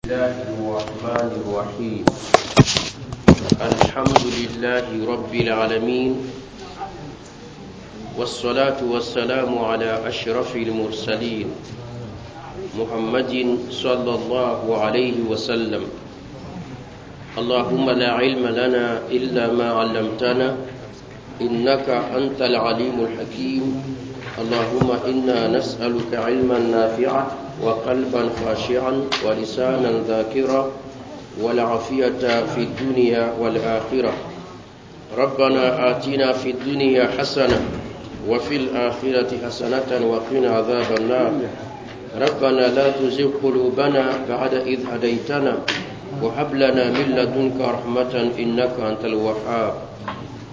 الله الرحمن الرحيم. الحمد لله رب العالمين، والصلاة والسلام على أشرف المرسلين محمد صلى الله عليه وسلم. اللهم لا علم لنا إلا ما علمتنا، إنك أنت العليم الحكيم. اللهم إنا نسألك علما نافعا، وقلبا خاشعا، ولسانا ذاكرا، والعافية في الدنيا والآخرة. ربنا آتنا في الدنيا حسنة وفي الآخرة حسنة وقنا عذاب النار. ربنا لا تزغ قلوبنا بعد إذ هديتنا، وهب لنا من لدنك رحمة، إنك أنت الوهاب.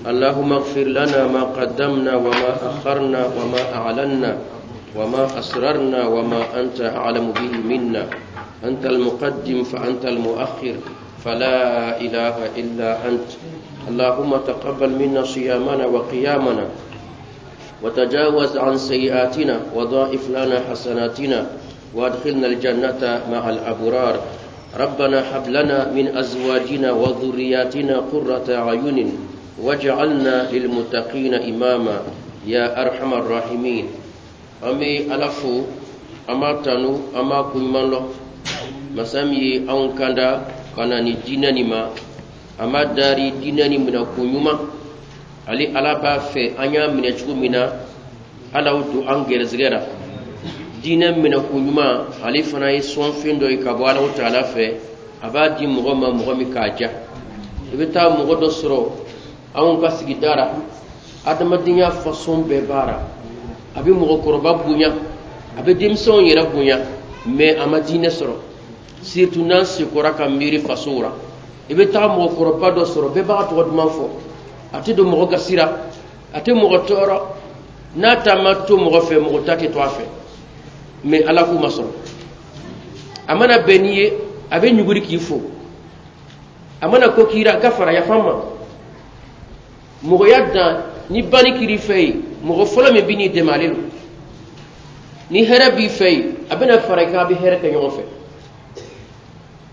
اللهم اغفر لنا ما قدمنا وما أخرنا وما أعلنا وما أسررنا وما أنت أعلم به منا. أنت المقدم فأنت المؤخر، فلا إله إلا أنت. اللهم تقبل منا صيامنا وقيامنا، وتجاوز عن سيئاتنا، وضاعف لنا حسناتنا، وادخلنا الجنة مع الأبرار. ربنا هب لنا من أزواجنا وذرياتنا قرة أعين، واجعلنا للمتقين إماما، يا أرحم الراحمين. An bɛ Ala fo, an b'a tanu, an b'a koɲuman lɔn. Masa min ye anw kanda ka na ni diinɛ nin ma, a ma dari diinɛ nin minɛ ko ɲuman. Ale Ala b'a fɛ an y'a minɛ cogo min na, Ala y'o don an gɛrɛsɛgɛ la. Diinɛ minɛ ko ɲuman, ale fana ye sɔnfɛn dɔ ye ka bɔ Ala taala fɛ. A b'a di mɔgɔ ma, mɔgɔ min k'a ja. I bɛ taa mɔgɔ dɔ sɔrɔ anw ka sigida la, adamadenya fasɔn bɛɛ b'a la, a bɛ mɔgɔkɔrɔba bonya, a bɛ denmisɛnw yɛrɛ bonya, mais a ma diinɛ sɔrɔ. Surtout n'an sekɔra ka miiri fasow la, i bɛ taa mɔgɔkɔrɔba dɔ sɔrɔ, bɛɛ b'a tɔgɔ duman fɔ, a tɛ don mɔgɔ gasi la, a tɛ mɔgɔ tɔɔrɔ, n'a ta ma to mɔgɔ fɛ, mɔgɔ ta tɛ to a fɛ, mais Ala k'u ma sɔrɔ. A mana bɛn n'i ye, a bɛ ɲuguri k'i fo. A mana ko k'i ra, ka fara yafa ma mɔgɔya dan. Ni banni kiri fɛ yen, mɔgɔ fɔlɔ min bɛ n'i dɛmɛ, ale don. Ni hɛrɛ b'i fɛ yen, a bɛna fara i kan, a bɛ hɛrɛ kɛ ɲɔgɔn fɛ.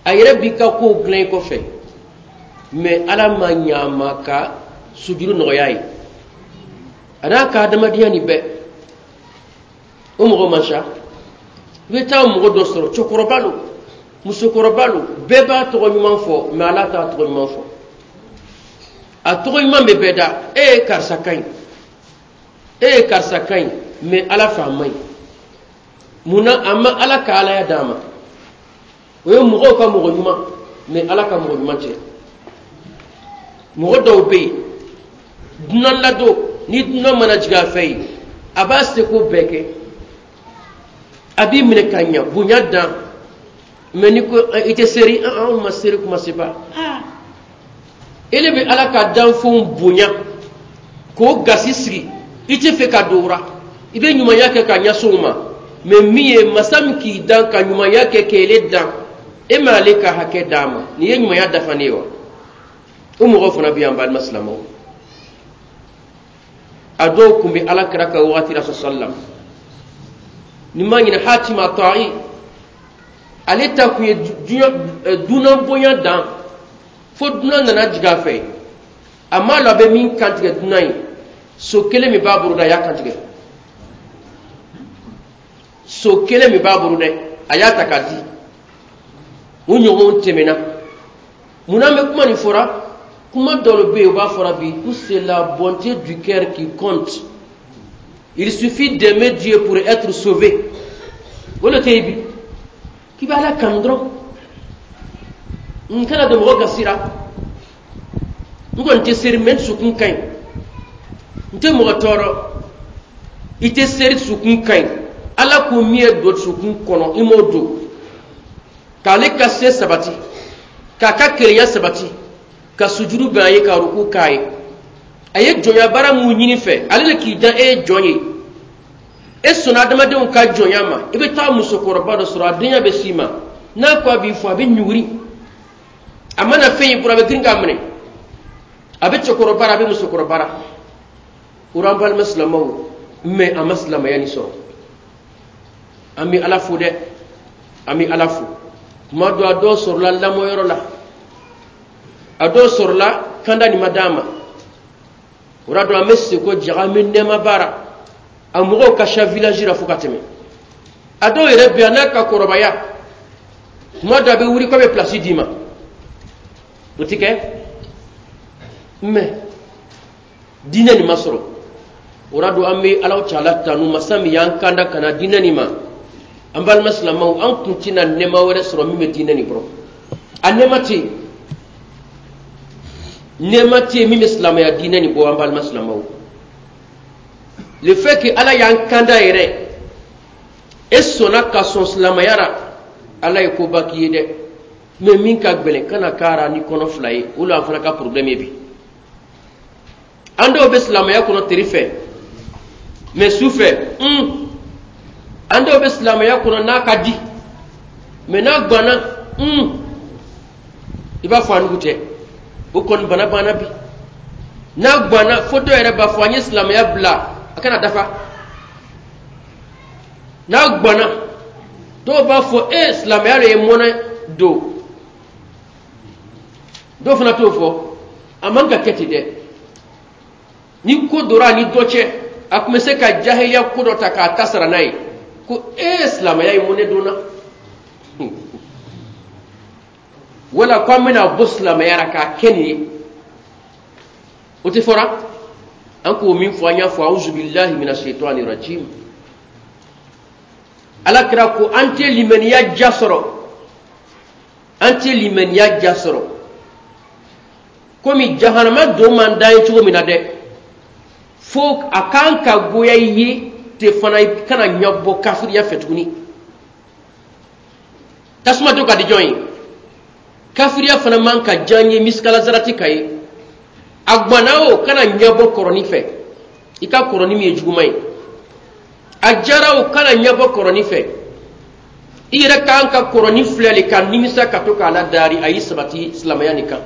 A yɛrɛ b'i ka kow dilan i kɔfɛ, mais Ala ma ɲa a ma ka sujuru nɔgɔya ye, a n'a ka adamadenya nin bɛɛ. O mɔgɔ man ca. I bɛ taa mɔgɔ dɔ sɔrɔ, cɛkɔrɔba don, musokɔrɔba don, bɛɛ b'a tɔgɔ ɲuman fɔ, mais Ala t'a tɔgɔ ɲuman fɔ. A tɔgɔ ɲuman bɛ bɛɛ da: e ye karisa ka ɲi, e ye karisa ka ɲi, mais Ala fɛ a man ɲi. Munna a ma Ala ka alaya d'a ma? O ye mɔgɔw ka mɔgɔ ɲuman, mais Ala ka mɔgɔ ɲuman tɛ. Mɔgɔ dɔw bɛ yen, dunan ladon, ni dunan mana jigin a fɛ yen, a b'a seko bɛɛ kɛ, a b'i minɛ ka ɲa, bonya dan. Mais ni ko i tɛ seri, anw ma seri kuma se ba. Ele bɛ Ala ka danfɛnw bonya k'o gasi sigi, i tɛ fɛ ka don o ra. I bɛ ɲumanya kɛ ka ɲɛsin o ma, mais min ye masa min k'i dan ka ɲumanya kɛ k'ele dan, e m'ale ka hakɛ d'a ma. Nin ye ɲumanya dafanen ye wa? O mɔgɔw fana bɛ yan, balima silamɛw. A dɔw tun bɛ Ala kira ka wagati la sallam. Ni ma ɲinɛ, Hatima Ta'i, ale ta kun ye dunan bonya dan, fo dunan nana jigin a fɛ, a m'a lɔn a bɛ min kantigɛ dunan ye. So kelen min b'a bolo dɛ, a y'a kantigɛ. So kelen min b'a bolo dɛ, a y'a ta k'a di. O ɲɔgɔnw tɛmɛna. Munna an bɛ kuma nin fɔra? Kuma dɔw bɛ yen, u b'a fɔra bi ko c'est la bonté du cœur qui compte, il suffit d'aimer Dieu pour être sauvé. O de tɛ yen bi. K'i bɛ Ala kanu dɔrɔn, n kana don mɔgɔ gasi la. N kɔni tɛ seri, mais n dusukun ka ɲi, n tɛ mɔgɔ tɔɔrɔ. I tɛ seri, dusukun ka ɲi. Ala ko min ye don dusukun kɔnɔ, i m'o don k'ale ka se sabati, k'a ka kelenya sabati, ka sujuru bɛn a ye, ka ruku k'a ye. A ye jɔnya baara mun ɲini fɛ, ale de k'i dan, e ye jɔn ye, e sɔnna adamadenw ka jɔnya ma. I bɛ taa musokɔrɔba dɔ sɔrɔ, a denya bɛ s'i ma, n'a ko a b'i fɔ, a bɛ ɲuguri. A mana fɛn y'i bolo, a bɛ girin k'a minɛ. A bɛ cɛkɔrɔba la, a bɛ musokɔrɔba la. O an balima silamɛw, mais a ma silamɛya nin sɔrɔ. An bɛ Ala fo dɛ, an bɛ Ala fo. Kuma dɔ, a dɔw sɔrɔla lamɔyɔrɔ la, a dɔw sɔrɔla kanda nin ma d'a ma. O la dɔn, an bɛ seko jaga, an bɛ nɛɛma baara, a mɔgɔw ka ca village la fo ka tɛmɛ. A dɔw yɛrɛ bɛ yan, n'a ka kɔrɔbaya, tuma dɔ a bɛ wuli k'a bɛ place d'i ma, o ti kɛ. Mais diinɛ nin ma sɔrɔ. O la don, an bɛ Alaw taala tanu, masa min y'an kanda ka na diinɛ nin ma. An balima silamɛw, an kun tɛna nɛɛma wɛrɛ sɔrɔ min bɛ diinɛ nin kɔrɔ. A nɛɛma tɛ yen, nɛɛma tɛ yen min bɛ silamɛya diinɛ nin bɔ. An balima silamɛw, le fait que Ala y'an kanda yɛrɛ, e sɔnna ka sɔn silamɛya la, Ala ye koba k'i ye dɛ. Mais min ka gɛlɛn, kana k'ara ni kɔnɔ fila ye. O la, an fana ka problème ye bi, an dɔw bɛ silamɛya kɔnɔ teri fɛ, mais su fɛ, an dɔw bɛ silamɛya kɔnɔ n'a ka di, mais n'a ganna, i b'a fɔ a nugu tɛ. O kɔni bana banna bi. N'a ganna fo dɔw yɛrɛ b'a fɔ an ye silamɛya bila, a kana dafa. N'a ganna, dɔw b'a fɔ e silamɛya de ye mɔnɛ don. Dɔw fana t'o fɔ. A man ka kɛ ten dɛ. Ni ko dora a ni dɔ cɛ, a tun bɛ se ka jahiliya ko dɔ ta k'a ta sara n'a ye ko e silamɛya ye mɔnɛ donna, wala ko an bɛna bɔ silamɛya la k'a kɛ nin ye. O tɛ fɔra an k'o min fɔ, an y'a fɔ: auzu billahi mina shaitani rajim. Ala kira ko an tɛ limaniya ja sɔrɔ, an tɛ limaniya ja sɔrɔ komi jahanama don man d'an ye cogo min na dɛ, fo a kan ka goya i ye te fana, i kana ɲɛbɔ kafiriya fɛ tuguni. Tasuma don ka di jɔn ye? Kafiriya fana man ka diya n ye misikala zarati ka ye. A gwanna o, kana ɲɛbɔ kɔrɔni fɛ, i ka kɔrɔni min ye juguman ye. A jara o, kana ɲɛbɔ kɔrɔni fɛ. I yɛrɛ kan ka kɔrɔni filɛ le ka nimisa ka to k'a la dari. A y'i sabati silamɛya nin kan.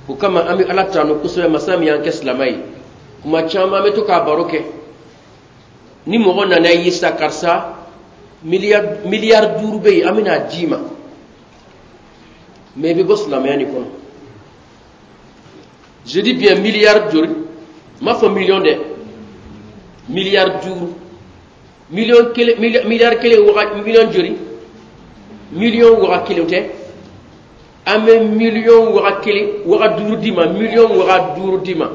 O kama, an bɛ Ala tanu kosɛbɛ, masa min y'an kɛ silamɛ ye. Kuma caman, an bɛ to k'a baro kɛ. Ni mɔgɔ nana i ye sa, karisa, miliyari 5 bɛ yen, an bɛna d'i ma, mais i bɛ bɔ silamɛya nin kɔnɔ. Je dis bien miliyari joli? N m'a fɔ miliyɔn dɛ, miliyari 5. Miliyɔn 1, miliyari 1, waga miliyɔn joli? Miliyɔn 1000 tɛ. An bɛ miliyɔn 1000, 500 d'i ma, miliyɔn 500 d'i ma.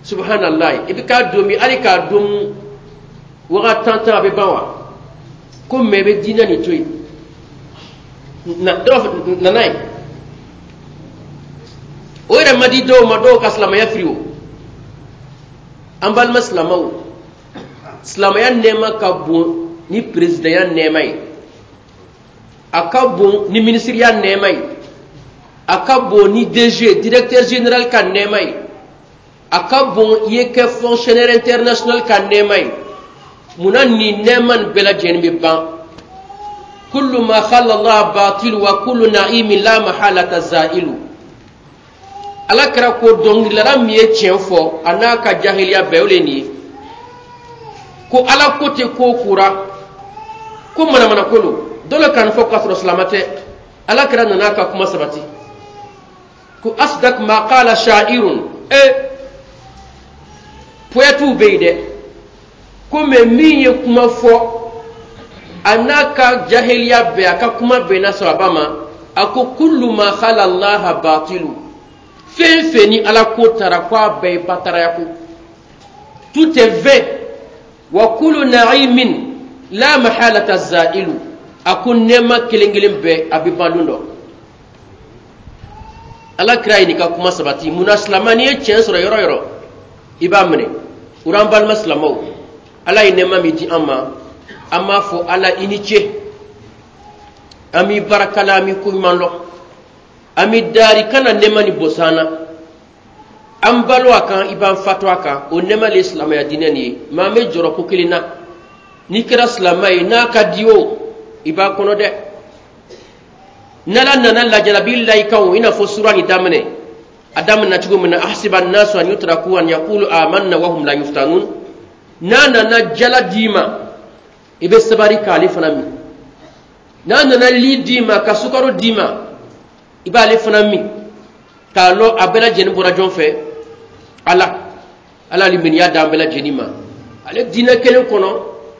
Subhanallah, i bɛ k'a domi, hali k'a domu waga tan tan, a bɛ ban wa? Ko mɛ i bɛ diinɛ nin to yen na, dɔw nana ye, o yɛrɛ ma di dɔw ma. Dɔw ka silamɛya firi. O an balima silamɛw, silamɛya nɛɛma ka bon ni perezidanya nɛɛma ye, a ka bon ni minisiriya nɛɛma ye, a ka bon ni DG, directeur général ka nɛɛma ye, a ka bon i ye kɛ fonctionnaire international ka nɛɛma ye. Munna nin nɛɛma nin bɛɛ lajɛlen bɛ ban? Kullu ma khala Allah batil wa kullu na'imin la mahalata za'ilu. Ala kɛra ko dɔnkilidala min ye tiɲɛ fɔ, a n'a ka jahiliya bɛɛ, o le nin ye ko Ala ko tɛ ko kura ko manamana ko lo. Dɔ le kan fɔ k'a sɔrɔ silamɛ tɛ. Ala kɛra nana ka kuma sabati ko asdak ma qala sha'irun. E poètew bɛ yen dɛ, ko mɛ min ye kuma fɔ, a n'a ka jahiliya bɛɛ, a ka kuma bɛnna sababa ma. A ko kullu ma khala Allaha batilu, fɛn fɛn ni Ala ko taara, ko a bɛɛ ye bataraya ko, tout est vain, wa kullu na'imin la mahalata za'ilu. A ko nɛɛma kelen kelen bɛɛ, a bɛ ban don dɔ. Ala kira ye nin ka kuma sabati. Munna silamɛ, n'i ye tiɲɛ sɔrɔ yɔrɔ yɔrɔ, i b'a minɛ? O an balima silamɛw, Ala ye nɛɛma min di an ma, an b'a fɔ Ala i ni ce, an b'i barakala, an b'i koɲuman lɔn, an b'i dari kana nɛɛma ni bɔsan na. An balo a kan, i b'an fatɔ a kan. O nɛɛma le ye silamɛya diinɛ nin ye. Mais an bɛ jɔrɔ ko kelen na: n'i kɛra silamɛ ye, n'a ka di o, i b'a kɔnɔ dɛ. N'Ala nana lajarabi la i kan o, i n'a fɔ sura nin daminɛ, a daminɛ cogo min na: ahasiba nasu an yutraku an yaqulu amanna wa hum la yuftanun. N'a nana jala d'i ma, i bɛ sabari k'ale fana min. N'a nana li d'i ma, ka sukaro d'i ma, i b'ale fana min k'a lɔn a bɛɛ lajɛlen bɔra jɔn fɛ? Ala. Ala limaniya d'an bɛɛ lajɛlen ma. Ale diinɛ kelen kɔnɔ,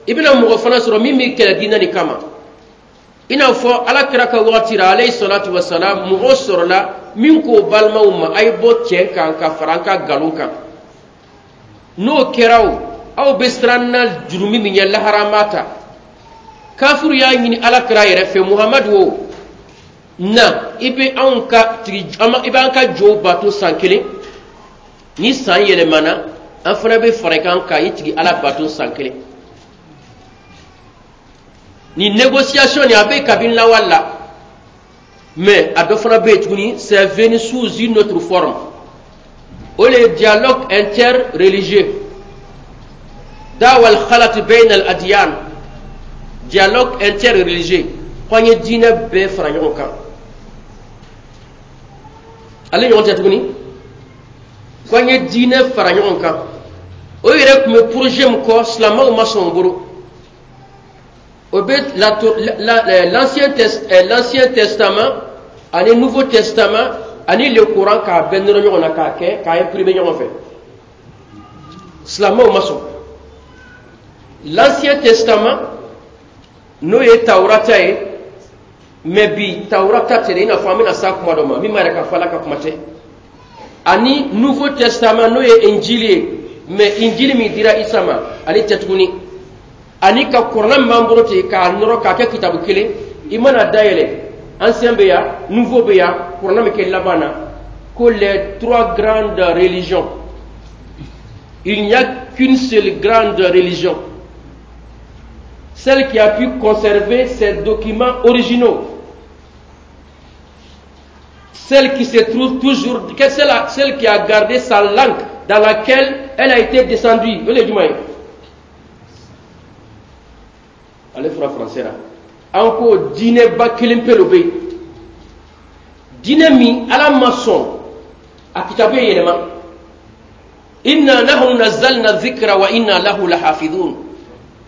i bɛna mɔgɔ fana sɔrɔ min b'i kɛlɛ diinɛ nin kama. I n'a fɔ Ala kira ka wagati la, alayhi salatu wasalam, mɔgɔ sɔrɔla min k'o balimaw ma: a ye bɔ tiɲɛ kan ka fara an ka nkalon kan. N'o kɛra, o aw bɛ siran na jurumi min ɲɛ, lahara an b'a ta. Kafiru y'a ɲini Ala kira yɛrɛ fɛ: Muhamadu, o na i bɛ anw ka tigi, i b'an ka jow bato san kelen. Ni san yɛlɛmana, an fana bɛ fara i kan ka i tigi Ala bato san kelen. Ni négociation nin, a bɛ kabini lawale la. Mais a dɔ fana bɛ yen tuguni, c'est venu sous une autre forme, o le ye dialogue interreligieux, dawa al-khalat bayna al-adyan, dialogue interreligieux, ko an ye diinɛ bɛɛ fara ɲɔgɔn kan. Ale ɲɔgɔn tɛ tuguni, ko an ye diinɛ fara ɲɔgɔn kan. O yɛrɛ tun bɛ projet min kɔ, silamɛw ma sɔn o bolo. O bɛ l'Ancien Testament ani Nouveau Testament ani le Coran k'a bɛɛ nɔrɔ ɲɔgɔn na, k'a kɛ k'a imprimer ɲɔgɔn fɛ. Silamɛw ma sɔn. L'Ancien Testament, n'o ye Tawurata ye, mais bi Tawurata tɛ dɛ, i n'a fɔ an bɛna s'a kuma dɔ ma min b'a yɛrɛ ka fɔ Ala ka kuma tɛ, ani Nouveau Testament, n'o ye Injili ye, mais Injili min dira Isa ma, ale tɛ tuguni, ani ka kuranna min b'an bolo ten, k'a nɔrɔ k'a kɛ kitabu kelen. I mana dayɛlɛ, Ancien bɛ yan, Nouveau bɛ yan, kuranna bɛ kɛ laban na. Ko les trois grandes religions, il n'y a qu'une seule grande religion, celle qui a pu conserver ses documents originaux, celle qui se trouve toujours, celle qui a gardé sa langue dans laquelle elle a été descendue. O le ye jumɛn ye? Ale fɔra français la. An ko diinɛba kelen pe lo bɛ yen, diinɛ min Ala ma sɔn a kitabu ye yɛlɛma. Inna nahnu nazzalna dhikra wa inna lahu lahafidhun.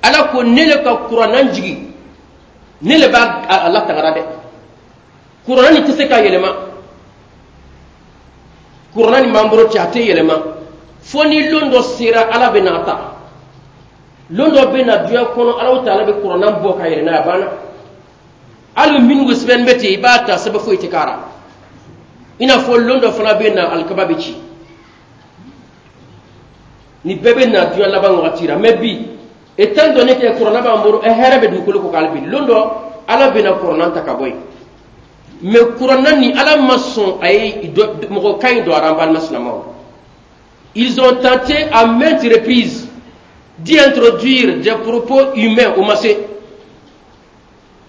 Ala ko ne le ka kuranna jigi, ne le b'a a latangara dɛ. Kuranna nin tɛ se ka yɛlɛma. Kuranna nin b'an bolo cɛ, a tɛ yɛlɛma fo ni lon dɔ sera, Ala bɛ n'a ta. Lon dɔ bɛ na diɲɛ kɔnɔ, Ala ta, Ala bɛ kuranna bɔ ka yɛlɛ n'a ye, a banna. Hali minnu sɛbɛn bɛ ten, i b'a ta, sɛbɛn foyi tɛ k'a la. I n'a fɔ lon dɔ fana bɛ na, alikaba bɛ ci. Nin bɛɛ bɛ na diɲɛ laban wagati la. Mais bi, étant donné que kuranna b'an bolo, hɛrɛ bɛ dugukolo kɔ kan hali bi, lon dɔ Ala bɛna kuranna ta ka bɔ yen. Mais kuranna ni Ala ma sɔn a ye mɔgɔ ka ɲi don a la. An balima silamɛw, ils ont tenté à maintes reprises d'y introduire des propos humains. O ma se.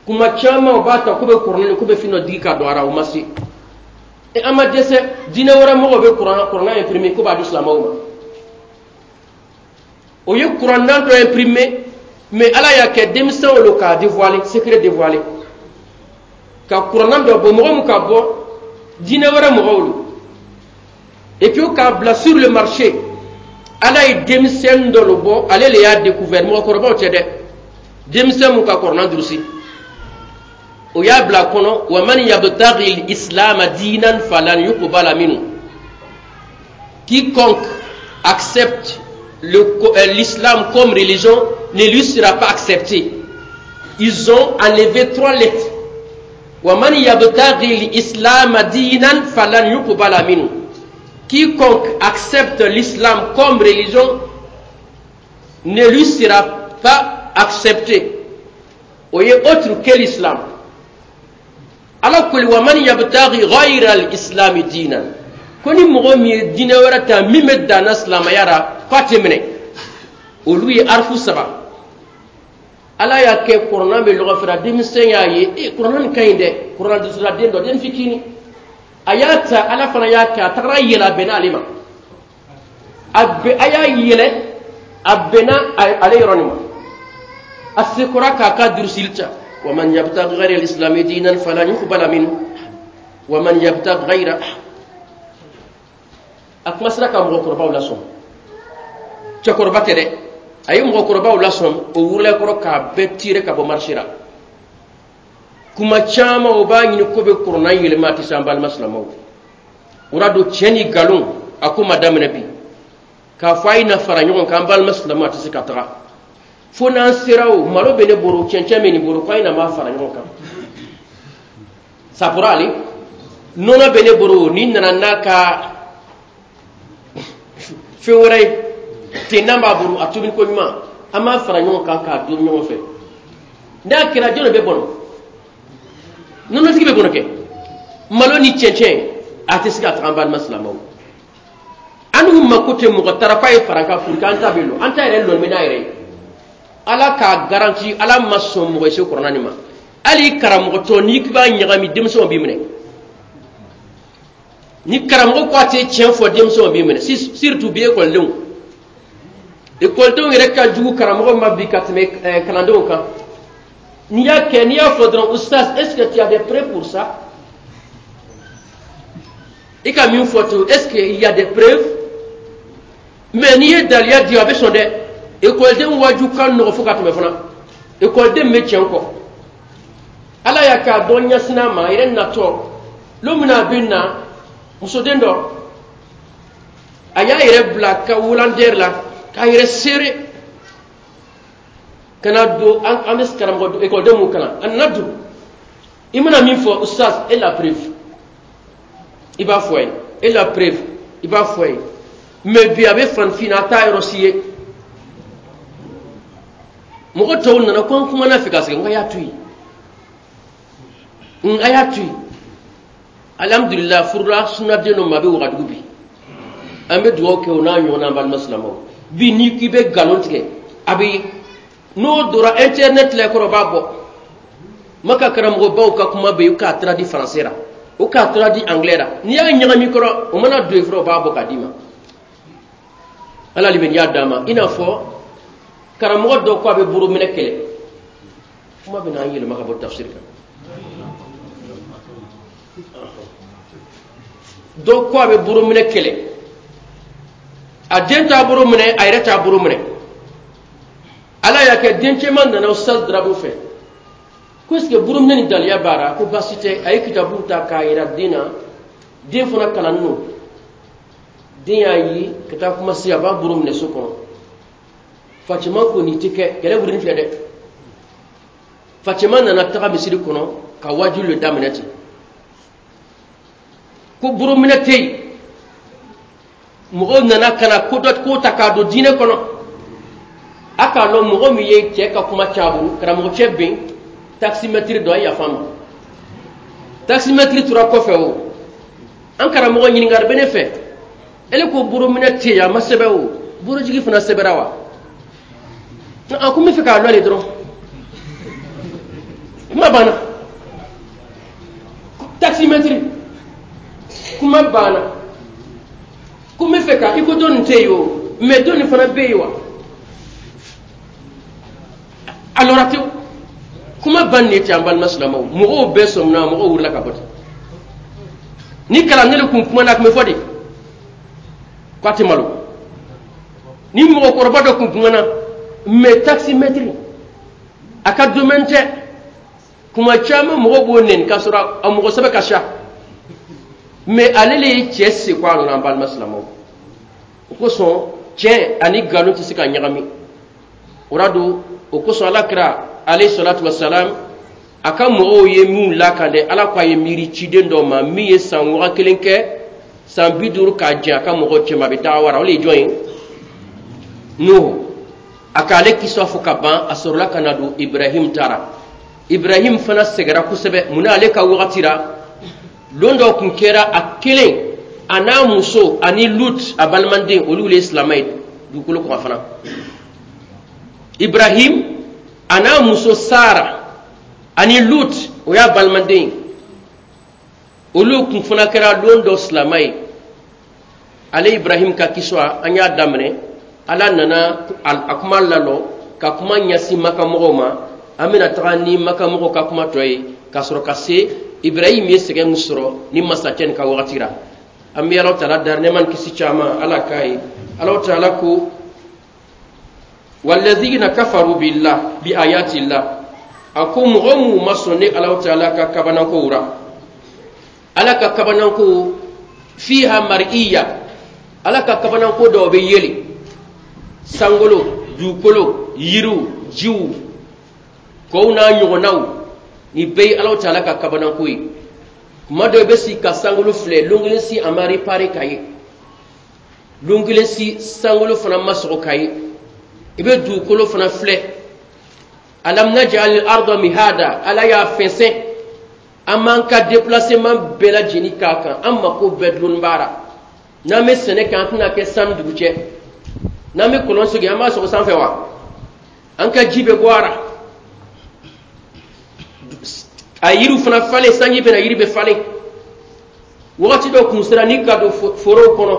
Kuma caman u b'a ta k'u bɛ kuranɛ, k'u bɛ fɛn dɔ digi ka don a la, o ma se. E, an ma dɛsɛ, diinɛ wɛrɛ mɔgɔw bɛ kuranɛ imprimer k'u b'a di silamɛw ma. O ye kuranna dɔ imprimer, mais Ala y'a kɛ denmisɛnw lo k'a dévoiler, secret dévoiler, ka kuranna dɔ bɔ, mɔgɔ min ka bɔ, diinɛ wɛrɛ mɔgɔw lo, et puis k'a bila sur le marché. Ala ye denmisɛnnin dɔ lo bɔ, ale le y'a découvert. Mɔgɔkɔrɔbaw tɛ dɛ, denmisɛn mun ka kuranna durusi, o y'a bila a kɔnɔ: wa man yabtaghi al-islam dinan falan yuqbala minhu. Quiconque accepte l'islam comme religion ne lui sera pas accepté. Ils ont enlevé trois lettres: wa man yabtaghi al-islam dinan falan yuqbala minhu. Quiconque accepte l'islam comme religion ne lui sera pas accepté. O ye autre que l'islam. Ala koli: wa man yabtaghi ghayra al-islam dinan, ko ni mɔgɔ min ye diinɛ wɛrɛ ta min bɛ danna silamɛya la, k'a tɛ minɛ. Olu ye arifu saba. Ala y'a kɛ kuranna bɛ lɔgɔ fɛrɛ, denmisɛn y'a ye: e, kuranna nin ka ɲi dɛ. Kuranna dusula den dɔ, den fitinin, a y'a ta. Ala fana y'a kɛ, a tagara yɛlɛ, a bɛnna ale ma. A bɛ a y'a yɛlɛ, a bɛnna ale yɔrɔ nin ma. A sekora k'a ka durusili ta: wa man yabtaghi ghayra al-islam dinan falan yuqbala minhu wa man yabtaghi ghayra. A kuma sera ka mɔgɔkɔrɔbaw lasɔn. Cɛkɔrɔba tɛ dɛ, a ye mɔgɔkɔrɔbaw lasɔn. O wurula kɔrɔ k'a bɛɛ tirer ka bɔ marché la. Kuma caman o b'a ɲini ko bɛ kuranna yɛlɛma, a tɛ se. An balima silamɛw, o y'a don tiɲɛ ni nkalon a ko ma daminɛ bi. K'a fɔ a ye na fara ɲɔgɔn kan, an balima silamɛw, a tɛ se ka taga fo n'an sera. O malo bɛ ne bolo, cɛncɛn bɛ nin bolo, ko a ye na b'a fara ɲɔgɔn kan. Ça pourra aller. Nɔnɔ bɛ ne bolo, ni nana n'a ka fɛn wɛrɛ ye tennan b'a bolo, a tobili ko ɲuman, an b'a fara ɲɔgɔn kan k'a dun ɲɔgɔn fɛ. N'a kɛra, jɔn de bɛ bɔnɔ? Nɔnɔtigi bɛ bɔnɔ kɛ. Malo ni cɛncɛn a tɛ se ka taga. An balima silamɛw, an n'u mako tɛ mɔgɔ taara k'a ye fara kan pour que an ta bɛ lɔ, an ta yɛrɛ lɔn bɛ n'a yɛrɛ ye. Ala k'a garanti, Ala ma sɔn mɔgɔ se kɔrɔna nin ma. Hali karamɔgɔ tɔ, n'i k'i b'a ɲagami, denmisɛnw b'i minɛ. Ni karamɔgɔ ko a tɛ tiɲɛ fɔ, denmisɛnw b'i minɛ, surtout bi ekɔlidenw. Ekɔlidenw yɛrɛ ka jugu karamɔgɔ ma bi ka tɛmɛ kalandenw kan. N'i y'a kɛ, n'i y'a fɔ dɔrɔn: "Oustaz, est-ce que tu as des preuves pour ça?" I ka min fɔ ten, est-ce que il y a des preuves? Mais n'i ye daliya di, a bɛ sɔn dɛ. Ekɔliden waju ka nɔgɔ fo ka tɛmɛ fana. Ekɔliden bɛ tiɲɛ kɔ. Ala y'a k'a dɔn ɲɛsin'a ma a yɛrɛ natɔ. Don min na a bɛ na, musoden dɔ, a y'a yɛrɛ bila ka wulandɛri la k'a yɛrɛ seere ka na don. An bɛ karamɔgɔ ekɔliden mun kalan, a nana don, i mana min fɔ: "Oustaz, et la preuve?" I b'a fɔ a ye: "Et la preuve?" I b'a fɔ a ye. Mais bi a bɛ fanfin na, a t'a yɔrɔ si ye. Mɔgɔ tɔw nana ko an kumana fɛ ka segin, n ko a y'a to yen, a y'a to yen. Alhamdulilah, furula sunaden dɔ ma, a bɛ Wagadugu bi. An bɛ dugawu kɛ o n'a ɲɔgɔnna. An balima silamɛw, bi n'i k'i bɛ nkalon tigɛ, a bɛ n'o donna internet la kɔrɔ, b'a bɔ. Maka karamɔgɔbaw ka kuma bɛ yen, k'a traduit français la, o k'a traduit anglais la, n'i y'a ɲagami kɔrɔ, o mana don yen fɔlɔ, o b'a bɔ k'a d'i ma. Ala limaniya d'a ma. I n'a fɔ karamɔgɔ dɔ ko a bɛ boro minɛ kɛlɛ, kuma bɛ n'an yɛlɛma ka bɔ tafsir kan. Dɔ ko a bɛ boro minɛ kɛlɛ, a den t'a boro minɛ, a yɛrɛ t'a boro minɛ. Ala y'a kɛ, den cɛman nana Ustaz Darabu fɛ ko est ce que boro minɛ ni daliya b'a la? Ko baasi tɛ. A ye kitabu ta k'a yira den na. Den fana kalannen don. Den y'a ye ka taa kuma se, a b'a boro minɛ so kɔnɔ. Fatima ko nin tɛ kɛ, kɛlɛ wulilen filɛ dɛ. Fatima nana taga misiri kɔnɔ ka waajuli le daminɛ ten ko boro minɛ tɛ yen. Mɔgɔw nana ka na ko dɔ ko ta k'a don diinɛ kɔnɔ. A k'a lɔn mɔgɔ min ye cɛ ka kuma caaburu, karamɔgɔ cɛ ben taximɛtiri dɔ, a ye yafa n ma. Taximɛtiri tora kɔfɛ. O an karamɔgɔ, ɲininkali bɛ ne fɛ. Ele ko boro minɛ tɛ yen, a ma sɛbɛn o borojigi fana sɛbɛnna wa? A ko n bɛ fɛ k'a lɔn de dɔrɔn. Kuma banna. Taximɛtiri, kuma banna. Ko n bɛ fɛ ka i ko dɔ nin tɛ yen o, mɛ dɔ nin fana bɛ yen wa? A lɔra tewu. Kuma ban ne tɛ. An balima silamɛw, mɔgɔw bɛɛ sɔmina, mɔgɔw wulila ka bɔ ten. Ni kalanden kun kumana, a tun bɛ fɔ de k'a tɛ malo. Ni mɔgɔkɔrɔba dɔ kun kumana, mɛ taximɛtiri a ka domaine tɛ. Kuma caman mɔgɔw b'o nɛni k'a sɔrɔ a mɔgɔ sɛbɛ ka siya, mɛ ale le ye cɛ seko a nana. An balima silamɛw, o kosɔn tiɲɛ ani nkalon tɛ se ka ɲagami. O la don, o kosɔn Ala kira alayhi salatu wasalam, a ka mɔgɔw ye min lakan dɛ, Ala ko a ye miiri ciden dɔ ma min ye san 1000 kɛ, san 50 k'a jɛ a ka mɔgɔw cɛma, a bɛ dawara. O de ye jɔn ye? Nuhu. A k'ale kisa fɔ ka ban, a sɔrɔla ka na don Ibrahim taara. Ibrahim fana sɛgɛra kosɛbɛ. Munna? Ale ka wagati la, don dɔ kun kɛra, a kelen a n'a muso ani Lut a balimaden, olu le ye silamɛ ye dugukolo kɔ fana. Ibrahim a n'a muso Sara ani Lut, o y'a balimaden ye, olu kun fana kɛra don dɔ silamɛ ye. Ale Ibrahim ka kiswa, an y'a daminɛ, Ala nana a kuma lalɔ ka kuma ɲɛsin makamɔgɔw ma. An bɛna taga ni makamɔgɔw ka kuma tɔ ye ka sɔrɔ ka se Ibrahim ye sɛgɛn min sɔrɔ ni masakɛ nin ka wagati la. An bɛ Ala taala dari nɛɛma ni kisi caman Ala k'a ye. Ala taala ko walladhina kafaru billah bi ayatillah. A ko mɔgɔ minnu ma sɔn ne Alahu Taala ka kabanankow ra, Ala ka kabananko fiha mar'iya, Ala ka kabananko dɔw bɛ yeli, sankolo, dugukolo, yiriw, jiw, kɔw n'a ɲɔgɔnnaw, nin bɛɛ ye Alahu Taala ka kabananko ye. Kuma dɔ, i bɛ sigi ka sankolo filɛ, lon kelen si a ma réparé ka ye, lon kelen si sankolo fana ma sɔgɔ ka ye. I bɛ dugukolo fana filɛ, alam naj'al al-arda mihada, Ala y'a fɛnsɛn, an b'an ka déplacement bɛɛ lajɛlen k'a kan, an mako bɛɛ dulonni b'a la. N'an bɛ sɛnɛ kɛ, an tɛna kɛ san ni dugu cɛ. N'an bɛ kɔlɔn sigi, an b'a sɔgɔ sanfɛ wa? An ka ji bɛ bɔ a la, a yiriw fana falen, sanji bɛ na, yiri bɛ falen. Wagati dɔ kun sera, n'i ka don forow kɔnɔ,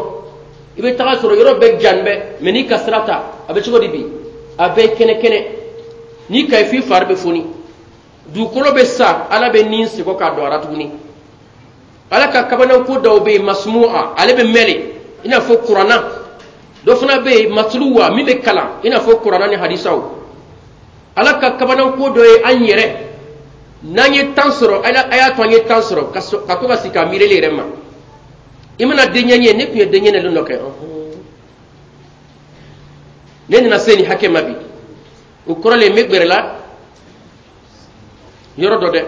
i bɛ taga sɔrɔ yɔrɔ bɛɛ jani bɛ, mɛ n'i ka sira ta, a bɛ cogo di bi? A bɛɛ kɛnɛ kɛnɛ, n'i ka ye f'i fari bɛ foni. Dugukolo bɛ sa, Ala bɛ nin segin k'a don a la tuguni. Ala ka kabananko dɔw bɛ yen, masmu'a, ale bɛ mɛn i n'a fɔ Kuranna. Dɔ fana bɛ yen, matluwa, min bɛ kalan, i n'a fɔ Kuranna ni hadisaw. Ala ka kabananko dɔ ye an yɛrɛ, n'an ye temps sɔrɔ, a y'a to an ye temps sɔrɔ ka to ka sigi ka miirili yɛrɛ ma. I mana denyɛrɛni ye, ne tun ye denyɛrɛni dɔ kɛ, ne nana se nin hakɛ ma bi, o kɔrɔ le n bɛ gbɛrɛ la yɔrɔ dɔ dɛ,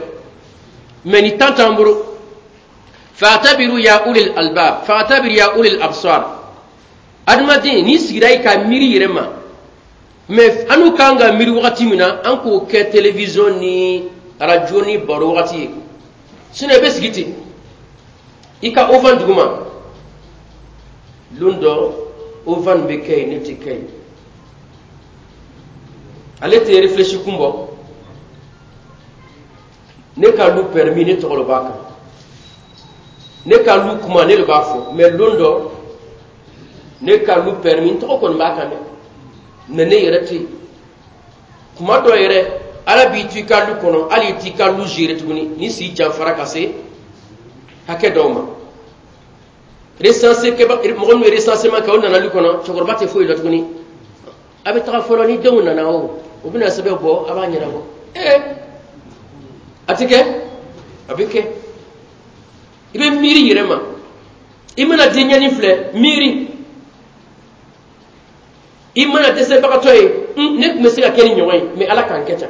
mɛ ni temps t'an bolo. Fa'tabiru ya ulil albab, fa'tabiru ya ulil absar. Adamaden, n'i sigira i ka miiri yɛrɛ ma, mɛ an n'u kan ka miiri wagati min na, an k'o kɛ télévision ni radio ni baro wagati ye. Sinon i bɛ sigi ten i ka ovan duguma, lon dɔ ovan bɛ kɛ yen, ne tɛ kɛ yen, ale tɛ réfléchi kun bɔ. Ne ka lu permis, ne tɔgɔ de b'a kan, ne ka lu kuma, ne de b'a fɔ, mɛ lon dɔ ne ka lu permis, n tɔgɔ kɔni b'a kan dɛ, mɛ ne yɛrɛ tɛ yen. Kuma dɔ yɛrɛ, Ala b'i to i ka lu kɔnɔ, hali i t'i ka lu gérer tuguni, ni si janfara ka se hakɛ dɔw ma. Recensé kɛba, mɔgɔ min ye recensement kɛ, o nana lu kɔnɔ, cɛkɔrɔba tɛ foyi la tuguni. A bɛ taga fɔlɔ, ni denw nana, o bɛna sɛbɛn bɔ, a b'a ɲɛnabɔ. Ee, a tɛ kɛ, a bɛ kɛ. I bɛ miiri yɛrɛ ma, i mana denyɛrɛni filɛ, miiri. I mana dɛsɛbagatɔ ye, ne tun bɛ se ka kɛ ni ɲɔgɔn ye, mɛ Ala k'an kɛ tan.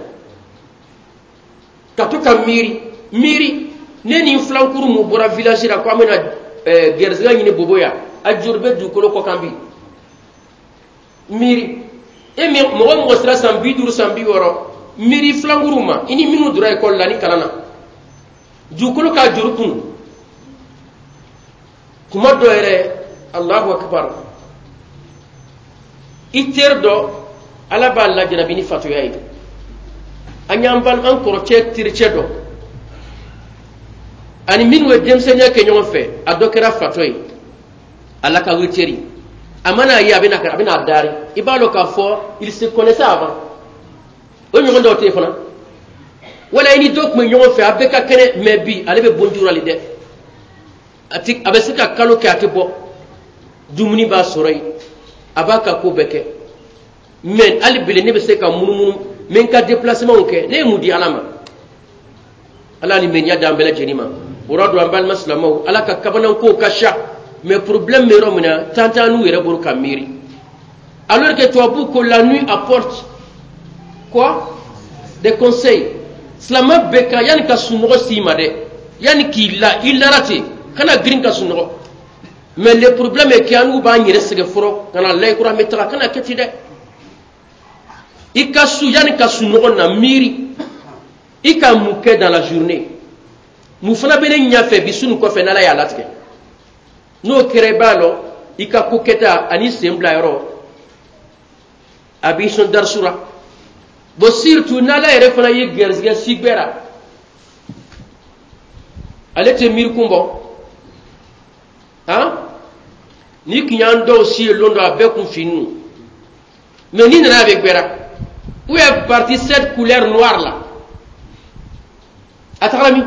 Ka to ka miiri miiri, ne ni filankuru mun bɔra village la ko an bɛna gɛrɛsɛgɛ ɲini Bobo yan, a juru bɛ dugukolo kɔ kan bi. Miiri, e min mɔgɔ mɔgɔ sera san 50, san 60, miiri filankuru ma, i ni minnu donna ekɔli la ni kalan na, dugukolo k'a juru kun. Kuma dɔ yɛrɛ, Allahu akbar, i teri dɔ, Ala b'a lajarabi ni fatoya ye. An y'an bal an kɔrɔcɛ tericɛ dɔ ani minnu ye denmisɛnninya kɛ ɲɔgɔn fɛ, a dɔ kɛra fatɔ ye. Ala ka witeri, a mana ye, a bɛna a dari, i b'a dɔn k'a fɔ il se connaissait avant. O ɲɔgɔn dɔw tɛ yen fana, wala i ni dɔ tun bɛ ɲɔgɔn fɛ, a bɛɛ ka kɛnɛ, mɛ bi ale bɛ bonjura le dɛ. A ti, a bɛ se ka kalo kɛ a tɛ bɔ, dumuni b'a sɔrɔ yen, a b'a ka ko bɛɛ kɛ, mɛ hali bele ne bɛ se ka munumunu, n bɛ n ka déplacement kɛ. Ne ye mun di Ala ma? Ala ni mɛniya d'an bɛɛ lajɛlen ma. O rɔ don, an balima silamɛw, Ala ka kabanankow ka ca, mais problème bɛ yɔrɔ min na, temps t'an n'u yɛrɛ bolo ka miiri, alors que tubabu ko la nuit apporte quoi? Des conseils. Silamɛ bɛɛ ka yanni ka sunɔgɔ s'i ma dɛ, yanni k'i la, i lara ten, kana girin ka sunɔgɔ. Mais le problème est que an n'u b'an yɛrɛ sɛgɛn fɔlɔ ka na layi kura, an bɛ taga, kana kɛ ten dɛ. I ka su, yanni ka sunɔgɔ na, miiri i ka mun kɛ dans la journée, mun fana bɛ ne ɲɛfɛ bi, su nin kɔfɛ, n'Ala y'a latigɛ. N'o kɛra, i b'a lɔn i ka ko kɛta ani sen bila yɔrɔ, a b'i sɔn darisu la. Bon, surtout n'Ala yɛrɛ fana ye gɛrɛsɛgɛ si gbɛra, ale tɛ miiri kun bɔ. Han, ni kun y'an dɔw si ye lon dɔ, a bɛɛ kun finnu, mais n'i nana, a bɛ gbɛra. Où est partie cette couleur noire là? A tagara min?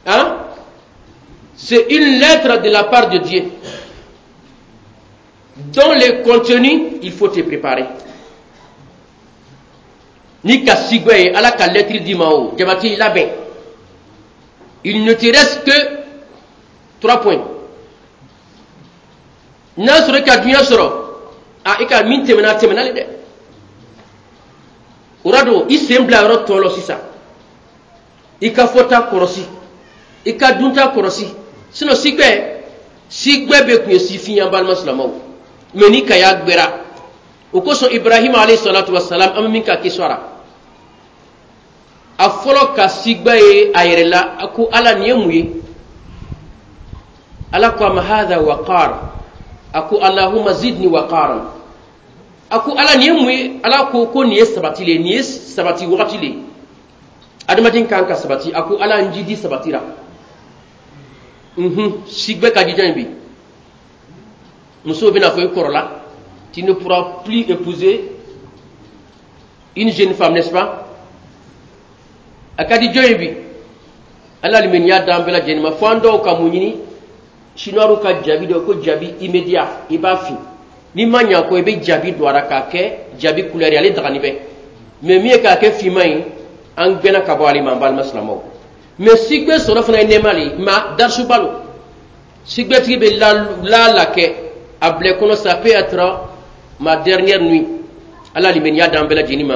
Hein, c'est une lettre de la part de Dieu dont le contenu, il faut te préparer. N'i ka sigwɛ ye, Ala ka lɛtiri d'i ma, o jabati labɛn. Il ne te reste que trois points. N'a sɔrɔ i ka duɲa sɔrɔ, a i ka min tɛmɛna, a tɛmɛna le dɛ. O ra don i sen bila yɔrɔ tɔ lɔ sisan. I ka fɔta kɔlɔsi, i ka dunta kɔlɔsi, sinon sigwɛ, sigwɛ bɛ kun ye sifin ye, an balima silamɛw. Mɛ ni kaya gbɛra, o kosɔn Ibrahima alayhi salatu wasalam, an bɛ min ka kisɔra, a fɔlɔ ka sigwɛ ye a yɛrɛ la, a ko: "Ala, nin ye mun ye?" Ala ko a ma: "Hadha waqar." A ko: "Allahumma zidni waqaran." A ko: "Ala, nin ye mun ye?" Ala ko nin ye sabati le ye, nin ye sabati wagati le ye, adamaden kan ka sabati. A ko: "Ala, n jidi sabatira." Sigwɛ ka di jɔn ye bi? Musow bɛna fɔ i kɔrɔla, tu ne pourras plus épouser une jeune femme, n'est-ce pas? A ka di jɔn ye bi? Ala limaniya d'an bɛɛ lajɛlen ma. Fo an dɔw ka mun ɲini? Chinois ka jabi dɔ ko jabi immédiat, i b'a fin, n'i ma ɲa ko i bɛ jabi don a la k'a kɛ jabi couleur ye, ale dagani bɛ. Mais min ye k'a kɛ finman ye, an gbɛnna ka bɔ ale ma, an balima silamɛw. Mais sigbe sɔrɔ fana ye nɛɛma le ye, ma darisuba lo. Sigbɛtigi bɛ la la kɛ a bila i kɔnɔ, ça peut être ma dernière nuit. Ala limaniya d'an bɛɛ lajɛlen ma.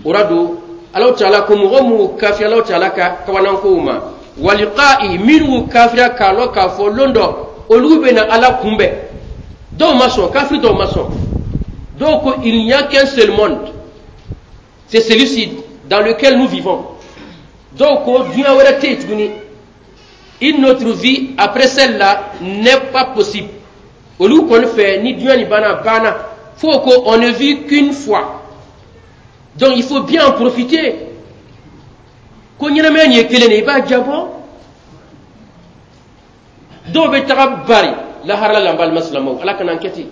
O ra don Alahu Taala ko mɔgɔ minnu kafiri Alahu Taala ka kabanankow ma, waliqa'i, minnu kafira k'a lɔn k'a fɔ lon dɔ olu bɛna Ala kunbɛn. Dɔw ma sɔn, kafiri dɔw ma sɔn. Dɔw ko: "Il n'y a qu'un seul monde, c'est celui-ci dans lequel nous vivons." Dɔw ko diɲɛ wɛrɛ tɛ yen tuguni, une autre vie après celle-là n'est pas possible. Olu kɔni fɛ, ni diɲɛ nin banna, a banna. Fo ko on ne vit qu'une fois, donc il faut bien en profiter. Ko ɲɛnamaya nin ye kelen de, i b'a jabɔ. Dɔw bɛ taga bari lahara la. An balima silamɛw, Ala kana an kɛ ten,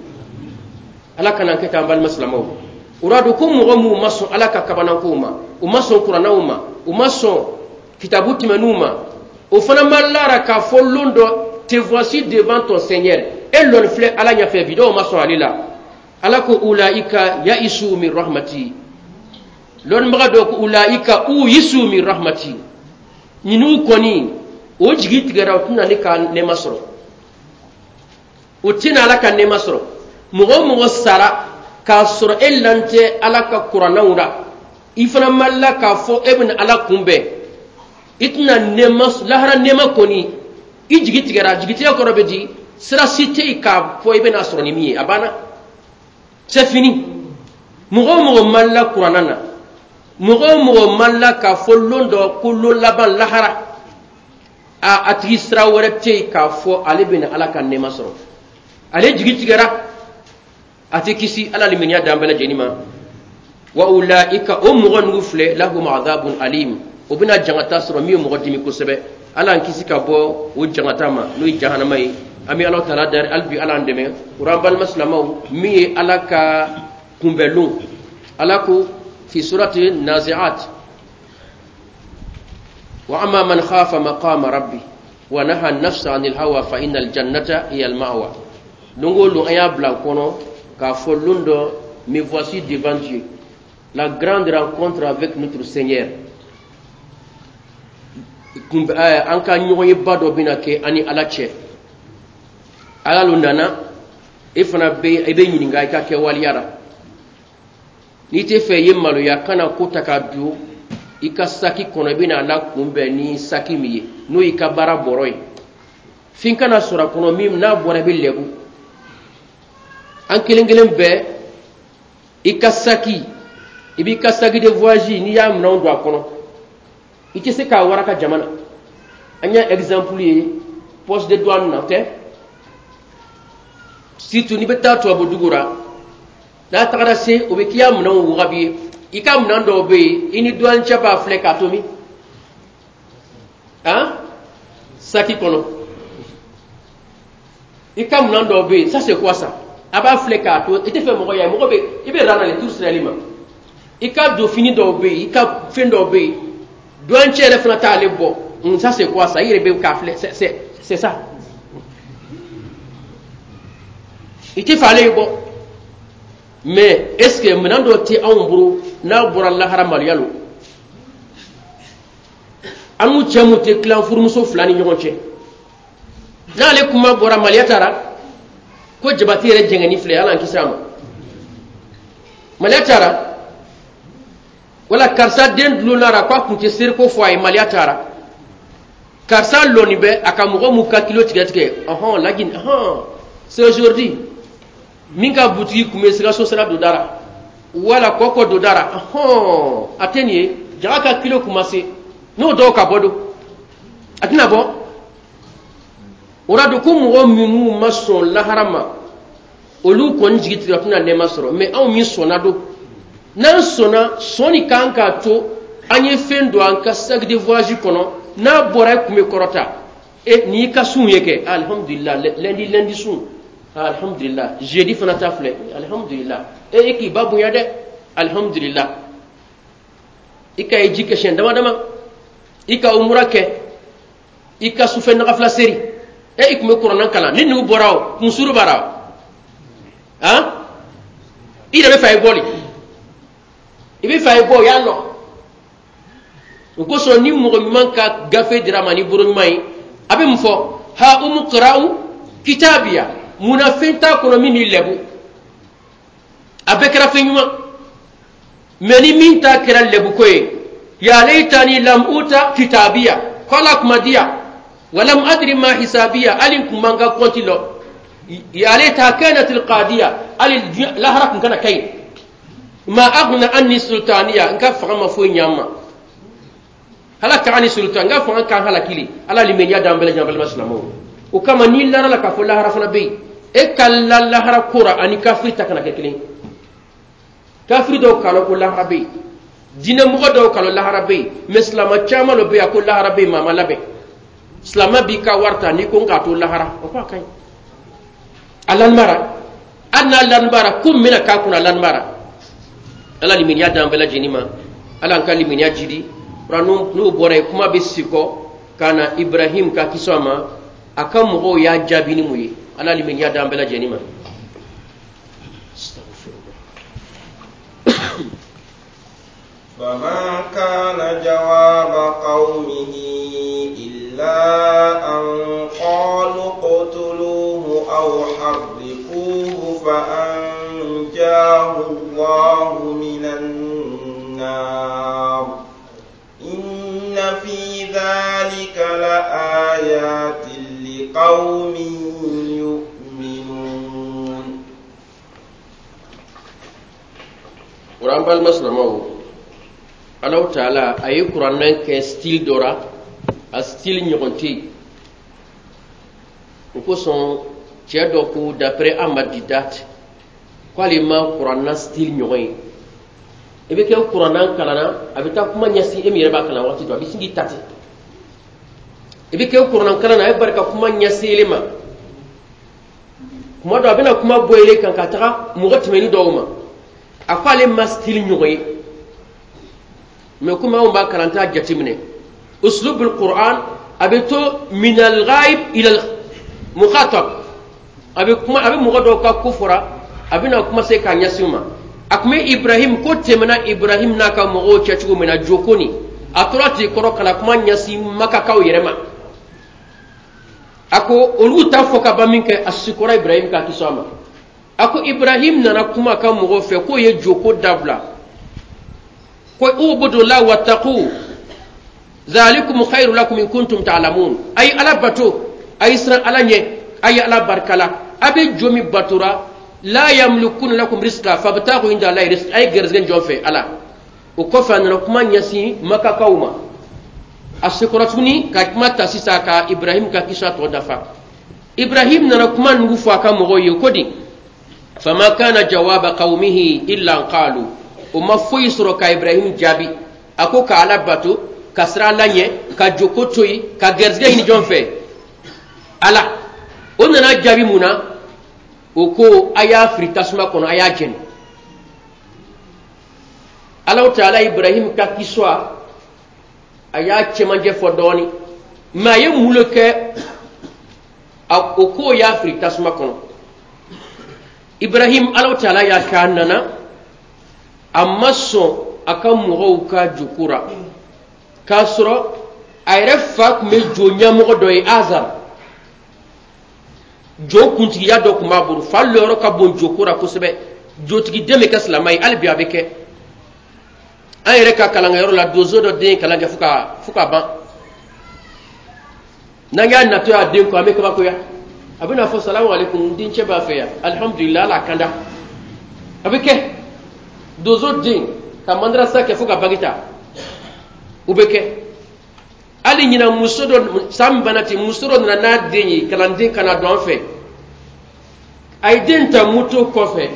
Ala kana an kɛ ten, an balima silamɛw. O r'a don ko mɔgɔ minnu ma sɔn Ala ka kabanankow ma, u ma sɔn kuranɛw ma, u ma sɔn kitabu tɛmɛnniw ma, o fana ma lara k'a fɔ lon dɔ, te voici devant ton Seigneur, e lɔni filɛ Ala ɲɛfɛ bi. Dɔw ma sɔn ale la. Ala ko: "Ulaika yaisu min rahmati." Lɔnnibaga dɔw ko: "Ulaika uyisu min rahmati." Ninnu kɔni, o jigi tigɛra, o tɛna ne ka nɛɛma sɔrɔ, o tɛna Ala ka nɛɛma sɔrɔ. Mɔgɔ o mɔgɔ sara k'a sɔrɔ e lan tɛ Ala ka kuranɛw la, i fana ma la k'a fɔ e bɛna Ala kunbɛn, i tɛna nɛɛma, lahara nɛɛma kɔni, i jigi tigɛra. Jigitigɛ kɔrɔ bɛ di? Sira si tɛ yen k'a fɔ i bɛna sɔrɔ ni min ye, a banna, c'est fini. Mɔgɔ o mɔgɔ ma la kuranɛ na, mɔgɔ o mɔgɔ ma la k'a fɔ lon dɔ ko lon laban, lahara, a tigi sira wɛrɛ tɛ yen k'a fɔ ale bɛna Ala ka nɛɛma sɔrɔ, ale jigi tigɛra, a tɛ kisi. Ala limaniya d'an bɛɛ lajɛlen ma. Wa ulaika, o mɔgɔ ninnu filɛ, lahum adhabun alim, o bɛna jangata sɔrɔ min ye mɔgɔ dimi kosɛbɛ. Ala an kisi ka bɔ o jangata ma, n'o ye jahanama ye. An bɛ Ala taala dari hali bi, Ala an dɛmɛ. O an balima silamɛw, min ye Ala ka kunbɛlon, Ala ko fi surati Nazi'at: "Wa amma man khafa maqama rabbi wa naha nafsa anil hawa fa innal jannata hiya al ma'wa." Don o don, an y'a bila kɔnɔ k'a fɔ lon dɔ, me voici devant Dieu, la grande rencontre avec notre Seigneur. An ka ɲɔgɔnyeba dɔ bɛna kɛ an ni Ala cɛ. Ala lo nana, e fana bɛ, i bɛ ɲininka i ka kɛwaleya la. N'i tɛ fɛ i ye maloya, kana ko ta ka don i ka saki kɔnɔ. I bɛna Ala kunbɛn ni saki min ye, n'o y'i ka baara bɔrɔ ye, fin kana sɔrɔ a kɔnɔ min n'a bɔra, i bɛ lɛbu. An kelen kelen bɛɛ, i ka saki, i b'i ka saki de voyage, n'i y'a minɛnw don a kɔnɔ, i tɛ se k'a waraka jama na. An y'a exemple ye poste de douane na tɛ, surtout n'i bɛ taa tubabu dugu la, n'a tagara se, o bɛ k'i ya minɛnw wagabi ye. I ka minɛn dɔw bɛ yen, i ni douane cɛ b'a filɛ k'a to min han saki kɔnɔ. I ka minɛn dɔw bɛ yen, ça c'est quoi ça? A b'a filɛ k'a to, i tɛ fɛ mɔgɔ ye, mɔgɔ bɛ i bɛ rang na le tout ma. I ka don fini dɔw bɛ yen, i ka fɛn dɔw bɛ yen, douane cɛ yɛrɛ fana t'ale bɔ. Ça c'est quoi ça? I yɛrɛ bɛ k'a filɛ, c'est ça, i tɛ fɛ ale ye bɔ. Mais est ce que minɛn dɔ tɛ anw bolo? N'a bɔra lahara, maloya lo. An n'u cɛ mun tɛ tilan furumuso fila ni ɲɔgɔn cɛ, n'ale kuma bɔra, maloya taara ko Jabati yɛrɛ jɛngɛni filɛ. Ala an kisi a ma. Maloya taara wala karisa den dulonna k'a kun tɛ seriko fɔ a ye. Maloya taara karisa lɔni bɛ a ka mɔgɔ mun ka kilo tigɛ tigɛ. Ɔhɔn, lajin, ɔhɔn, c'est aujourd'hui min ka butigi kun bɛ Sikaso sira don da la wala kɔkɔ don da la. Ɔhɔn, a tɛ nin ye jaga ka kilo kun ma se n'o dɔw ka bɔ don a tɛna bɔ. O la don ko mɔgɔ minnu ma sɔn lahara ma, olu kɔni jigi tigɛ tɛna nɛɛma sɔrɔ. Mɛ anw min sɔnna don, n'an sɔnna, sɔnni kan k'a to an ye fɛn don an ka sac de voyage kɔnɔ. N'a bɔra, e kun bɛ kɔrɔta e n'i ka sun ye kɛ, alhamdulillah, lundi, lundi sun, alhamdulillah, jeudi fana ta filɛ, alhamdulillah. E e k'i ba bonya dɛ, alhamdulillah. I ka ye ji kɛ siɲɛ dama dama, i ka umura kɛ, i ka sufɛ nagafila seri, e i kun bɛ kuranɛ kalan. Ni nugu bɔra, o kunsuru b'a la han, i yɛrɛ bɛ fɛ a ye bɔ de, i bɛ fɛ a ye bɔ, o y'a lɔ. O kosɔn, ni mɔgɔ ɲuman ka gafe dira ma ni bolo ɲuman ye, a bɛ mun fɔ? Ha umuqra'u kitabiya. Munna fɛn t'a kɔnɔ min b'i lɛbu? A bɛɛ kɛra fɛn ɲuman. Mɛ ni min ta kɛra lɛbuko ye, ya laitani lam uta kitabiya, ko ala kuma diya, walam adri ma hisabiya, hali n kun man ka kɔnti lɔ, ya laita kanat alqadiya, hali lahara kun kana kɛ, ma aghna anni sultaniya, n ka fanga ma foyi ɲa n ma, halaka ani sultan, n ka fanga kan halakili. Ala limaniya d'an bɛɛ lajɛlen. Balima silamɛw, o kama n'i lara la k'a fɔ lahara fana bɛ yen, e ka la lahara ko ra ani kafiri ta kana kɛ kelen. Kafiri dɔw k'a lɔn ko lahara bɛ yen, diinɛmɔgɔ dɔw k'a lɔn lahara bɛ yen, mɛ silamɛ caman dɔ bɛ yen a ko lahara bɛ yen, maa ma labɛn. Silamɛ b'i ka wari ta n'i ko n k'a to lahara, o ko a ka ɲi, a lanbara. Hali n'a lanbara, ko min bɛna k'a kunna, a lanbara. Ala limaniya d'an bɛɛ lajɛlen ma, Ala an ka limaniya jidi. N'o bɔra yen, kuma bɛ sikɔ ka na Ibrahim ka kisi a ma, a ka mɔgɔw y'a jaabi ni mun ye? Ala limaniya d'an bɛɛ lajɛlen ma. فما كان جواب قومه إلا أن قالوا اقتلوه أو حرقوه فأنجاه الله من النار إن في ذلك لآيات لقوم يؤمنون. Kuran balima silamɛw, Alahu Taala a ye kuranɛ kɛ style dɔ ra, a style ɲɔgɔn tɛ yen. O kosɔn cɛ dɔ ko, d'après Ahmad Didat, k'ale ma kuranna style ɲɔgɔn ye. I bɛ kɛ kuranna kalanna, a bɛ taa kuma ɲɛsin e min yɛrɛ b'a kalan waati dɔ, a bɛ sin k'i ta ten. I bɛ kɛ kuranna kalan na, a ye barika kuma ɲɛsin ele ma. Kuma dɔ, a bɛna kuma bɔ ele kan ka taga mɔgɔ tɛmɛni dɔw ma. A ko ale ma style ɲɔgɔn ye. Mɛ komi anw b'a kalan, t'a jateminɛ uslubul Qur'an, a bɛ to min al-ghaib ila al-mukhatab. A bɛ kuma, a bɛ mɔgɔ dɔw ka ko fɔra, a bɛna kuma se k'a ɲɛsin u ma. A tun bɛ Ibrahim ko tɛmɛna Ibrahim n'a ka mɔgɔw cɛ cogo min na, joko nin a tora ten kɔrɔ ka na kuma ɲɛsin Makakaw yɛrɛ ma. A ko olu ta fɔ ka ban min kɛ, a sikɔra Ibrahim ka kisi a ma. A ko Ibrahim nana kuma a ka mɔgɔw fɛ k'o ye joko dabila, ko ubudu la wattaqu zalikum khairu lakum in kuntum ta'lamun. A ye Ala bato, a ye siran Ala ɲɛ, a ye Ala barikala. A bɛ jo min batora, la yamlikuna lakum rizqa fabtagu inda Allahi rizq, a ye gɛrɛsɛgɛ jɔn fɛ Ala. O kɔfɛ, a nana kuma ɲɛsin Makakaw ma. A sekɔrɔ tuguni ka kuma ta sisan ka Ibrahim ka kisa tɔ dafa. Ibrahim nana kuma nugu fɔ a ka mɔgɔw ye ko di? Fama kana jawaba qaumihi illa an qalu, o ma foyi sɔrɔ ka Ibrahim jaabi. A ko ka Ala bato, ka siran Ala ɲɛ, ka joko to yen, ka gɛrɛsɛgɛ ɲini jɔn fɛ? Ala. O nana jaabi mun na? O ko a y'a fili tasuma kɔnɔ, a y'a jɛni. Alahu Taala Ibrahim ka kiswa a y'a cɛmancɛ fɔ dɔɔni, mɛ a ye mun le kɛ? O ko y'a fili tasuma kɔnɔ. Ibrahim, Alahu Taala y'a kɛ a nana, a ma sɔn. A ka mɔgɔw ka joko ra k'a sɔrɔ a yɛrɛ fa tun bɛ jo ɲɛmɔgɔ dɔ ye, Azar, jo kuntigiya dɔ tun b'a bolo. Fa lɔyɔrɔ ka bon joko ra kosɛbɛ. Jotigi den bɛ kɛ silamɛ ye. Hali bi a bɛ kɛ an yɛrɛ ka kalankɛyɔrɔ la. Donso dɔ den ye kalan kɛ fo ka ban. N'an y'a natɔ y'a den kɔ, an bɛ kabakoya. A bɛna fɔ: "Salamu aleykum, n dencɛ b'a fɛ yan." Alihamudulila, Ala kanda. A bɛ kɛ donso den ka madarasa kɛ fo ka bac ta, o bɛ kɛ. Hali ɲinan, muso dɔ, san min banna ten, muso dɔ nana n'a den ye, kalanden ka na don an fɛ. A ye den ta moto kɔfɛ.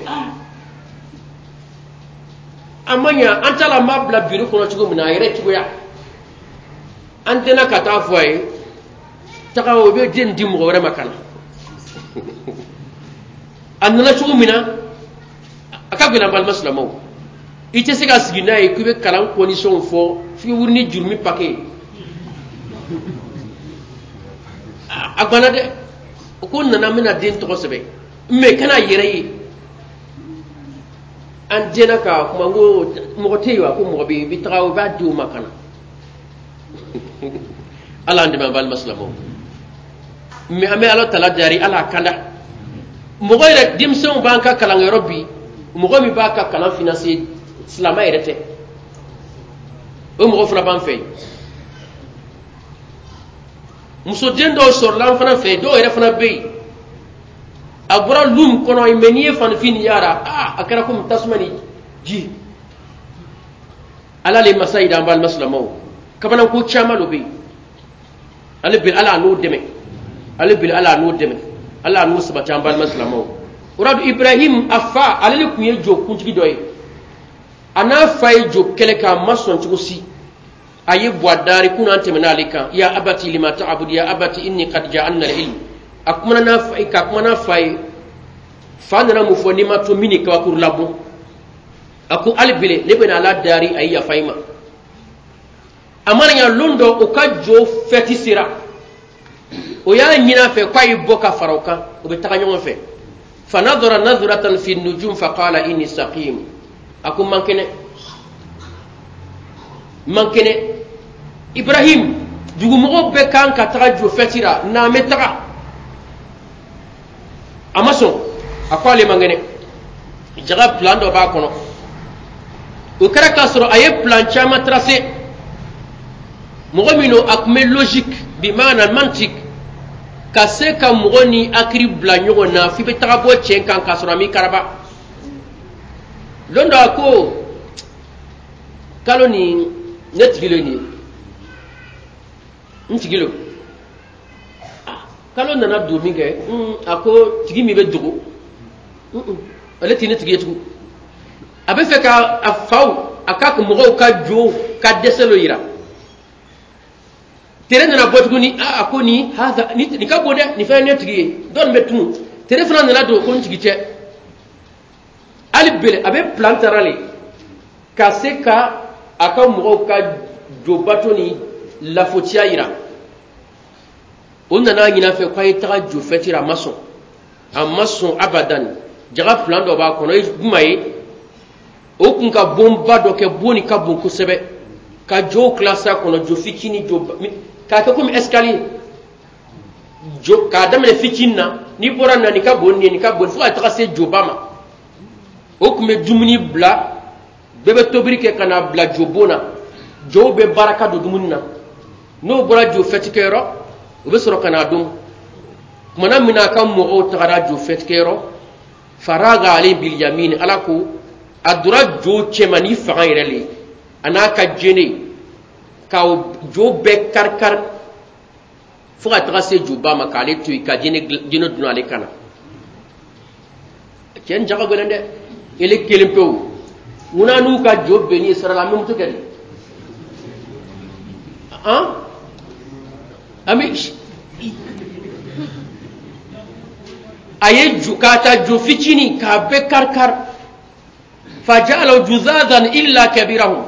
A ma ɲa, an t'a la, an b'a bila biro kɔnɔ cogo min na, a yɛrɛ cogoya. An tɛna ka taa fɔ a ye taga, o bɛ den di mɔgɔ wɛrɛ ma ka na. A nana cogo min na, a ka gɛlɛn. Balima silamɛw, i tɛ se ka sigi n'a ye k'i bɛ kalan condition fɔ f'i wuli ni jurumi paquet ye. A banna dɛ. O ko nana, n bɛna den tɔgɔ sɛbɛn, mais kana yɛrɛ ye. An denna ka kuma n ko mɔgɔ tɛ yen wa? Ko mɔgɔ bɛ yen, i bɛ taga, i b'a di o ma ka na. Ala an dɛmɛ, an balima silamɛw. Mais an bɛ Ala tala dari, Ala kanda. Mɔgɔ yɛrɛ, denmisɛnw b'an ka kalankɛyɔrɔ bi, mɔgɔ min b'a ka kalan financer, silamɛ yɛrɛ tɛ. O mɔgɔ fana b'an fɛ yen. Musoden dɔw sɔrɔla an fana fɛ yen, dɔw yɛrɛ fana bɛ yen. A bɔra lu min kɔnɔ, mais n'i ye fanifin nin yara, aa, a kɛra komi tasuma ni ji. Ala le masa yi da. An balima silamɛw, kabanako caman dɔ bɛ yen. Ale bi, Ala n'o dɛmɛ. Ale bi, Ala n'o dɛmɛ, Ala n'o sabati. An balima silamɛw, o la Ibrahim, a fa, ale de tun ye jo kuntigi dɔ ye. A n'a fa ye jo kɛlɛ kɛ, a ma sɔn cogo si. A ye buwa dari kun, an tɛmɛna ale kan. "Ya abati lima ta'budu, ya abati inni qad ja'anna al-ilm." A kumana n'a fa ye, ka kuma n'a fa ye. Fa nana mun fɔ? "N'i ma to min ni kabakuru labɔ." A ko: "Hali bele, ne bɛna Ala dari, a ye yafa i ma." A mana ɲa, lon dɔ, o ka jo fɛti sera, o y'a ɲini a fɛ k'a ye bɔ ka fara o kan, o bɛ taga ɲɔgɔn fɛ. "Fanadara nadratan fi nujum faqala inni saqim." A ko: "Man kɛnɛ, man kɛnɛ." Ibrahim, dugumɔgɔw bɛɛ kan ka taga jo fɛti la, n'an bɛ taga. A ma sɔn, a ko ale man kɛnɛ. Jaga plan dɔ b'a kɔnɔ. O kɛra k'a sɔrɔ a ye plan caman tracé. Mɔgɔ min don, a tun bɛ logique bi maana mantik, ka se ka mɔgɔ ni hakili bila ɲɔgɔn na f'i bɛ taga bɔ tiɲɛ kan k'a sɔrɔ a m'i karaba. Lon dɔ, a ko: "Kalo nin, ne tigi le nin ye, n tigi lo." Kalo nana don min kɛ, a ko: "Tigi min bɛ dogo, ale tɛ ne tigi ye tugun." A bɛ fɛ ka a faw, a ka mɔgɔw ka jo ka dɛsɛ dɔ yira. Tere nana bɔ tuguni. A ko: "Nin haza, nin ka bon dɛ, nin fɛn ye ne tigi ye." Dɔ nin bɛ tun. Tere fana nana don, ko: "N tigi tɛ." Hali bele, a bɛ plan tara le ka se ka a ka mɔgɔw ka jobato ni lafotiya yira. O nana ɲini a fɛ k'a ye taga jo fɛti la. A ma sɔn, a ma sɔn abadan. Jaga plan dɔ b'a kɔnɔ. Ye jumɛn ye? O kun ka bonba dɔ kɛ, bon nin ka bon kosɛbɛ, ka jow kilasa kɔnɔ, jo fitinin, jo k'a kɛ komi escalier, jo k'a daminɛ fitinin na, n'i bɔra na, nin ka bon nin ye, nin ka bon, fo ka taga se joba ma. O tun bɛ dumuni bila, bɛɛ bɛ tobili kɛ ka na bila jobon na. Jow bɛ baraka don dumuni na. N'o bɔra jo fɛtikɛyɔrɔ, o bɛ sɔrɔ ka na dun. Kumana min na a ka mɔgɔw tagara jo fɛtikɛyɔrɔ, faraga ale bilyamin, Ala ko a donna jo cɛma ni fanga yɛrɛ le ye, a n'a ka jene, ka jo bɛɛ kari-kari fo ka taga se joba ma, k'ale to yen, ka jene dun ale kan na. Cɛ nin jaga gɛlɛn dɛ, ele kelen pewu. Ŋuna n'u ka jo benni ye sira la, an bɛ moto kɛ di? An bɛ a ye jo k'a ta jo fitinin k'a bɛɛ kari-kari. Faja'alahu juzazan illa kabirahum.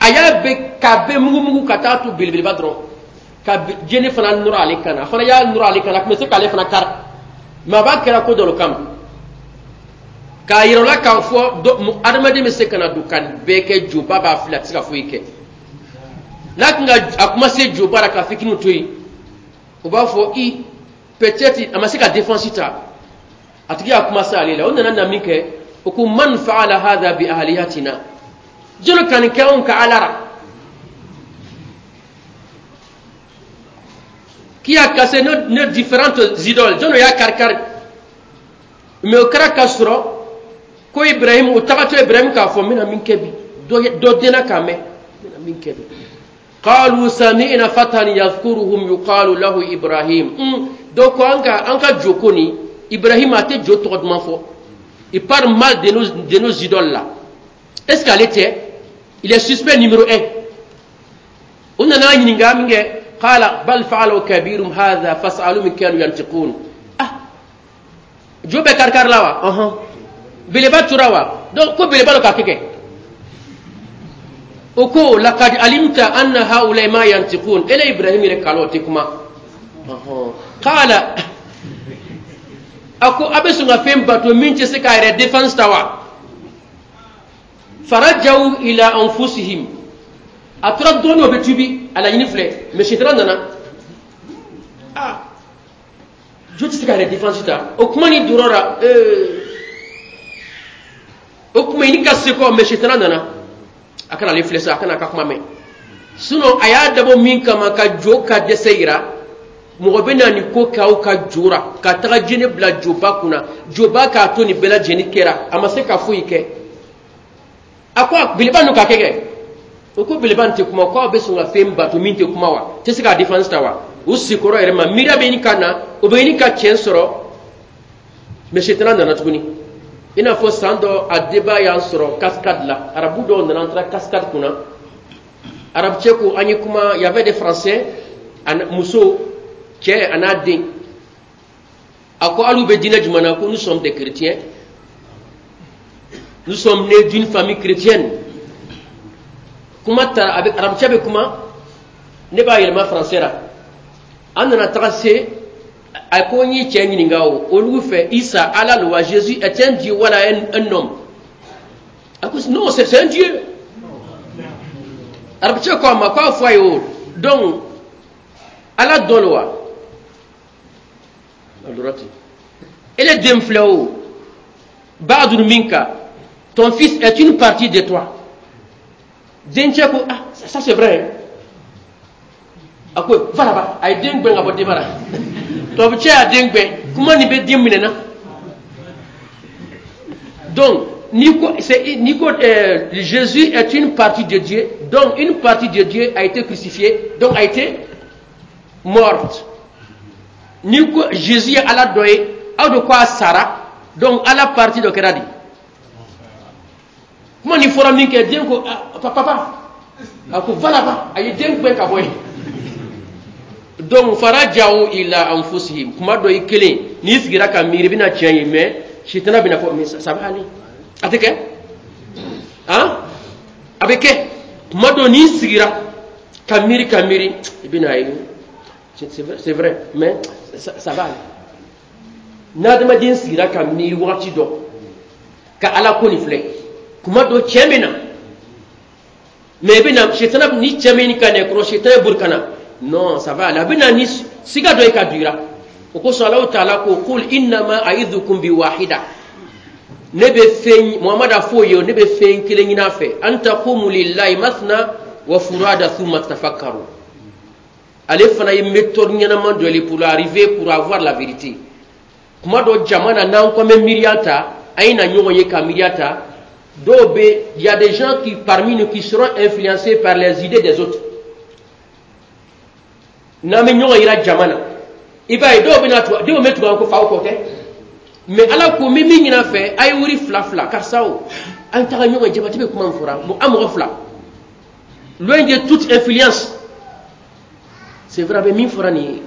A y'a bɛɛ k'a bɛɛ mugu-mugu ka taa to belebeleba dɔrɔn, ka jene fana nɔrɔ ale kan na. A fana y'a nɔrɔ ale kan na, a tun bɛ se k'ale fana kari, mais a b'a kɛra ko dɔ kama. K'a yira o la k'a fɔ adamaden bɛ se ka na don ka nin bɛɛ kɛ, joba b'a fili, a tɛ se ka foyi kɛ. N'a tun ka a kuma se joba la ka fitiniw to yen, o b'a fɔ i peut-être a ma se ka défense ta, a tigi y'a kuma se ale la. O nana na min kɛ, o ko man fa'ala hadha bi ahliyatina, jɔn ka nin kɛ anw ka ala la, qui a cassé nos différentes idoles, jɔn y'a kari-kari. Mais o kɛra ka sɔrɔ ko Ibrahim, o tagatɔ Ibrahim k'a fɔ n bɛna min kɛ bi, dɔ denna k'a mɛn, n bɛna min kɛ bi. Qalu sami'na fatan yadhkuruhum yuqalu lahu Ibrahim. Donc an ka jo ko nin, Ibrahim a tɛ jo tɔgɔ duman fɔ. Il parle mal de nos idoles là. Est-ce qu'ale tɛ? Il est suspect numéro 1. O nana ɲininka min kɛ, qala bal fa'alu kabirum hadha fas'alu min kanu yantiqun. Ah, jo bɛ karikari la wa? Ɔhɔn. Beleba tora wa? Donc ko beleba dɔ k'a kɛ. O ko laqad alimta anna haula ma yantiqun. Ele Ibrahim yɛrɛ kalo tɛ kuma. Ɔhɔn. Qala, a ko a bɛ sɔn ka fɛn bato min tɛ se k'a yɛrɛ défense ta wa? Farajaw ila anfusihim. A tora dɔɔnin o bɛ tubi, a laɲini filɛ, mais sitana nana. Ah, jo tɛ se k'a yɛrɛ défense ta. O kuma ni dɔrɔn la, o kuma i ni ka se kɔ, mais sitana nana. A kana ale filɛ sa, a kana a ka kuma mɛn. Sinon a y'a dabɔ min kama ka jo ka dɛsɛ yira, mɔgɔ bɛ na nin ko k'aw ka jo ra, ka taga jinɛ bila joba kunna, joba k'a to nin bɛɛ lajɛlen kɛra, a ma se ka foyi kɛ. A ko beleba ninnu k'a kɛ kɛ. O ko beleba nin tɛ kuma, k'aw bɛ sɔn ka fɛn bato min tɛ kuma wa? Tɛ se k'a défense ta wa? U sikɔrɔ yɛrɛ ma, miiriya bɛ ɲini ka na, o bɛ ɲini ka tiɲɛ sɔrɔ, mais sitana nana tuguni. I n'a fɔ san dɔ a débat y'an sɔrɔ cascade la, arabu dɔw nana, an taara cascade kunna. Arabu cɛ ko an ye kuma, y avait des Français, muso, cɛ a n'a den. A ko hali u bɛ diinɛ jumɛn na? Ko nous sommes des chrétiens, nous sommes nés d'une famille chrétienne. Kuma ta a bɛ arabu cɛ bɛ kuma, ne b'a yɛlɛma français la. An nana taga se, a ko n y'i cɛ ɲininka o, olu fɛ Isa Ala lo wa? Jésus est un Dieu wala un homme? A ko non, c'est un Dieu. Arabu cɛ ko a ma k'a fɔ a ye o, donc Ala dɔ lo wa? Ele den filɛ o, ba'dun minka, ton fils est une partie de toi. Dencɛ ko ah, ça c'est vrai. A ko va là-bas, a ye den gɛn ka bɔ denba la. Tubabu cɛ y'a den gɛn, kuma nin bɛ den minɛ na. Donc n'i ko Jésus est une partie de Dieu, donc une partie de Dieu a été crucifiée, donc a été morte. N'i ko Jésus ye Ala dɔ ye, aw de ko a sara, donc Ala partie dɔ kɛra di. Kuma nin fɔra min kɛ, den ko ah, papa, a ko va là-bas, a ye den gɛn ka bɔ yen. Donc farajaw ila anfusihim, kuma dɔ i kelen n'i sigira ka miiri i bɛna tiɲɛ ye, mais sitana bɛna fɔ mais ça va aller, a tɛ kɛ, han, a bɛ kɛ. Kuma dɔ n'i sigira ka miiri ka miiri, i bɛna ye c'est vrai, mais ça va aller. N'adamaden sigira ka miiri wagati dɔ ka Ala ko nin filɛ, kuma dɔ tiɲɛ bɛ na, mais i bɛna sitana ni cɛ min ka na kɔrɔ, sitana bori ka na, non, ça va aller, a bɛ na ni siga dɔ ye ka don i la. O kosɔn Alahu taala ko qul innama a'idhukum bi wahida, ne bɛ fɛn, Muhamadu a f'o ye, ne bɛ fɛn kelen ɲini a fɛ, an taqumu lillahi mathna wa furada thumma tafakkaru. Ale fana ye méthode ɲɛnama dɔ ye pour arriver, pour avoir la vérité. Kuma dɔ jama na, n'an ko an bɛ miiriya ta, an ye na ɲɔgɔn ye ka miiriya ta, dɔw bɛ, il y a des gens qui parmi nous qui seront influencés par les idées des autres. N'an bɛ ɲɔgɔn yira jama na, i b'a ye dɔw bɛ na tugu, denw bɛ tugu an ko faw kɔ kɛ, mais Ala ko n bɛ min ɲini a fɛ, a ye wuri fila fila, karisa o, an taga ɲɔgɔn ye, jabati bɛ kuma min fɔra, an mɔgɔ fila, loin de toute influence. C'est vrai, a bɛ min fɔra nin ye,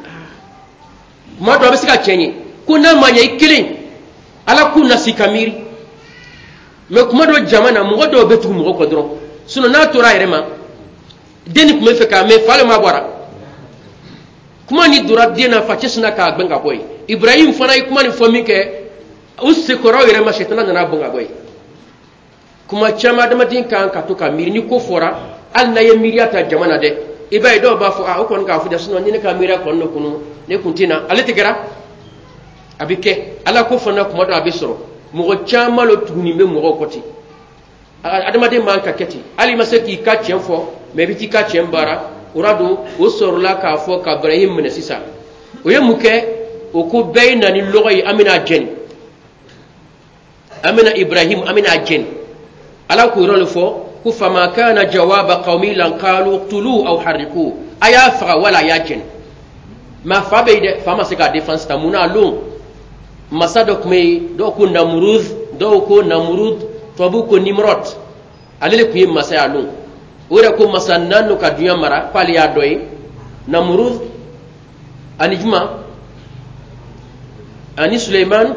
kuma dɔ a bɛ se ka tiɲɛ ye ko n'a ma ɲɛ i kelen, Ala k'u nasi ka miiri. Mais kuma dɔ jama na, mɔgɔ dɔw bɛ tugu mɔgɔ kɔ dɔrɔn, sinon n'a tora a yɛrɛ ma, den nin tun bɛ fɛ k'a mɛn, fa le ma bɔra kuma ni donna den na, facɛ sinna k'a gbɛn ka bɔ yen. Ibrahim fana ye kuma nin fɔ min kɛ, U sekɔrɔ yɛrɛ ma, sɛtana nana bɔn ka bɔ yen. Kuma caman, adamaden kan ka to ka miiri. Ni ko fɔra, hali n'a ye miiriya ta jama na dɛ, i b'a ye dɔw b'a fɔ: a o kɔni k'a fɔ dɛ, sinon ni ne ka miiriya kɔni ne kunu, ne kun tɛ na. Ale tɛ kɛra a bɛ kɛ ala ko fana. Kuma dɔ a bɛ sɔrɔ mɔgɔ caman lo tuguni bɛ mɔgɔw kɔ ten. Adamaden man ka kɛ ten. Hali i ma se k'i ka tiɲɛ fɔ, mɛ i bɛ t'i ka tiɲɛ baara. O ra don o sɔrɔla k'a fɔ ka Ibrahim minɛ sisan. O ye mun kɛ? O ko bɛɛ ye na ni lɔgɔ ye, an bɛna jɛni, an bɛna Ibrahim, an bɛna jɛni. Ala k'o yɔrɔ de fɔ ko fama kana jawaba qawmi lan qalu uqtulu aw harriqu, a y'a faga wala a y'a jɛni. Mais fa bɛ yen dɛ, fa ma se k'a défense ta. Mun na? A lon masa dɔ tun bɛ yen, dɔw ko Namurud, dɔw ko Namurud, tubabuw ko Nimrod. Ale de tun ye masa ye a lon. O yɛrɛ ko masa naani ka duɲa mara, k'ale y'a dɔ ye: Namurud ani juma ani Suleiman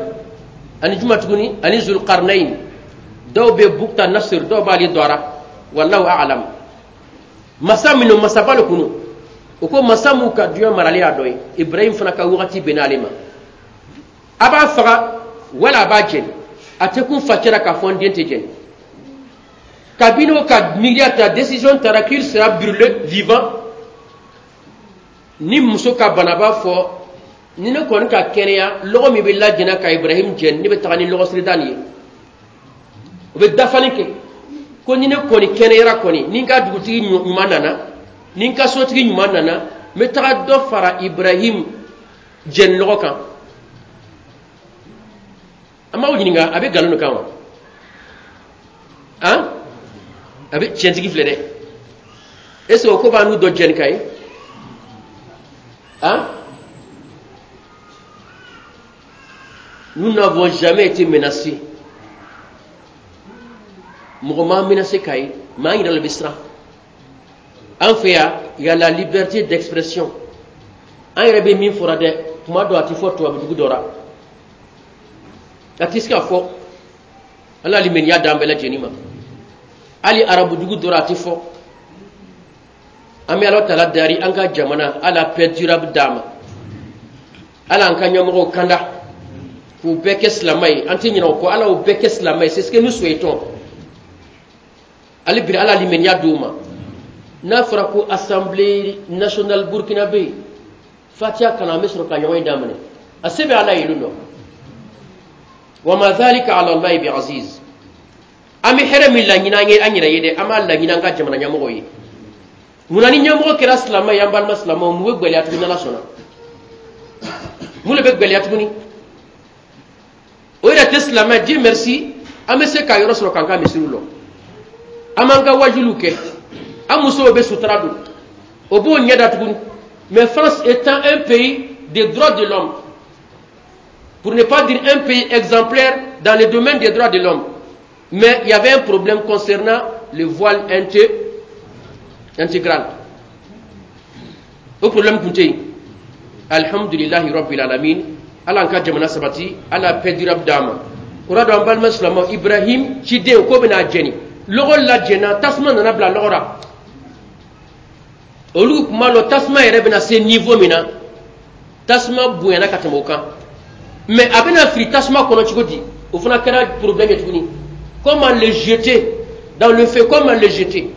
ani juma tuguni ani Zulkarnain. Dɔw bɛ Bukta Nasir, dɔw b'ale dɔra, wallahu a'lam. Masa minnu masaba le kunu, o ko masa m'u ka duɲa marali y'a dɔ ye. Ibrahim fana ka wagati bɛn n'ale ma, a b'a faga wala a b'a jɛni. A tɛ kun facɛra k'a fɔ n den tɛ jɛni. Kabini o ka miiriya ta, décision tara qu'il sera brûlé vivant. Ni muso ka bana b'a fɔ ni ne kɔni ka kɛnɛya, lɔgɔ min bɛ lajɛna ka Ibrahim jɛni, ne bɛ taga ni lɔgɔsirida nin ye. O bɛ dafali kɛ ko ni ne kɔni kɛnɛyara kɔni, ni n ka dugutigi ɲuman nana, ni n ka sotigi ɲuman nana, n bɛ taga dɔ fara Ibrahim jɛni lɔgɔ kan. An b'aw ɲininka, a bɛ nkalon de kan wa? Han, a bɛ tiɲɛtigi filɛ dɛ. Est ce que o ko b'an n'u dɔ jɛni ka ye? Han, nous n'avons jamais été menacés. Mɔgɔ m'an menacé k'a ye, mais an yɛrɛ le bɛ siran. An fɛ yan, il y a la liberté d'expression. An yɛrɛ bɛ min fɔra dɛ, kuma dɔ a tɛ fɔ tubabu dugu dɔ la, a tɛ se ka fɔ. Ala limaniya d'an bɛɛ lajɛlen ma. Hali arabu dugu dɔ la, a tɛ fɔ. An bɛ Ala tala dari an ka jamana, Ala paix durable d'a ma, Ala an ka ɲɛmɔgɔw kanda k'u bɛɛ kɛ silamɛ ye. An tɛ ɲinɛ o kɔ, Ala y'u bɛɛ kɛ silamɛ ye, c'est ce que nous souhaitons. Hali bi Ala limaniya d'u ma. N'a fɔra ko Assemblée nationale burkinabé, fatiya kana, an bɛ sɔrɔ ka ɲɔgɔn ye daminɛ. A se bɛ Ala ye dɔ. Wa ma dhalika ala Allahi bi aziz. An bɛ hɛrɛ min laɲini an ye an yɛrɛ ye dɛ, an b'a laɲini an ka jamana ɲɛmɔgɔw ye. Munna ni ɲɛmɔgɔ kɛra silamɛ ye? An balima silamɛw, mun bɛ gɛlɛya tuguni? N'Ala sɔnna, mun de bɛ gɛlɛya tuguni? O yɛrɛ tɛ silamɛ. Dieu merci, an bɛ se k'a yɔrɔ sɔrɔ k'an ka misiriw lɔ, an b'an ka wajuliw kɛ, an musow bɛ sutura don, o b'o ɲɛ da tuguni. Mais France étant un pays des droits de l'homme, pour ne pas dire un pays exemplaire dans le domaine des droits de l'homme, mais il y avait un problème concernant le voile intégral. O problème tun tɛ yen. Alhamdulilahi rabbil alamin. Ala an ka jamana sabati, Ala paix durable d'a ma. O la don, an balima silamɛw, Ibrahim ciden ko bɛna jɛni, lɔgɔ lajɛna, tasuma nana bila lɔgɔ la. Olu tun b'a lɔn tasuma yɛrɛ bɛna se niveau min na, tasuma bonyana ka tɛmɛ o kan. Mais a bɛna fili tasuma kɔnɔ cogo di? O fana kɛra problème ye tuguni. Comment le jeter dans le feu? Comment le jeter?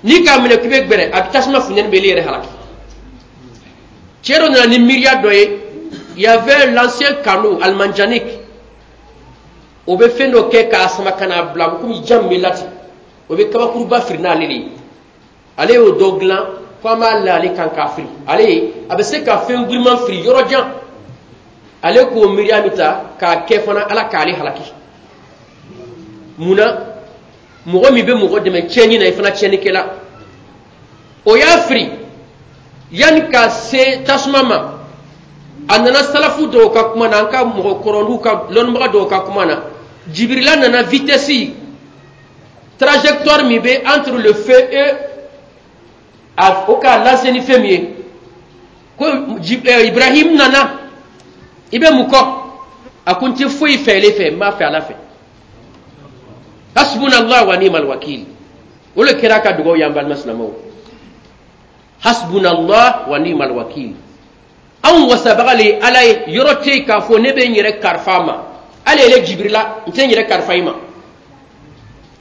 N'i k'a minɛ k'i bɛ gbɛrɛ, a bɛ tasuma funtɛni bɛ e yɛrɛ halaki. Cɛ dɔ nana ni miiriya dɔ ye. Il y avait l'ancien canot almanjanik, o bɛ fɛn dɔ kɛ k'a sama ka n'a bila komi jan min bɛ lati, o bɛ kabakuruba firi n'ale de ye. Ale y'o dɔ dilan ko an b'a la ale kan k'a firi. Ale ye a bɛ se ka fɛn giriman firi yɔrɔ jan. Ale k'o miiriya min ta k'a kɛ fana, Ala k'ale halaki. Munna mɔgɔ min bɛ mɔgɔ dɛmɛ tiɲɛni na, i fana tiɲɛnikɛla? O y'a firi yanni ka se tasuma ma. A nana salafu dɔw ka kuma na, an ka mɔgɔkɔrɔluw ka lɔnnibaga dɔw ka kuma na, Jibirila nana vitesse trajectoire min bɛ entre le feu et a o k'a lase ni fɛn min ye, ko Ibrahim nana, i bɛ mun kɔ? A ko n tɛ foyi fɛ ele fɛ, n b'a fɛ Ala fɛ. Hasbunallah wa ni'mal wakil. O le kɛra a ka dugawu ye, an balima silamɛw. Hasbunallah wa ni'mal wakil. Anw wasabaga le ye Ala ye. Yɔrɔ tɛ yen k'a fɔ ne bɛ n yɛrɛ karifa a ma. Hali ele Jibirila, n tɛ n yɛrɛ karifa i ma,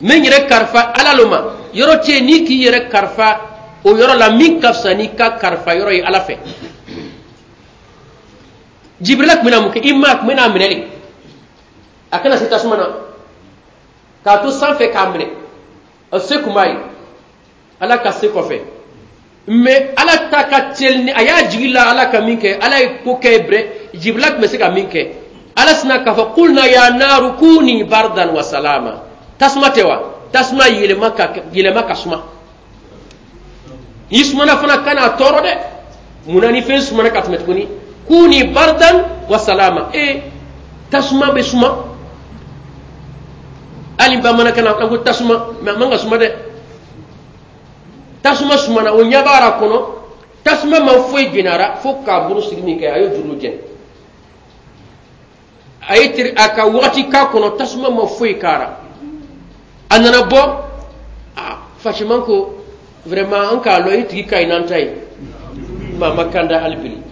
n bɛ n yɛrɛ karifa Ala lo ma. Yɔrɔ tɛ yen n'i k'i yɛrɛ karifa o yɔrɔ la min ka fisa n'i ka karifa yɔrɔ ye Ala fɛ. Jibirila tun bɛna mun kɛ i ma? A tun bɛna a minɛ de, a kana se tasuma na k'a to sanfɛ k'a minɛ. A se tun b'a ye Ala ka se kɔfɛ, mais Ala ta ka teli ni a y'a jigi la. Ala ka min kɛ, Ala ye ko kɛ brɛ, Jibirila tun bɛ se ka min kɛ, Ala sina k'a fɔ: "Kulna ya naru kuni bardan wa salama." Tasuma tɛ wa? Tasuma yɛlɛma ka yɛlɛma ka suma. N'i sumana fana, kana tɔɔrɔ dɛ. Munna ni fɛn sumana ka tɛmɛ tuguni? Kuni bardan wa salama. E, tasuma bɛ suma. Hali bamanankan na, an ko tasuma, mais a man ka suma dɛ. Tasuma sumana, o ɲɛ b'a kɔnɔ, tasuma ma foyi jɛnara fo k'a bolo sigi min kɛ, a ye juru jɛn. A ye teri a ka wagati k'a kɔnɔ, tasuma ma foyi k'ara. A nana bɔ a Faciman ko: "Vraiment, an k'a lɔn i tigi ka ɲi n'an ta ye." Maa ma kanda hali bi.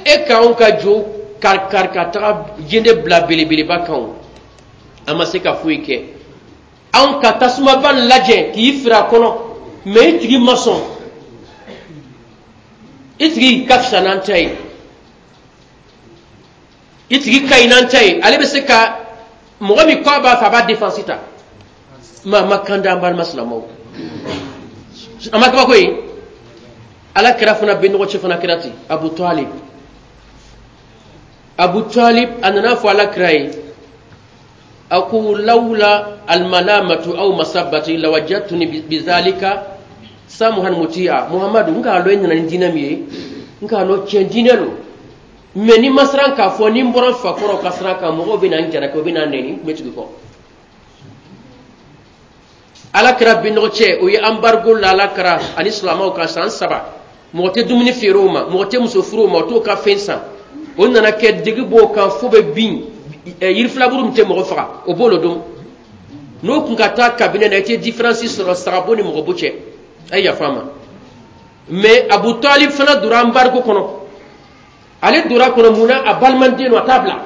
E k'anw ka jo kari kari ka taga jende bila belebeleba kan, o a ma se ka foyi kɛ. Anw ka tasumaba lajɛ k'i firi a kɔnɔ, mais i tigi ma sɔn. I tigi ka fisa n'an ta ye, i tigi ka ɲi n'an ta ye. Ale bɛ se ka mɔgɔ min kɔ b'a fɛ, a b'a défense ta. Maa ma kan da. An balima silamɛw, a ma kabako ye. Ala kira fana bɛ ɲɔgɔn cɛ fana kɛra ten. Abu Talib, Abu Talib a nana fɔ Ala kira ye, a ko: "Lawla almalamatu aw masabati lawajatuni bizalika samuhan muti'a." Muhammadu, n k'a lɔn e nana ni diinɛ min ye, n k'a lɔn tiɲɛ diinɛ lo, mais ni ma siran k'a fɔ ni n bɔra n fakɔrɔw ka sira kan, mɔgɔw bɛ na n jalaki, o bɛ na n nɛni, n tun bɛ tugu kɔ. Ala kira binɔgɔ cɛ, o ye embargo la Ala kira ani silamɛw kan san 3. Mɔgɔ tɛ dumuni feere o ma, mɔgɔ tɛ muso furu o ma, o t'o ka fɛn san. O nana kɛ degi b'o kan fo bɛ bin yiri filaburu min tɛ mɔgɔ faga, o b'o dun. N'o kun ka taa kabinɛ na, i tɛ différence sɔrɔ sagabo ni mɔgɔbo cɛ. A ye yafa n ma, mais Abu Talib fana donna embargo kɔnɔ. Ale donna kɔnɔ mun na? A balimaden don, a t'a bila.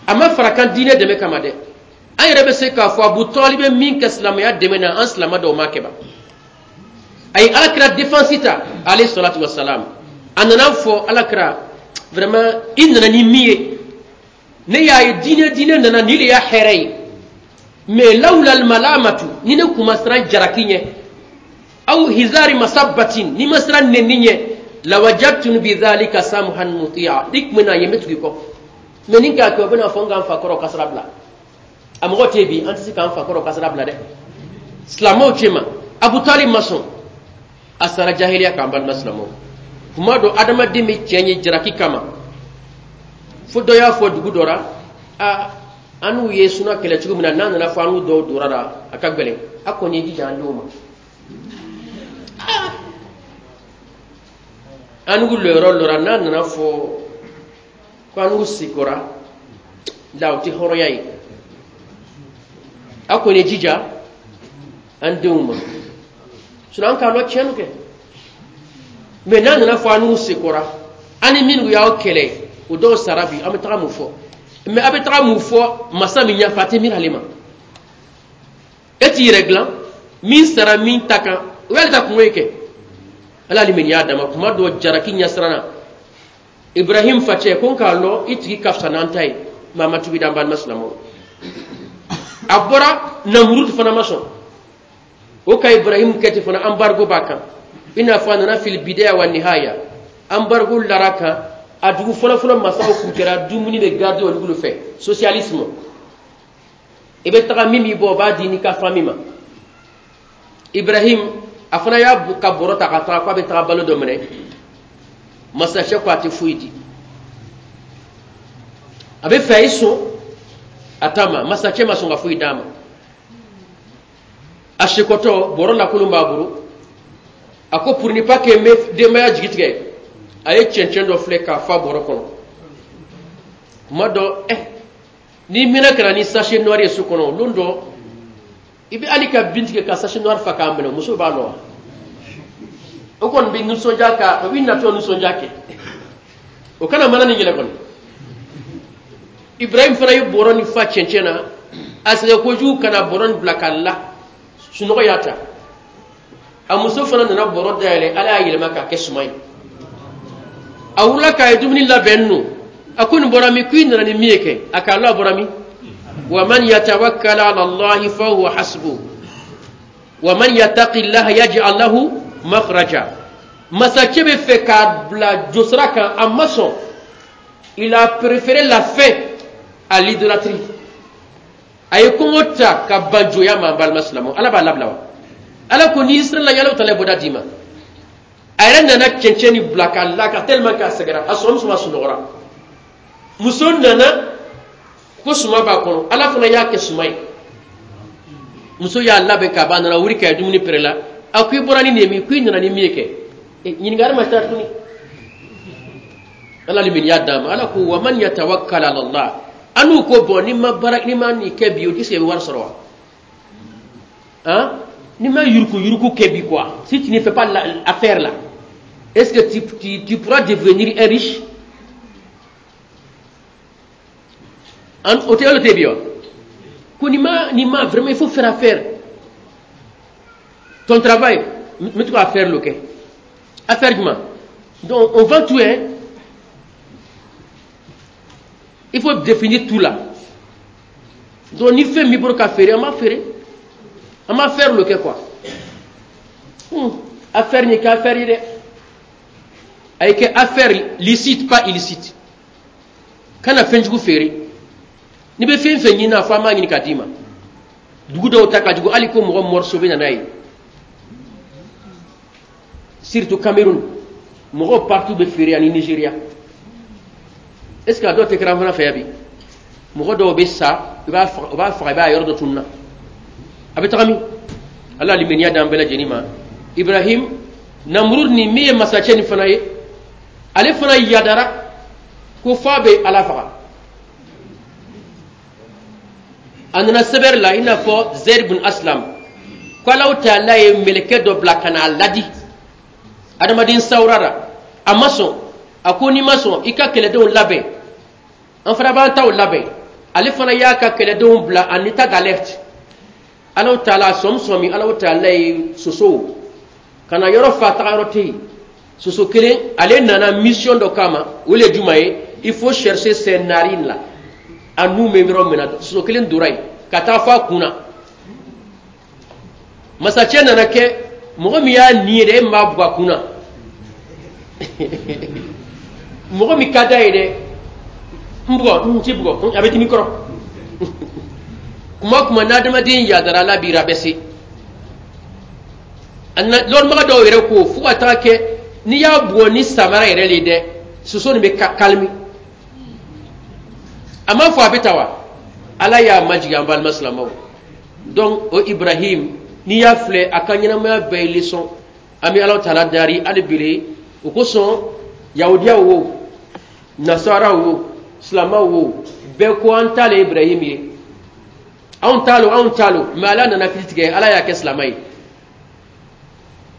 A ma fara kan diinɛ dɛmɛ kama dɛ. An yɛrɛ bɛ se k'a fɔ Abu Talib bɛ min kɛ silamɛya dɛmɛ na, an silamɛ dɔw m'a kɛ ba. A ye Alakira défense ta, alayhi salatu wa salam. A nana fɔ Alakira: "Vraiment, i nana ni min ye, ne y'a ye diinɛ nana ni de y'a hɛrɛ ye, mais lawla almalamatu, ni ne kun ma siran jaraki ɲɛ, aw hizari masabatin, ni ma siran nɛni ɲɛ, lawajatun bidhalika samhan mutia, i kun bɛna ye, n bɛ tugu i kɔ. Mais ni k'a kɛ, o bɛna fɔ n k'an fa kɔrɔ ka sira bila." A mɔgɔ tɛ bi, an tɛ se k'an fa kɔrɔ ka sira bila dɛ, silamɛw cɛ ma. Abu Talib ma sɔn, a sara jahiliya k'an. Balima silamɛw, kuma dɔ adamaden bɛ cɛ ye jaraki kama. Fo dɔ y'a fɔ dugu dɔ la: "A, an n'u ye suna kɛlɛ cogo min na, n'a nana fɔ an n'u dɔw dora la, a ka gɛlɛn. A kɔni ye jija an denw ma. An n'u lɔyɔrɔ lɔra, n'a nana fɔ ko an n'u sikora la, o tɛ hɔrɔnya ye. A kɔni ye jija an denw ma." Sinon an k'a lɔn tiɲɛ kɛ, mais n'a nana fɔ an n'u sekora, an ni minnu y'aw kɛlɛ, o dɔw sara bi, an bɛ taga mun fɔ? Mais a bɛ taga mun fɔ masa min ɲɛfɛ? A tɛ miiri ale ma. E t'i yɛrɛ dilan min sara min ta kan, o y'ale ta kungo ye kɛ. Ala y'ale min y'a dama kuma dɔ jaraki ɲɛsiranna. Ibrahim facɛ ko: "N k'a lɔn i tigi ka fisa n'an ta ye." Maa ma tubi d'an balima silamɛw. A bɔra Namurud fana ma sɔn o ka Ibrahim kɛ ten fana. Embargo b'a kan, i n'a fɔ a nana fil bidaya wa nihaya. Embargo lara kan. A dugu fɔlɔfɔlɔ masaw kun kɛra dumuni bɛ garder olu bolo fɛ, socialisme. I bɛ taga, min b'i bɔ, o b'a di n'i ka famille ma. Ibrahim a fana y'a ka bɔrɔ ta ka taga k'a bɛ taga balo dɔ minɛ. Masakɛ ko a tɛ foyi di, a bɛ fɛ a ye sɔn a ta ma. Masakɛ ma sɔn ka foyi d'a ma. A sekɔtɔ, bɔrɔ lakolon b'a bolo. A ko pour ne pas que n bɛ denbaya jigi tigɛ, a ye cɛncɛn dɔ filɛ k'a fa bɔrɔ kɔnɔ. Kuma dɔ n'i mɛnna ka na ni sachet noir ye so kɔnɔ, lon dɔ i bɛ hali ka bin tigɛ ka sachet noir fa k'a minɛ, muso b'a lɔ wa? O kɔni bɛ nisɔndiya ka o bɛ natɔ nisɔndiya kɛ. O kana mana ni yɛlɛ kɔni. Ibrahim fana ye bɔrɔ ni fa cɛncɛn na, a sɛgɛn kojugu ka na bɔrɔ ni bila ka la sunɔgɔ y'a ta. A muso fana nana bɔrɔ dayɛlɛ, Ala y'a yɛlɛma k'a kɛ suman ye. A wulila k'a ye dumuni labɛn nɔ, a ko nin bɔra min? K'i nana ni min ye kɛ, a k'a la bɔra min? Wa man yatawakkal ala Allahi fa huwa hasbuh wa man yattaqillaha yaj'al lahu makhraja. Masakɛ bɛ fɛ k'a bila josira kan, a ma sɔn. Il a préféré la faim à l'idolâtrie. A ye kɔngɔ ta ka ban joya ma. An balima silamɛw, Ala b'a labila wa? Ala ko n'i sera la, Ala taala bɔda d'i ma. A yɛrɛ nana cɛncɛn ni bila k'a la ka tellement k'a sɛgɛnna, a sɔn muso sunɔgɔra. Muso nana ko suma b'a kɔnɔ, Ala fana y'a kɛ suma ye. Muso y'a labɛn k'a ban, a nana wuli k'a ye dumuni pere la. A ko i bɔra ni nin ye min? Ko i nana ni min ye kɛ? Ɲininkali ma taa tuguni. Ala limaniya d'a ma. Ala ko wa man yatawakkal ala Allah. An n'u ko bɔn, n'i ma baara, n'i ma nin kɛ bi, o tɛ se i bɛ wari sɔrɔ wa? Han, n'i ma yuruku yuruku kɛ bi quoi, si tu ne fais pas l'affaire là, est-ce que tu pourras devenir un riche? An o tɛ olu tɛ bi wa? Ko n'i ma vraiment, il faut faire affaire. Ton travail, n bɛ to ka affaire lo kɛ. Affaire jumɛn? Donc on vend tout, hein. Il faut définir tout là. Donc ni fɛn b'i bolo ka feere, an b'a feere, an b'a affaire lo kɛ quoi. Affaire nin kɛ affaire ye dɛ, a ye kɛ affaire licite, pas illicite. Kana fɛn jugu feere. N'i bɛ fɛn fɛn ɲini, a fɔ an b'a ɲini k'a d'i ma. Dugu dɔw ta ka jugu, hali ko mɔgɔ morceau bɛ na n'a ye, surtout Cameroun, mɔgɔw partout bɛ feere ani Nigeria. Est ce que a dɔw tɛ kɛra an fana fɛ yan bi? Mɔgɔ dɔw bɛ sa, i b'a faga, u b'a faga, i b'a yɔrɔ dɔ tunun na, a bɛ taga min? Ala limaniya d'an bɛɛ lajɛlen ma. Ibrahim, Namurud ni min ye masakɛ nin fana ye, ale fana yadara ko f'a bɛ Ala faga. A nana sɛbɛri la i n'a fɔ Zaid bin Aslam ko Alahu taala ye mɛlɛkɛ dɔ bila ka n'a ladi adamaden sawura la, a ma sɔn. A ko n'i ma sɔn, i ka kɛlɛdenw labɛn, an fana b'an taw labɛn. Ale fana y'a ka kɛlɛdenw bila en état d'alerte. Alahu taala sɔmi sɔmi, Alahu taala ye sosow ka na yɔrɔ fa, taga yɔrɔ tɛ yen. Soso kelen, ale nana mission dɔ kama, o le ye jumɛn ye? Il faut chercher ces narines là, a nun bɛ yɔrɔ min na. Soso kelen donna yen ka taa fɔ a kun na. Masakɛ nana kɛ mɔgɔ min y'a nin ye dɛ, e min b'a bugɔ a kun na, mɔgɔ min ka d'a ye dɛ, n bugɔ, n ti bugɔ, a bɛ dimi kɔrɔ. Kuma kuma n'adamaden yadara, Ala b'i rabaisser. Lɔnnibaga dɔw yɛrɛ ko fo ka taga kɛ n'i y'a bugɔ ni samara yɛrɛ le dɛ, soso nin bɛ kalimi. A ma fɔ a bɛ ta wa? Ala y'a majigin an balima silamɛw. Donc o Ibrahim, n'i y'a filɛ, a ka ɲɛnamaya bɛɛ ye leçon. An bɛ Ala taala dari hali bele o kosɔn. Yahudiyaw wo, nasaraw wo, silamɛw wo, bɛɛ ko an t'a le Ibrahim ye, anw t'a lo, anw t'a lo. Mais Ala nana kiri tigɛ, Ala y'a kɛ silamɛ ye.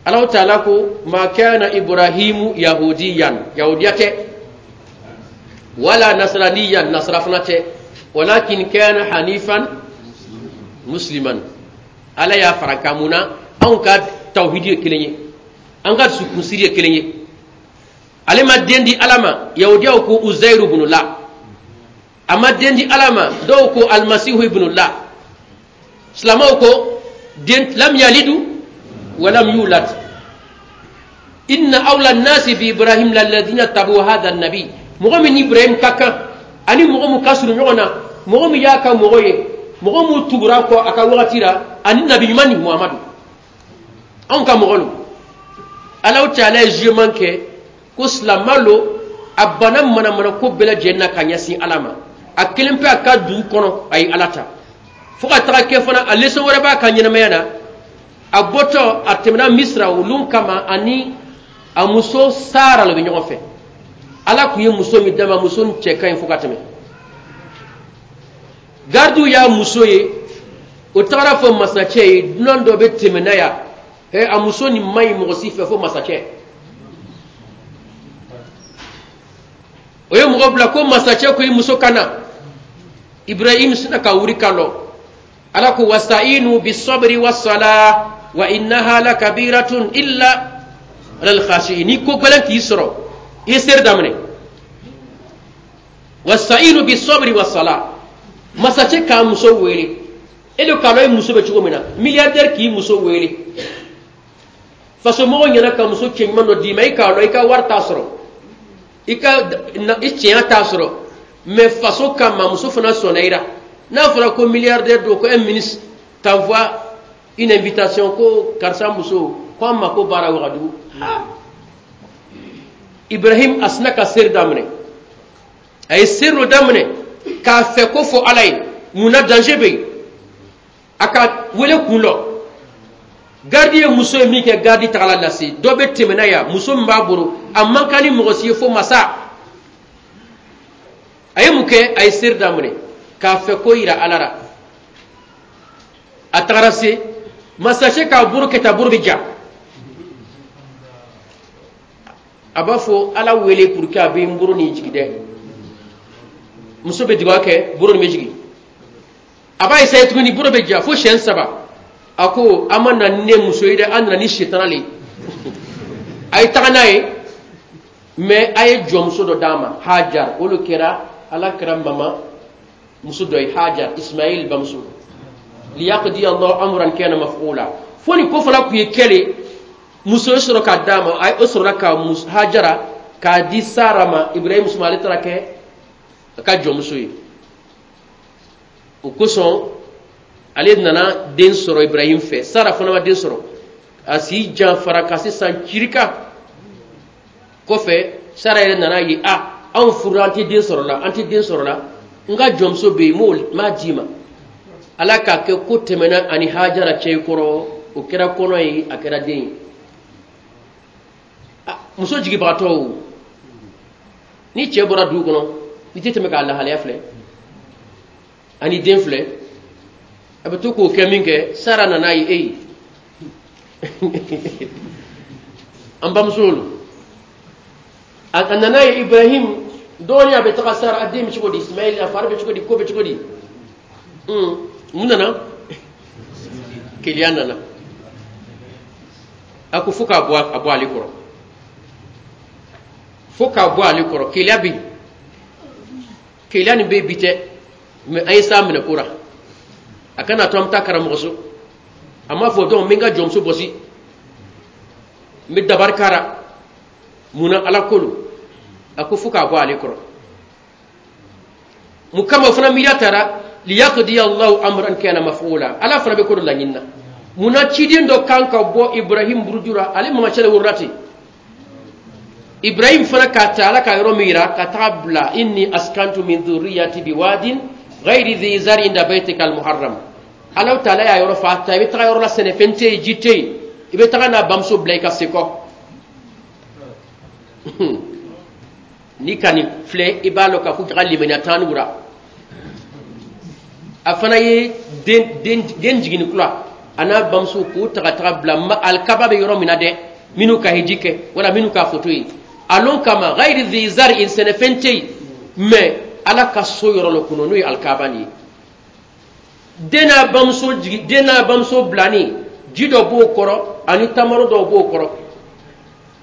Ala taala ko ma kana Ibrahimu yahudiyan, yahudiya tɛ, wala nasraniyan, nasara fana tɛ, walakin kana hanifan musliman. Ala y'a fara kan mun na? Anw ka tawhidi ye kelen ye, an ka dusukunsiri ye kelen ye. Ale ma den di Ala ma, yahudiyaw ko Uzairu ibn la. A ma den di Ala ma, dɔw ko Almasihu ibn la. Silamɛw ko den lam yalidu walam yulad. Inna awla nasi bi Ibrahim lalladina tabu hadha nabi. Mɔgɔ min ni Ibrahim ka kan ani mɔgɔ min ka surun ɲɔgɔn na, mɔgɔ min y'a ka mɔgɔ ye, mɔgɔ min tugura kɔ a ka wagati la, ani nabi ɲuman ni Muhamadu, anw ka mɔgɔ lo. Alahu taala ye jugement kɛ ko silamɛ lo, a banna manamana ko bɛɛ lajɛlen na ka ɲɛsin Ala ma. A kelen pe a ka dugu kɔnɔ, a ye Ala ta fo ka taga kɛ fana. A leçon wɛrɛ b'a ka ɲɛnamaya na. A bɔtɔ, a tɛmɛna Misira olu kama, ani a muso Sara le bɛ ɲɔgɔn fɛ. Ala tun ye muso min d'a ma, muso nin cɛ ka ɲi fo ka tɛmɛ. Gardiw y'a muso ye, o tagara fɔ masakɛ ye, dunan dɔ bɛ tɛmɛ n'a yan, a muso nin man ɲi mɔgɔ si fɛ fo masakɛ. O ye mɔgɔ bila ko masacɛ ko i muso ka na. Ibrahim sina ka wuri ka lɔ. Ala ko wastainu bisabri wasala wa innaha lakabiratun illa alal khashiin. Ni ko gɛlɛn k'i sɔrɔ, i ye seri daminɛ. Wastainu bisabri wasala. Masacɛ k'a muso wele, e de k'a lɔn i muso bɛ cogo min na. Milliardaire k'i muso wele, fasomɔgɔw ɲɛna ka muso cɛɲuman dɔ d'i ma, i k'a lɔn i ka wari t'a sɔrɔ, i ka i cɛnya t'a sɔrɔ, mais faso kama muso fana sɔnna i la. N'a fɔra ko milliardaire don, ko un ministre t'envoie une invitation ko karisa muso ko an mako baara Wagadugu. Ibrahim a sina ka seri daminɛ. A ye seri dɔ daminɛ k'a fɛ ko fɔ Ala ye. Mun na danger bɛ yen? A ka wele kun lɔ. Garidi ye muso ye min kɛ, garidi tagala lase. Dɔ bɛ tɛmɛ n'a yan, muso min b'a bolo, a man kan ni mɔgɔ si ye fo masa. A ye mun kɛ? A ye seri daminɛ k'a fɛ ko yira Ala la. A tagara se masacɛ k'a bolo kɛ tan, bolo bɛ ja. A b'a fɔ Ala wele pour que a bɛ n bolo nin jigin dɛ. Muso bɛ dugawu kɛ, bolo nin bɛ jigin. A b'a essayer tuguni, bolo bɛ ja fo siɲɛ 3. A ko an ma na ni ne muso ye dɛ, an nana ni sitana le ye. A ye taga n'a ye, mais a ye jɔnmuso dɔ d'a ma, Hajar. O de kɛra Ala kɛra mama muso dɔ ye, Hajar, Ismail bamuso. Liyaqdi Allahu amran kana maf'ula. Fo ni ko fana tun ye kɛle, muso ye sɔrɔ k'a d'a ma. A o sɔrɔla ka Hajara k'a di Sara ma. Ibrahim muso ale taara kɛ a ka jɔnmuso ye. O kosɔn ale nana den sɔrɔ Ibrahim fɛ. Sara fana ma den sɔrɔ, a si janfara ka se san cirika kɔfɛ. Sara yɛrɛ nana ye, a anw furula, an tɛ den sɔrɔ la, an tɛ den sɔrɔ la, n ka jɔnmuso bɛ yen, n m'a d'i ma. Ala k'a kɛ ko tɛmɛna ani Hajara cɛ kɔrɔ, o kɛra kɔnɔ ye, a kɛra den ye. Muso jigibagatɔ o, ni cɛ bɔra dugu kɔnɔ, i tɛ tɛmɛ k'a lahalaya filɛ ani den filɛ, a bɛ to k'o kɛ min kɛ. Sara nana ye, e an bamuso lo, a nana ye Ibrahim dɔɔnin, a bɛ taga Sara, a den bɛ cogo di, Ismail a fari bɛ cogo di, ko bɛ cogo di. Mun nana? Keleya nana. A ko fo k'a bɔ, a bɔ ale kɔrɔ, fo k'a bɔ ale kɔrɔ. Keleya bɛ yen, keleya nin bɛ yen bi tɛ, mais an ye s'a minɛ ko la. A kana to an bɛ taa karamɔgɔ so, a m'a fɔ donc n bɛ n ka jɔnmuso bɔsi, n bɛ dabari kara. Mun na? Ala ko don. A ko fo k'a bɔ ale kɔrɔ. Mun kama o fana miiriya taara? Liyaqdi Allahu amran kana maf'ula. Ala fana bɛ ko dɔ laɲini na. Mun na ciden dɔ kan ka bɔ Ibrahim buruju la? Ale mamacɛ de wolola ten. Ibrahim fana k'a ta Ala ka yɔrɔ min yira ka taga bila, inni askantu min dhurriyyati biwadin ghayri dhi zar'in inda baytika al-muharram. Ala taala y'a yɔrɔ fa ta, i bɛ taga yɔrɔ la, sɛnɛfɛn tɛ yen, ji tɛ yen, i bɛ taga n'a bamuso bila i ka se kɔ. N'i ka nin filɛ, i b'a lɔn k'a fɔ jaga limaniya t'an n'u la. A fana ye den jiginni kura, a n'a bamuso k'o ta ka taga bila alikaba bɛ yɔrɔ min na dɛ, minnu ka hiji kɛ wala minnu ka foto ye a lon kama, ghayri dhi zar'in, sɛnɛfɛn tɛ yen, mais Ala ka so yɔrɔ la kɔnɔ, n'o ye alikaba nin ye. Den n'a bamuso jigin, den n'a bamuso bilani, ji dɔ b'o kɔrɔ ani tamaro dɔw b'o kɔrɔ.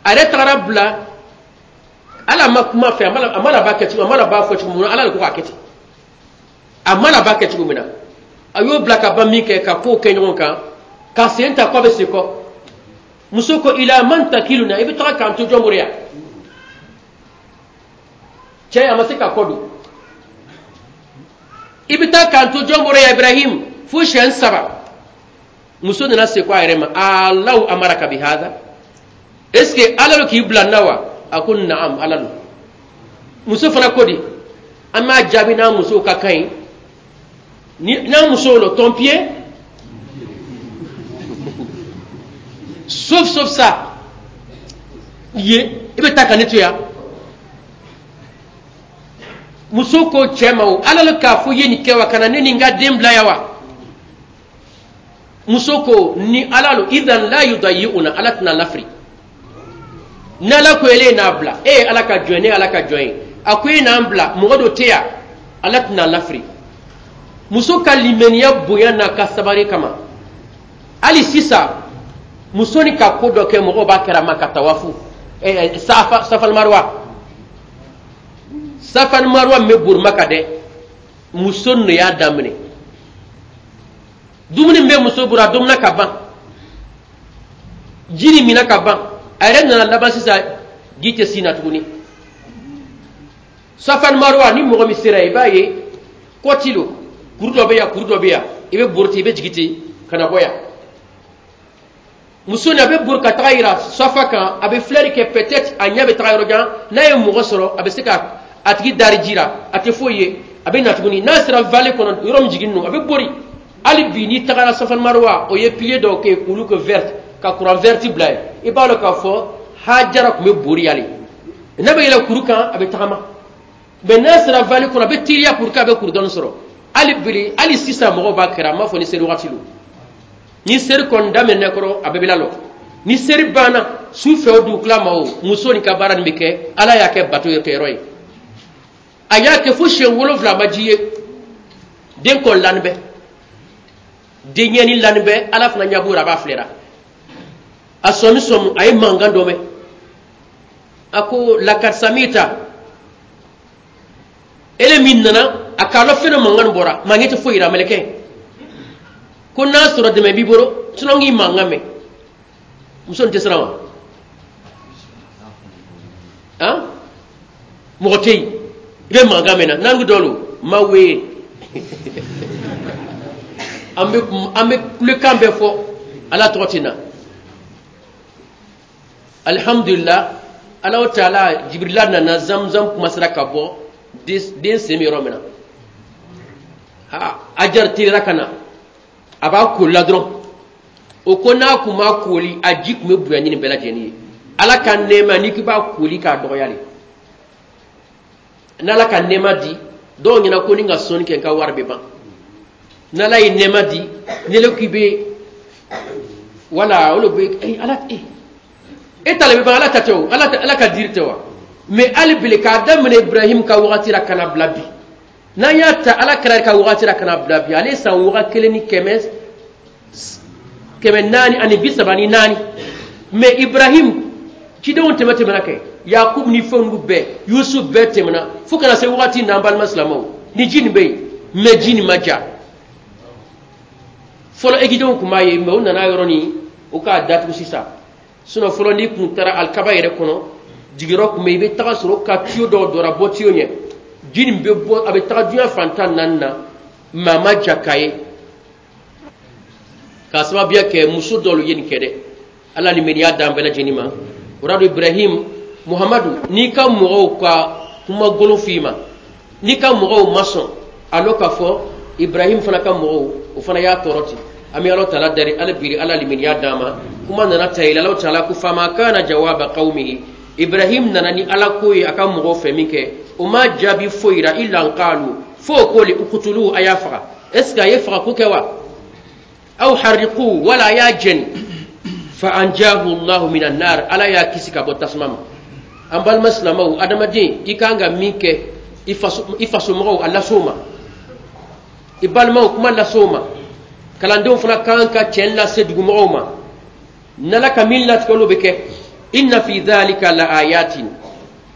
A yɛrɛ tagara bila, Ala ma kuma fɛ, a ma laban kɛ cogo, a ma laban fɔ cogo min na, Ala de ko k'a kɛ ten. A ma laban kɛ cogo min na, a y'o bila ka ban min kɛ, ka kow kɛ ɲɔgɔn kan, ka sen ta kɔ bɛ sen kɔ. Muso ko ila man takiluna, i bɛ taga k'an to jɔn bolo yan? Cɛ a ma se ka kɔ don. I bɛ taa k'an to jɔn bolo yan Ibrahim? Fo siɲɛ 3. Muso nana se ko a yɛrɛ ma, Alahu amaraka bi hada, est ce que Ala bɛ k'i bila n na wa? A ko naam, Ala don. Muso fana ko di, an b'a jaabi n'a musow ka kan ye, n'a musow lo ton pied, sauf ça ye, i bɛ taa ka ne to yan. Muso ko cɛ ma, o Ala le k'a fɔ i ye nin kɛ wa, ka na ne ni n ka den bila yan wa? Muso ko ni Ala lo, idan la yudayi'una, Ala tɛna lafiri. N'Ala ko ele n'a bila, e ye Ala ka jɔn ye, ne ye Ala ka jɔn ye. A ko e n'an bila mɔgɔ dɔ tɛ yan, Ala tɛna lafiri. Muso ka limaniya bonya n'a ka sabari kama, hali sisan muso ni ka ko dɔ kɛ, mɔgɔw b'a kɛra ma ka tawafu safa safal marwa. Safal marwa min bɛ bori Maka dɛ, muso nin y'a daminɛ. Dumuni min bɛ muso bolo, a dumuna ka ban, ji nin minna ka ban, a yɛrɛ nana laban sisan, ji tɛ sin na tuguni. Safal marwa, ni mɔgɔ min sera, i b'a ye kɔti lo, kuru dɔ bɛ yan, kuru dɔ bɛ yan, i bɛ bori ten, i bɛ jigin ten ka na bɔ yan. Muso nin, a bɛ bori ka taga yira safa kan, a bɛ filɛli kɛ, peut-être a ɲɛ bɛ taga yɔrɔ jan. N'a ye mɔgɔ sɔrɔ, a bɛ se ka a tigi dari ji la, a tɛ foyi ye, a bɛ na tuguni. N'a sera vallée kɔnɔ, yɔrɔ min jigin don, a bɛ bori. Hali bi n'i tagara Safal Marwa, o ye pilier dɔw kɛ k'olu kɛ vert, ka courant vert bila yen. I b'a dɔn k'a fɔ Hajara tun bɛ bori yale, n'a bɛ yɛlɛ kuru kan, a bɛ tagama, mais n'a sera vallée kɔnɔ, a bɛ teliya pour que a bɛ kuru dɔɔni sɔrɔ. Hali bi, hali sisan mɔgɔw b'a kɛra. A m'a fɔ ni seli waati don, ni seri kɔni daminɛ kɔrɔ, a bɛɛ bɛ lalɔ. Ni seri banna su fɛ o, dugukila ma o, muso nin ka baara nin bɛ kɛ. Ala y'a kɛ bato kɛyɔrɔ ye. A y'a kɛ fo siɲɛ 7, a ma ji ye. Den kɔni lani bɛ, den ɲɛni lani bɛ. Ala fana ɲɛ b'o la, a b'a filɛra. A sɔmi sɔmi, a ye mankan dɔ mɛn. A ko: "Lakad samita." Ele min nana, a k'a lɔ fɛn dɔ mankan bɔra, maa ɲɛ tɛ foyi la. Mɛlɛkɛ ko: "N'a sɔrɔ dɛmɛ b'i bolo, sinon k'i mankan mɛn." Muso nin tɛ siran wa? Han, mɔgɔ tɛ yen, i bɛ mankan mɛn na n'an ko dɔw ma wele, an bɛ kulekan bɛɛ fɔ, Ala tɔgɔ tɛ na. Alihamudulila, Ala taala, Jibirila nana, Zamzam kumasera ka bɔ den sen bɛ yɔrɔ min na. Ha, Ajar teliyara ka na, a b'a koli la dɔrɔn. O ko n'a kun m'a koli, a ji tun bɛ bonya ni nin bɛɛ lajɛlen ye. Ala ka nɛɛma, n'i k'i b'a koli k'a dɔgɔya de, n'Ala ka nɛɛma di dɔw ɲɛna ko ni ka sɔnni kɛ, n ka wari bɛ ban. N'Ala ye nɛɛma di, ni le k'i bɛ wala olu bɛ Ala e ta le bɛ ban, Ala ta tɛ o, Ala ka diri tɛ wa? Mais hali bi, k'a daminɛ Ibrahim ka wagati la ka na bila bi, n'an y'a ta Ala kɛra ka wagati la ka na bila bi, ale san 1434. Mais Ibrahim cidenw tɛmɛ tɛmɛna kɛ, Yakub ni fɛnw bɛɛ, Yusuf bɛɛ tɛmɛna fo kana se wagati n'an balima silamɛw ni ji nin bɛ yen, mais ji nin ma ja fɔlɔ. Egidenw tun b'a ye, mais u nana yɔrɔ nin, u k'a datugu sisan. Sinon fɔlɔ, n'i kun taara alikaba yɛrɛ kɔnɔ, jigiyɔrɔ tun bɛ yen, i bɛ taga sɔrɔ ka tuyau dɔw dɔra bɔ tuyau ɲɛ, ji nin bɛ bɔ, a bɛ taga diɲɛ fan 14 na. Maa ma ja k'a ye k'a sababuya kɛ muso dɔw ye nin kɛ dɛ. Ala ni meniya d'an bɛɛ lajɛlen ma. O rado Ibrahim Muhamadu, n'i ka mɔgɔw ka kuma golo f'i ma, n'i ka mɔgɔw ma sɔn, a lɔ k'a fɔ Ibrahim fana ka mɔgɔw, o fana y'a tɔɔrɔ ten. An bɛ Ala taala dari ala biri, Ala limaniya d'an ma. Kuma nana ta yɛlɛ, Ala taala ko: "Fama kana jawaba qaumihi." Ibrahim nana ni Ala ko ye a ka mɔgɔw fɛ min kɛ, o ma jaabi foyi ra, illa an qalu, fo ko li uqtulu, a y'a faga. Est ce que a ye faga ko kɛ wa? Aw harriqu, wala a y'a jɛni. Fa anjahu Allahu minan nar, Ala y'a kisi ka bɔ tasuma ma. An balima silamɛw, adamaden, i kan ka min kɛ i fasomɔgɔw, a las'o ma. I balimaw, kuma las'o ma. Kalandenw fana kan ka tiɲɛ lase dugumɔgɔw ma. N'Ala ka min latigɛ, olu bɛ kɛ. Inna fi dhalika la ayatin,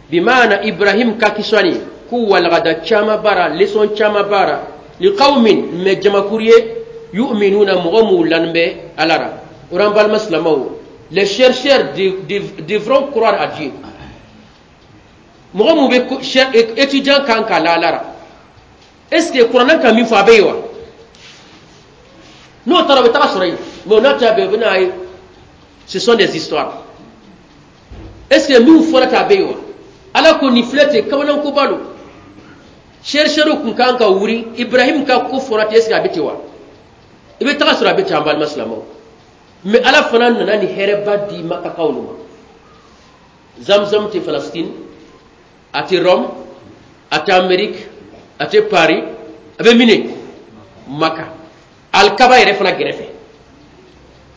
bimaana Ibrahim ka kisani ko walagada caman baara, leçon caman baara, liqawmin, mais jamakuru ye, yu'minuna, mɔgɔ m'u lani bɛ Ala ra. O an balima silamɛw, les chercheurs devront croire à Dieu. Mɔgɔ mun bɛ étudiant kan k'a la Ala ra, est ce que kuranɛ ka min fɔ, a bɛ yen wa? N'o taara, o bɛ taga sɔrɔ yen, mais o n'a ta bɛɛ, o bɛ n'a ye, ce sont des histoires. Est ce que min fɔra k'a bɛ yen wa? Ala ko nin filɛ ten, kamanankoba don. Chercheurs kun kan ka wuri. Ibrahim ka ko fɔra ten, est ce que a bɛ ten wa? I bɛ taga sɔrɔ a bɛ ten, an balima silamɛw. Mais Ala fana nana ni hɛrɛba di Makakaw ma. Zamzam tɛ Palestine, a tɛ Rome, a tɛ Amérique, a tɛ Paris, a bɛ mine Maka, alikaba yɛrɛ fana gɛrɛfɛ.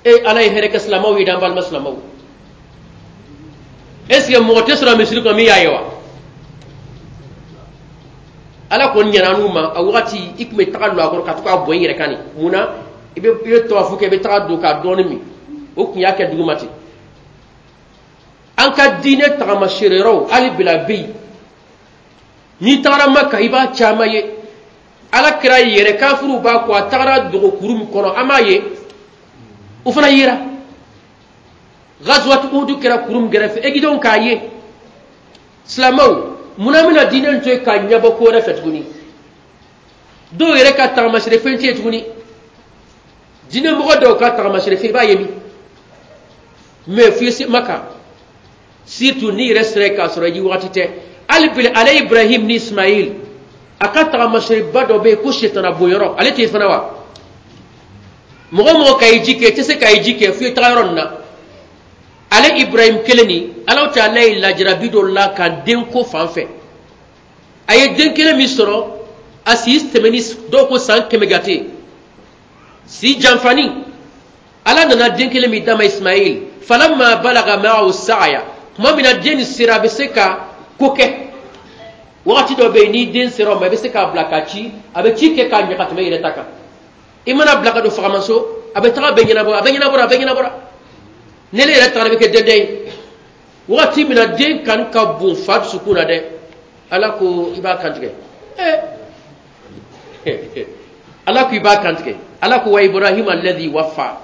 E Ala ye hɛrɛ kɛ silamɛw ye, an balima silamɛw. Est ce que mɔgɔ tɛ sɔrɔ misiri kɔnɔ min y'a ye wa? Ala kɔni ɲɛna n'u ma. A wagati i tun bɛ taga lɔ a kɔrɔ ka to k'a bɔn i yɛrɛ kan nin. Mun na? I bɛ tawafu kɛ, i bɛ taga don k'a dɔɔnin min. O tun y'a kɛ duguma ten. An ka diinɛ tagamaseere yɔrɔw hali bila bɛ yen. N'i tagara Maka, i b'a caman ye. Ala kira yɛrɛ, kafiruw b'a kɔ, a tagara dogo kuru min kɔnɔ, an b'a ye, o fana yera. Gazuwat Uhudu kɛra kuru min kɛrɛfɛ, egidenw k'a ye. Silamɛw, munna an bɛna diinɛ to yen k'a ɲɛbɔ ko wɛrɛ fɛ tuguni? Dɔw yɛrɛ ka tagamasere fɛn tɛ yen tuguni. Diinɛmɔgɔ dɔw ka tagamasere fɛn, i b'a ye min mɛ f'i se Maka, surtout n'i yɛrɛ sera k'a sɔrɔ i wagati tɛ. Hali bi, ale Ibrahim ni Ismail a ka tagamasereba dɔ bɛ yen ko setana bonyɔrɔ, ale tɛ yen fana wa? Mɔgɔ mɔgɔ ka ji kɛ, i tɛ se ka ji kɛ f'i ye taga yɔrɔ nin na. Ale Ibrahim kelen nin, Ala taala ye lajarabi dɔ la ka den ko fan fɛ. A ye den kelen min sɔrɔ, a si tɛmɛni, dɔw ko san 100 gate si janfani. Ala nana den kelen min d'a ma, Ismail. Falamma balaga ma'ahu sa'ya, tuma min na den nin sera, a bɛ se ka ko kɛ. Wagati dɔ bɛ yen, ni den sera o ma, i bɛ se k'a bila ka ci, a bɛ ci kɛ k'a ɲɛ ka tɛmɛ i yɛrɛ ta kan. I mana bila ka don fagamaso, a bɛ taga bɛɛ ɲɛnabɔ, a bɛ ɲɛnabɔra, a bɛ ɲɛnabɔra. Ne yɛrɛ tagara, bɛ kɛ dɛndɛn ye. Wagati min na den kanu ka bon fa dusukun na dɛ, Ala ko i b'a kantigɛ. Ala ko i b'a kantigɛ. Ala ko wa Ibrahim alladhi wafa.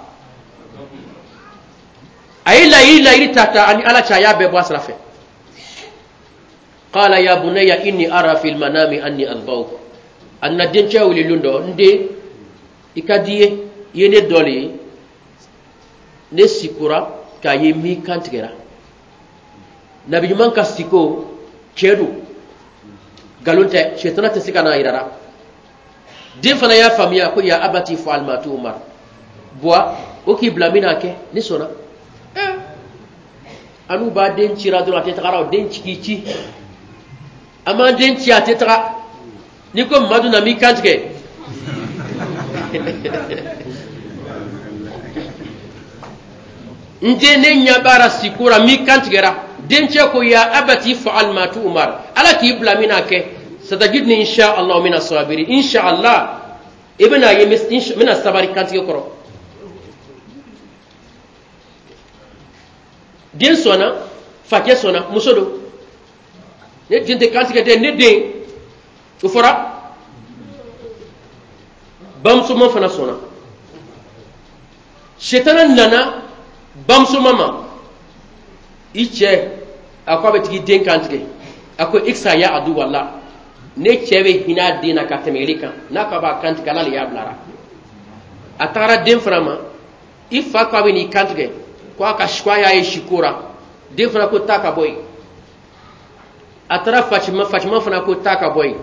A ye layiru ta ani Ala cɛ, a y'a bɛɛ bɔ a sira fɛ. Qala ya bunayya inni ara fil manami anni adbawk. A nana dencɛ wele lon dɔ: n den, i ka di ye, i ye ne dɔ le ye, ne sikora k'a ye min kan tigɛra. Nabi ɲuman ka siko cɛ don, nkalon tɛ, sɛtana tɛ se ka n'a yira la. Den fana y'a faamuya ko ya abati fa'al ma tu'mar, buwa o k'i bila min n'a kɛ, ne sɔnna. An n'u b'a den cira dɔrɔn, a tɛ tagara. O den ci k'i ci, an b'an den ci, a tɛ taga. N'i ko Madu na m'i kan tigɛ. N den, ne ɲɛ b'a la siko la, m'i kan tigɛra. Dencɛ ko ya abati fa'al ma tu'mar, Ala k'i bila min n'a kɛ. Satajidni insha Allah mina sabiri. Insha Allah i bɛna ye n bɛna sabari kantigɛ kɔrɔ. Den sɔnna, facɛ sɔnna, muso don. Ne den tɛ kantigɛ dɛ, ne den. O fɔra, bamusoma fana sɔnna. Setana nana bamusoma ma: i cɛ a ko a bɛ tigi den kantigɛ. A ko iksa ya adu wala, ne cɛ bɛ hinɛ a den na ka tɛmɛ ele kan. N'a ko a b'a kantigɛ, Ala le y'a bilara. A tagara den fana ma: i fa ko a bɛ n'i kantigɛ, ko a ka ko a y'a ye siko la. Den fana ko taa ka bɔ yen. A taara Fatima, Fatima fana ko taa ka bɔ yen.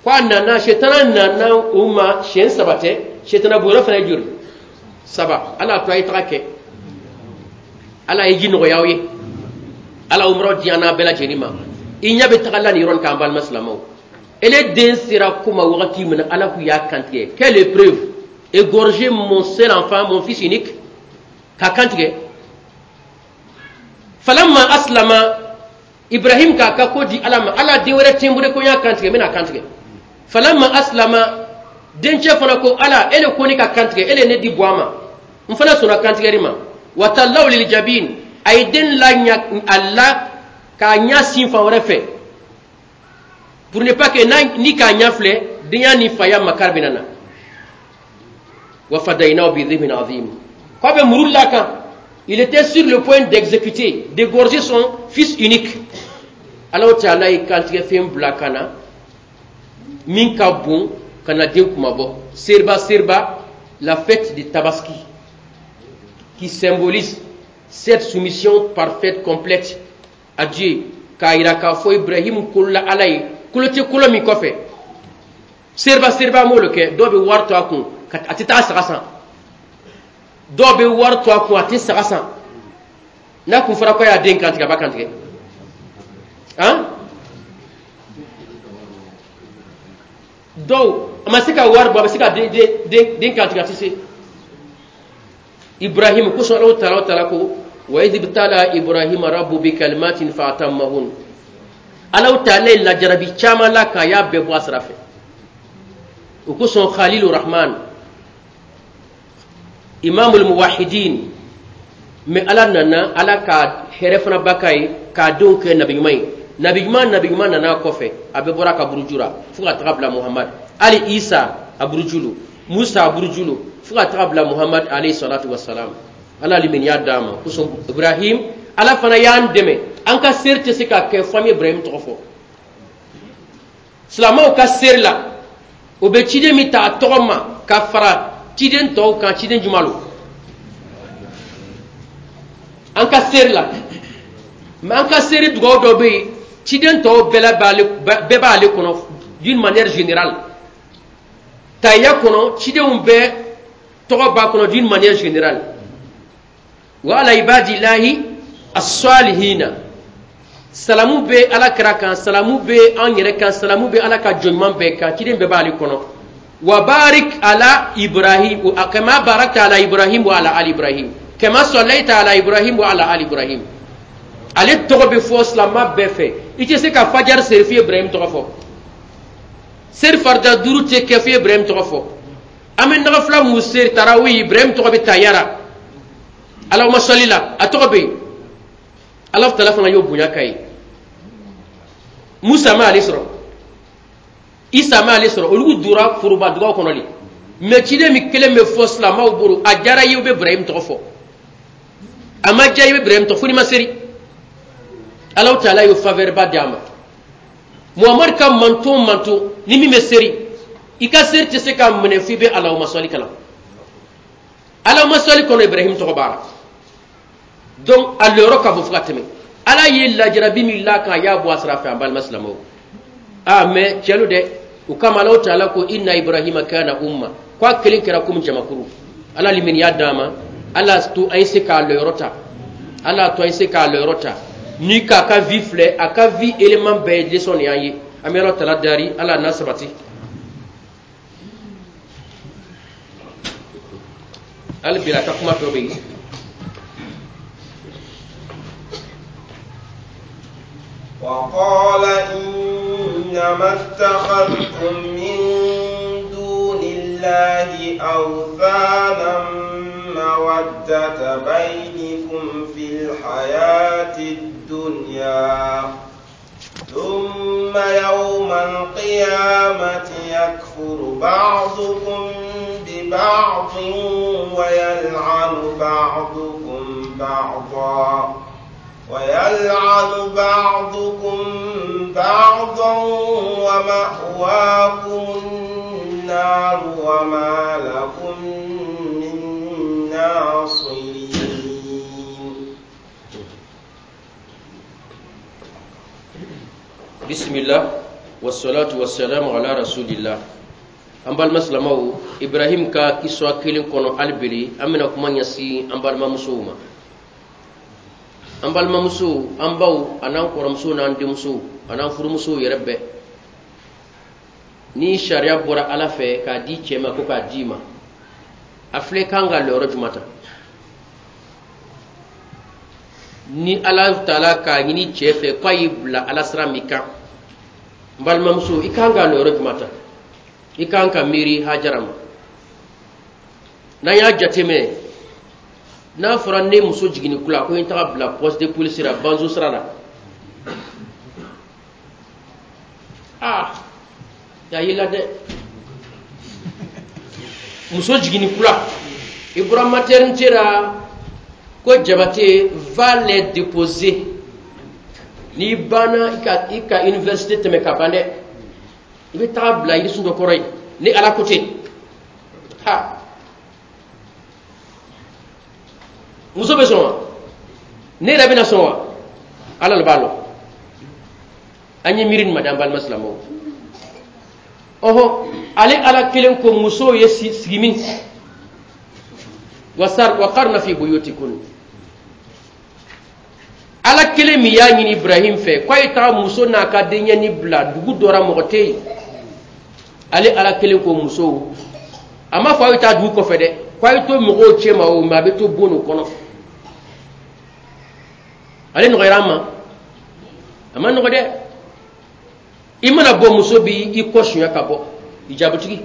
Ko a nana, setana nana u ma siɲɛ saba tɛ. Setana bonyɔrɔ fana ye joli? Saba. Ala y'a to a ye taga kɛ. Ala ye ji nɔgɔya aw ye. Ala umuraw di an n'a bɛɛ lajɛlen ma. I ɲɛ bɛ taga la nin yɔrɔ nin kan, an balima silamɛw. Ele den sera ko ma wagati min na, Ala k'u y'a kantigɛ. Quelle épreuve! Égorger mon seul enfant, mon fils unique, k'a kantigɛ. Falamma aslama, Ibrahim k'a ka ko di Ala ma. Ala, den wɛrɛ tɛ n bolo ko n y'a kantigɛ, n bɛna kantigɛ. Falamma aslama, dencɛ fana ko Ala, e le ko ne ka kantigɛ, e le ne di bɔ a ma, n fana sɔnna kantigɛli ma. Wa tallaw lil jabin, a ye den la ɲa a la k'a ɲa sin fan wɛrɛ fɛ, pour ne pas que ni k'a ɲa filɛ, denya ni faya makari bɛna na. Wa fadaynahu bi dhibhin azim. K'a bɛ muru la kan, il était sur le point d'exécuter, d'égorger son fils unique. Ala taala ye kantigɛ fɛn bila ka na min ka bon ka na den kunmabɔ. Seriba seriba, la fête de Tabaski qui symbolise cette soumission parfaite, complète à Dieu, k'a yira k'a fɔ Ibrahim kolola Ala ye, kolo tɛ kolo min kɔfɛ. Seriba seriba m'o le kɛ. Dɔw bɛ wari to a kun, a tɛ taa saga san. Dɔw bɛ wari to a kun, a tɛ saga san. N'a kun fɔra ko y'a den kantigɛ, a b'a kantigɛ. Han, dɔw a ma se ka wari bɔ, a bɛ se ka den kantigɛ, a tɛ se. Ibrahim kosɔn Ala taala ko wa idh ibtala Ibrahima rabbu bi kalimatin fa atammahun. Alahu taala ye lajarabi caman la k'a y'a bɛɛ bɔ a sira fɛ. O kosɔn Khalilu Rahman, Imamul Muwahidin, mais Ala nana Ala ka hɛrɛ fana ba k'a ye k'a denw kɛ nabi ɲuman ye. Nabi ɲuman nana kɔfɛ, a bɛɛ bɔra a ka buruju la fo ka taga bila Muhammad. Hali Isa a burujulu, Musa a burujulu, fo ka taga bila Muhammad alayhi salatu wassalam. Ala limaniya d'a ma. Kosɔn Ibrahim, Ala fana y'an dɛmɛ, an ka seri tɛ se ka kɛ fo an bɛ Ibrahim tɔgɔ fɔ. Silamɛw ka seri la, o bɛ ciden min ta a tɔgɔ ma ka fara ciden tɔw kan, ciden jumɛn lo? An ka seri la, mais an ka seri dugawu dɔ bɛ yen, ciden tɔw bɛɛ b'ale kɔnɔ d'une manière générale. Tahiya kɔnɔ, cidenw bɛɛ tɔgɔ b'a kɔnɔ d'une manière générale. Wa ala ibadillahi as-salihina, salamu bɛ Ala kira kan, salamu bɛ an yɛrɛ kan, salamu bɛ Ala ka jɔn ɲuman bɛɛ kan, ciden bɛɛ b'ale kɔnɔ. Wa barik ala Ibrahim kama barakta ala Ibrahim wa ala ali Ibrahim kama sallaita ala Ibrahim wa ala ali Ibrahim. Ale tɔgɔ bɛ fɔ silamɛ bɛɛ fɛ. I tɛ se ka fajar seri f'i ye Ibrahim tɔgɔ fɔ. Seri farida 5 tɛ kɛ f'i ye Ibrahim tɔgɔ fɔ. An bɛ nagafila mun seri tarawih, Ibrahim tɔgɔ bɛ tayara. Allahumma salli la, a tɔgɔ bɛ yen. Ala taala fana y'o bonya k'a ye. Musa ma ale sɔrɔ, Isa ma ale sɔrɔ, olu dora foroba dugaw kɔnɔ de. Mais ciden min kelen bɛ fɔ silamɛw bolo, a diyara i ye, i bɛ Ibrahim tɔgɔ fɔ, a ma diya i bɛ Ibrahim tɔgɔ fo n'i ma seri. Ala taala y'o faveur ba di a ma. Muhammad ka manton ni min bɛ seri, i ka seri tɛ se ka minɛ f'i bɛ Allahumma salli kalan. Allahumma salli kɔnɔ Ibrahim tɔgɔ b'a la. Donc a lɔyɔrɔ ka bon fo ka tɛmɛ. Ala ye lajarabi min la kan, a y'a bɔ a sira fɛ, an balima silamɛw. Ah, mais cɛlu dɛ, o kama Ala taala ko inna Ibrahima kana umma, ko a kelen kɛra komi jamakuru. Ala limaniya d'a ma, Ala to an ye se k'a lɔyɔrɔ ta, Ala to an ye se k'a lɔyɔrɔ ta. Ni k'a ka vie filɛ, a ka vie élément bɛɛ ye leçon de y'an ye. An bɛ Ala taala dari, Ala n'a sabati. Hali bi a ka kuma tɔ bɛ yen. وقال إنما اتخذتم من دون الله أوثانا مودة بينكم في الحياة الدنيا ثم يوم القيامة يكفر بعضكم ببعض ويلعن بعضكم بعضا ومأواكم النار وما لكم من ناصرين. بسم الله والصلاة والسلام على رسول الله. An balima silamɛw, Ibrahim ka kiswa kelen kɔnɔ hali bi an bɛna kuma ɲɛsin an balimamusow ma. An balimamusow, an baw, an'an kɔrɔmusow n'an denmusow, an'an furumusow yɛrɛ bɛɛ. Ni sariya bɔra Ala fɛ k'a di cɛ ma ko k'a d'i ma, a filɛ kan ka lɔyɔrɔ jumɛn ta? Ni Ala taala k'a ɲini cɛ fɛ k'a y'i bila Ala sira min kan, n balimamuso, i kan ka lɔyɔrɔ jumɛn ta? I kan ka miiri Hajara ma. N'an y'a jateminɛ, n'a fɔra ne muso jiginni kula ko n taga bila poste de police la, banzo sira la, ah, y'a y'i la dɛ. Muso jiginni kula, i bɔra maternité la ko Jabate va les déposer. N'i banna i ka université tɛmɛ ka ban dɛ, i bɛ taga bila yirisun dɔ kɔrɔ yen ni Ala ko ten. Ha, muso bɛ sɔn wa? Ne yɛrɛ bɛna sɔn wa? Ala de b'a lɔn. An ye miiri nin ma dɛ, an balima silamɛw. Ɔhɔ, ale Ala kelen ko musow ye sigi min, waqarna fi buyutikun. Ala kelen min y'a ɲini Ibrahim fɛ k'a ye taga muso n'a ka denyɛni bila dugu dɔ la, mɔgɔ tɛ yen. Ale Ala kelen ko musow, a m'a fɔ aw ye taa dugu kɔfɛ dɛ, k'a ye to mɔgɔw cɛ ma o, mɛ a bɛ to bon o kɔnɔ. Ale nɔgɔyara an ma, a ma nɔgɔ dɛ. I mana bɔ, muso b'i i kɔ suɲɛ ka bɔ hijabutigi.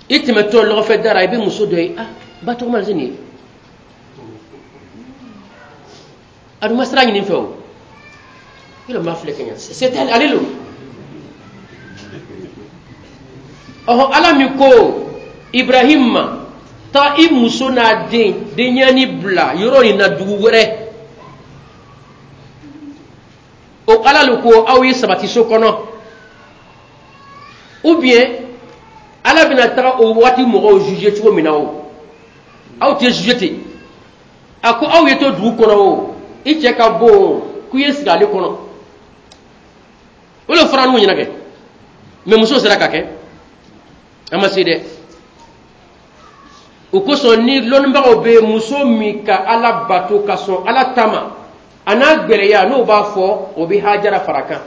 I tɛmɛtɔ lɔgɔfɛ da la, i bɛ muso dɔ ye, ah, ba tɔgɔma se nin ye, a dun ma sira ɲini n fɛ o, yɔrɔ ma filɛ ka ɲɛ, c'est elle, ale lo. Ɔhɔ, Ala min ko Ibrahim ma, taa i muso n'a den denyɛni bila yɔrɔ nin na dugu wɛrɛ, o Ala le ko aw ye sabati so kɔnɔ, ou bien Ala bɛna taga o waati mɔgɔw juger cogo min na, o aw tɛ juger ten. A ko aw ye to dugu kɔnɔ, o i cɛ ka bon o, k'u ye sigi ale kɔnɔ, o le fɔra n'u ɲɛna kɛ, mais muso sera ka kɛ, an ma se dɛ. O kosɔn ni lɔnnibagaw bɛ muso min ka Ala bato ka sɔn Ala ta ma, a n'a gbɛlɛya, n'o b'a fɔ, o bɛ Hajara fara kan,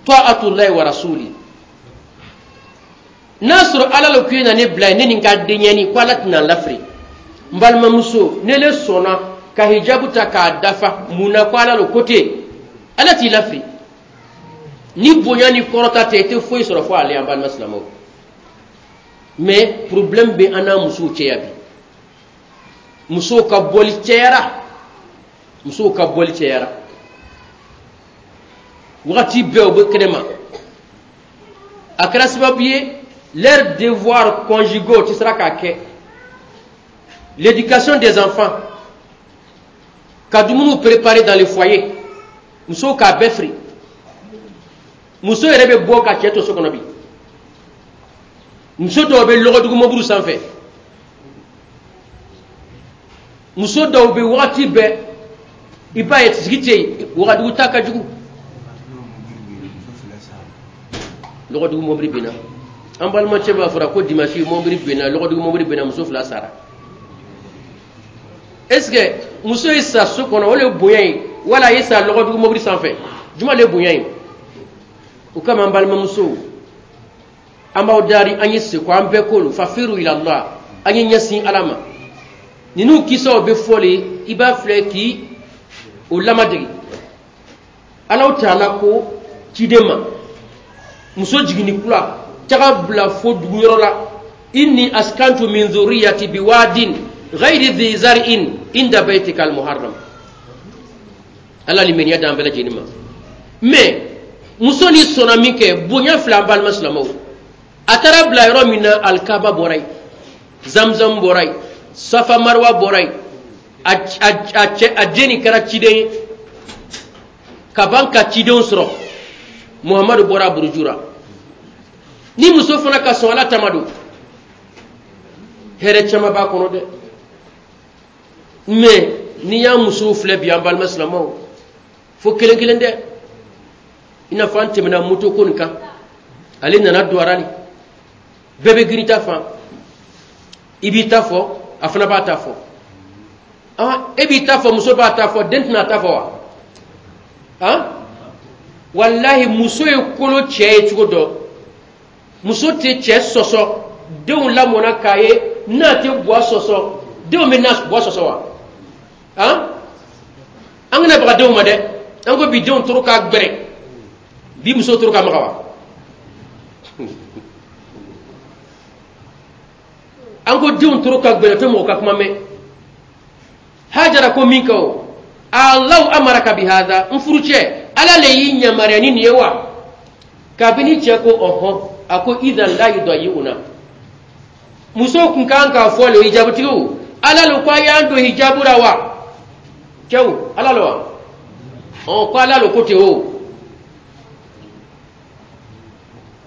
ta'atullahi wa rasuli. N'a sɔrɔ Ala le ko i na ne bila yen, ne ni n ka denyɛni, ko Ala tɛna n lafili. N balimamuso, ne le sɔnna ka hijabu ta k'a dafa, mun na? Ko Ala le ko ten, Ala t'i lafili. Ni bonya ni kɔrɔta tɛ, i tɛ foyi sɔrɔ fo ale. An balima silamɛw, mais problème bɛ an n'a musow cɛ ya bi. Musow ka bɔli cɛyara, musow ka bɔli cɛyara, wagati bɛɛ u bɛ kɛnɛma. A kɛra sababu ye leurs devoirs conjugaux tɛ sera k'a kɛ, l'éducation des enfants, ka dumuniw préparer dans le foyer, musow k'a bɛɛ firi. Muso yɛrɛ bɛ bɔ ka cɛ to so kɔnɔ bi. Muso dɔw bɛ lɔgɔdugu mobili sanfɛ, muso dɔw bɛ wagati bɛɛ i b'a ye sigi tɛ yen, wagadugu ta ka jugu. Lɔgɔdugu mobili binna, an balimacɛ b'a fɔra ko dimanche mobili binna, lɔgɔdugu mobili binna, muso 2 sara. Est ce que muso ye sa so kɔnɔ, o le ye bonya ye, wala a ye sa lɔgɔdugu mobili sanfɛ, juma le ye bonya ye? O kama an balimamusow, an b'aw dari, an ye seko an bɛɛ ko fafiru ila Allah, an ye ɲɛsin Ala ma. Ninnu kisaw bɛ fɔ le, i b'a filɛ k'i o lamadegi. Alaw taala ko ciden ma, muso jiginni kura taga bila fo dugu yɔrɔ la, inni askantu min dhurriyyati biwadin ghayri dhi zar'in inda baytika almuharram. Ala limaniya d'an bɛɛ lajɛlen ma. Mais muso ni sɔnna min kɛ, bonya fila, an balima silamɛw, a taara bila yɔrɔ min na, alikaba bɔra yen, zamzam bɔra yen, safa marwa bɔra yen, a den nin kɛra ciden ye ka ban ka cidenw sɔrɔ. Muhamadu bɔra buruju la. Ni muso fana ka sɔn Ala tama don, hɛrɛ caman b'a kɔnɔ dɛ. Mais n'i y'a musow filɛ bi, an balima silamɛw, fo kelen kelen dɛ. I n'a fɔ an tɛmɛna moto ko nin kan, ale nana don arali, bɛɛ bɛ girin ta fan, i b'i ta fɔ, a fana b'a ta fɔ. E b'i ta fɔ, muso b'a ta fɔ, den tɛna ta fɔ wa? Walahi, muso ye kolo cɛ ye cogo dɔ, muso tɛ cɛ sɔsɔ. Denw lamɔna k'a ye n'a tɛ buwa sɔsɔ, denw bɛ na buwa sɔsɔ wa? An kana baga denw ma dɛ. An ko bi denw toro ka gbɛrɛ, bi muso toro ka maga wa? An ko denw toro ka gbɛrɛ, tɛ mɔgɔ ka kuma mɛn. Hajara ko min kɛ o, Alahu amaraka bi hada, n furucɛ, Ala le y'i yamaruya ni nin ye wa? Kabini cɛ ko ɔhɔn, a ko idan la yudayi'una. Musow kun kan k'a fɔ le, hijabutigiw, Ala le ko a y'an don hijabu la wa? Cɛw, Ala le wa? Ɔn, ko Ala le ko ten o.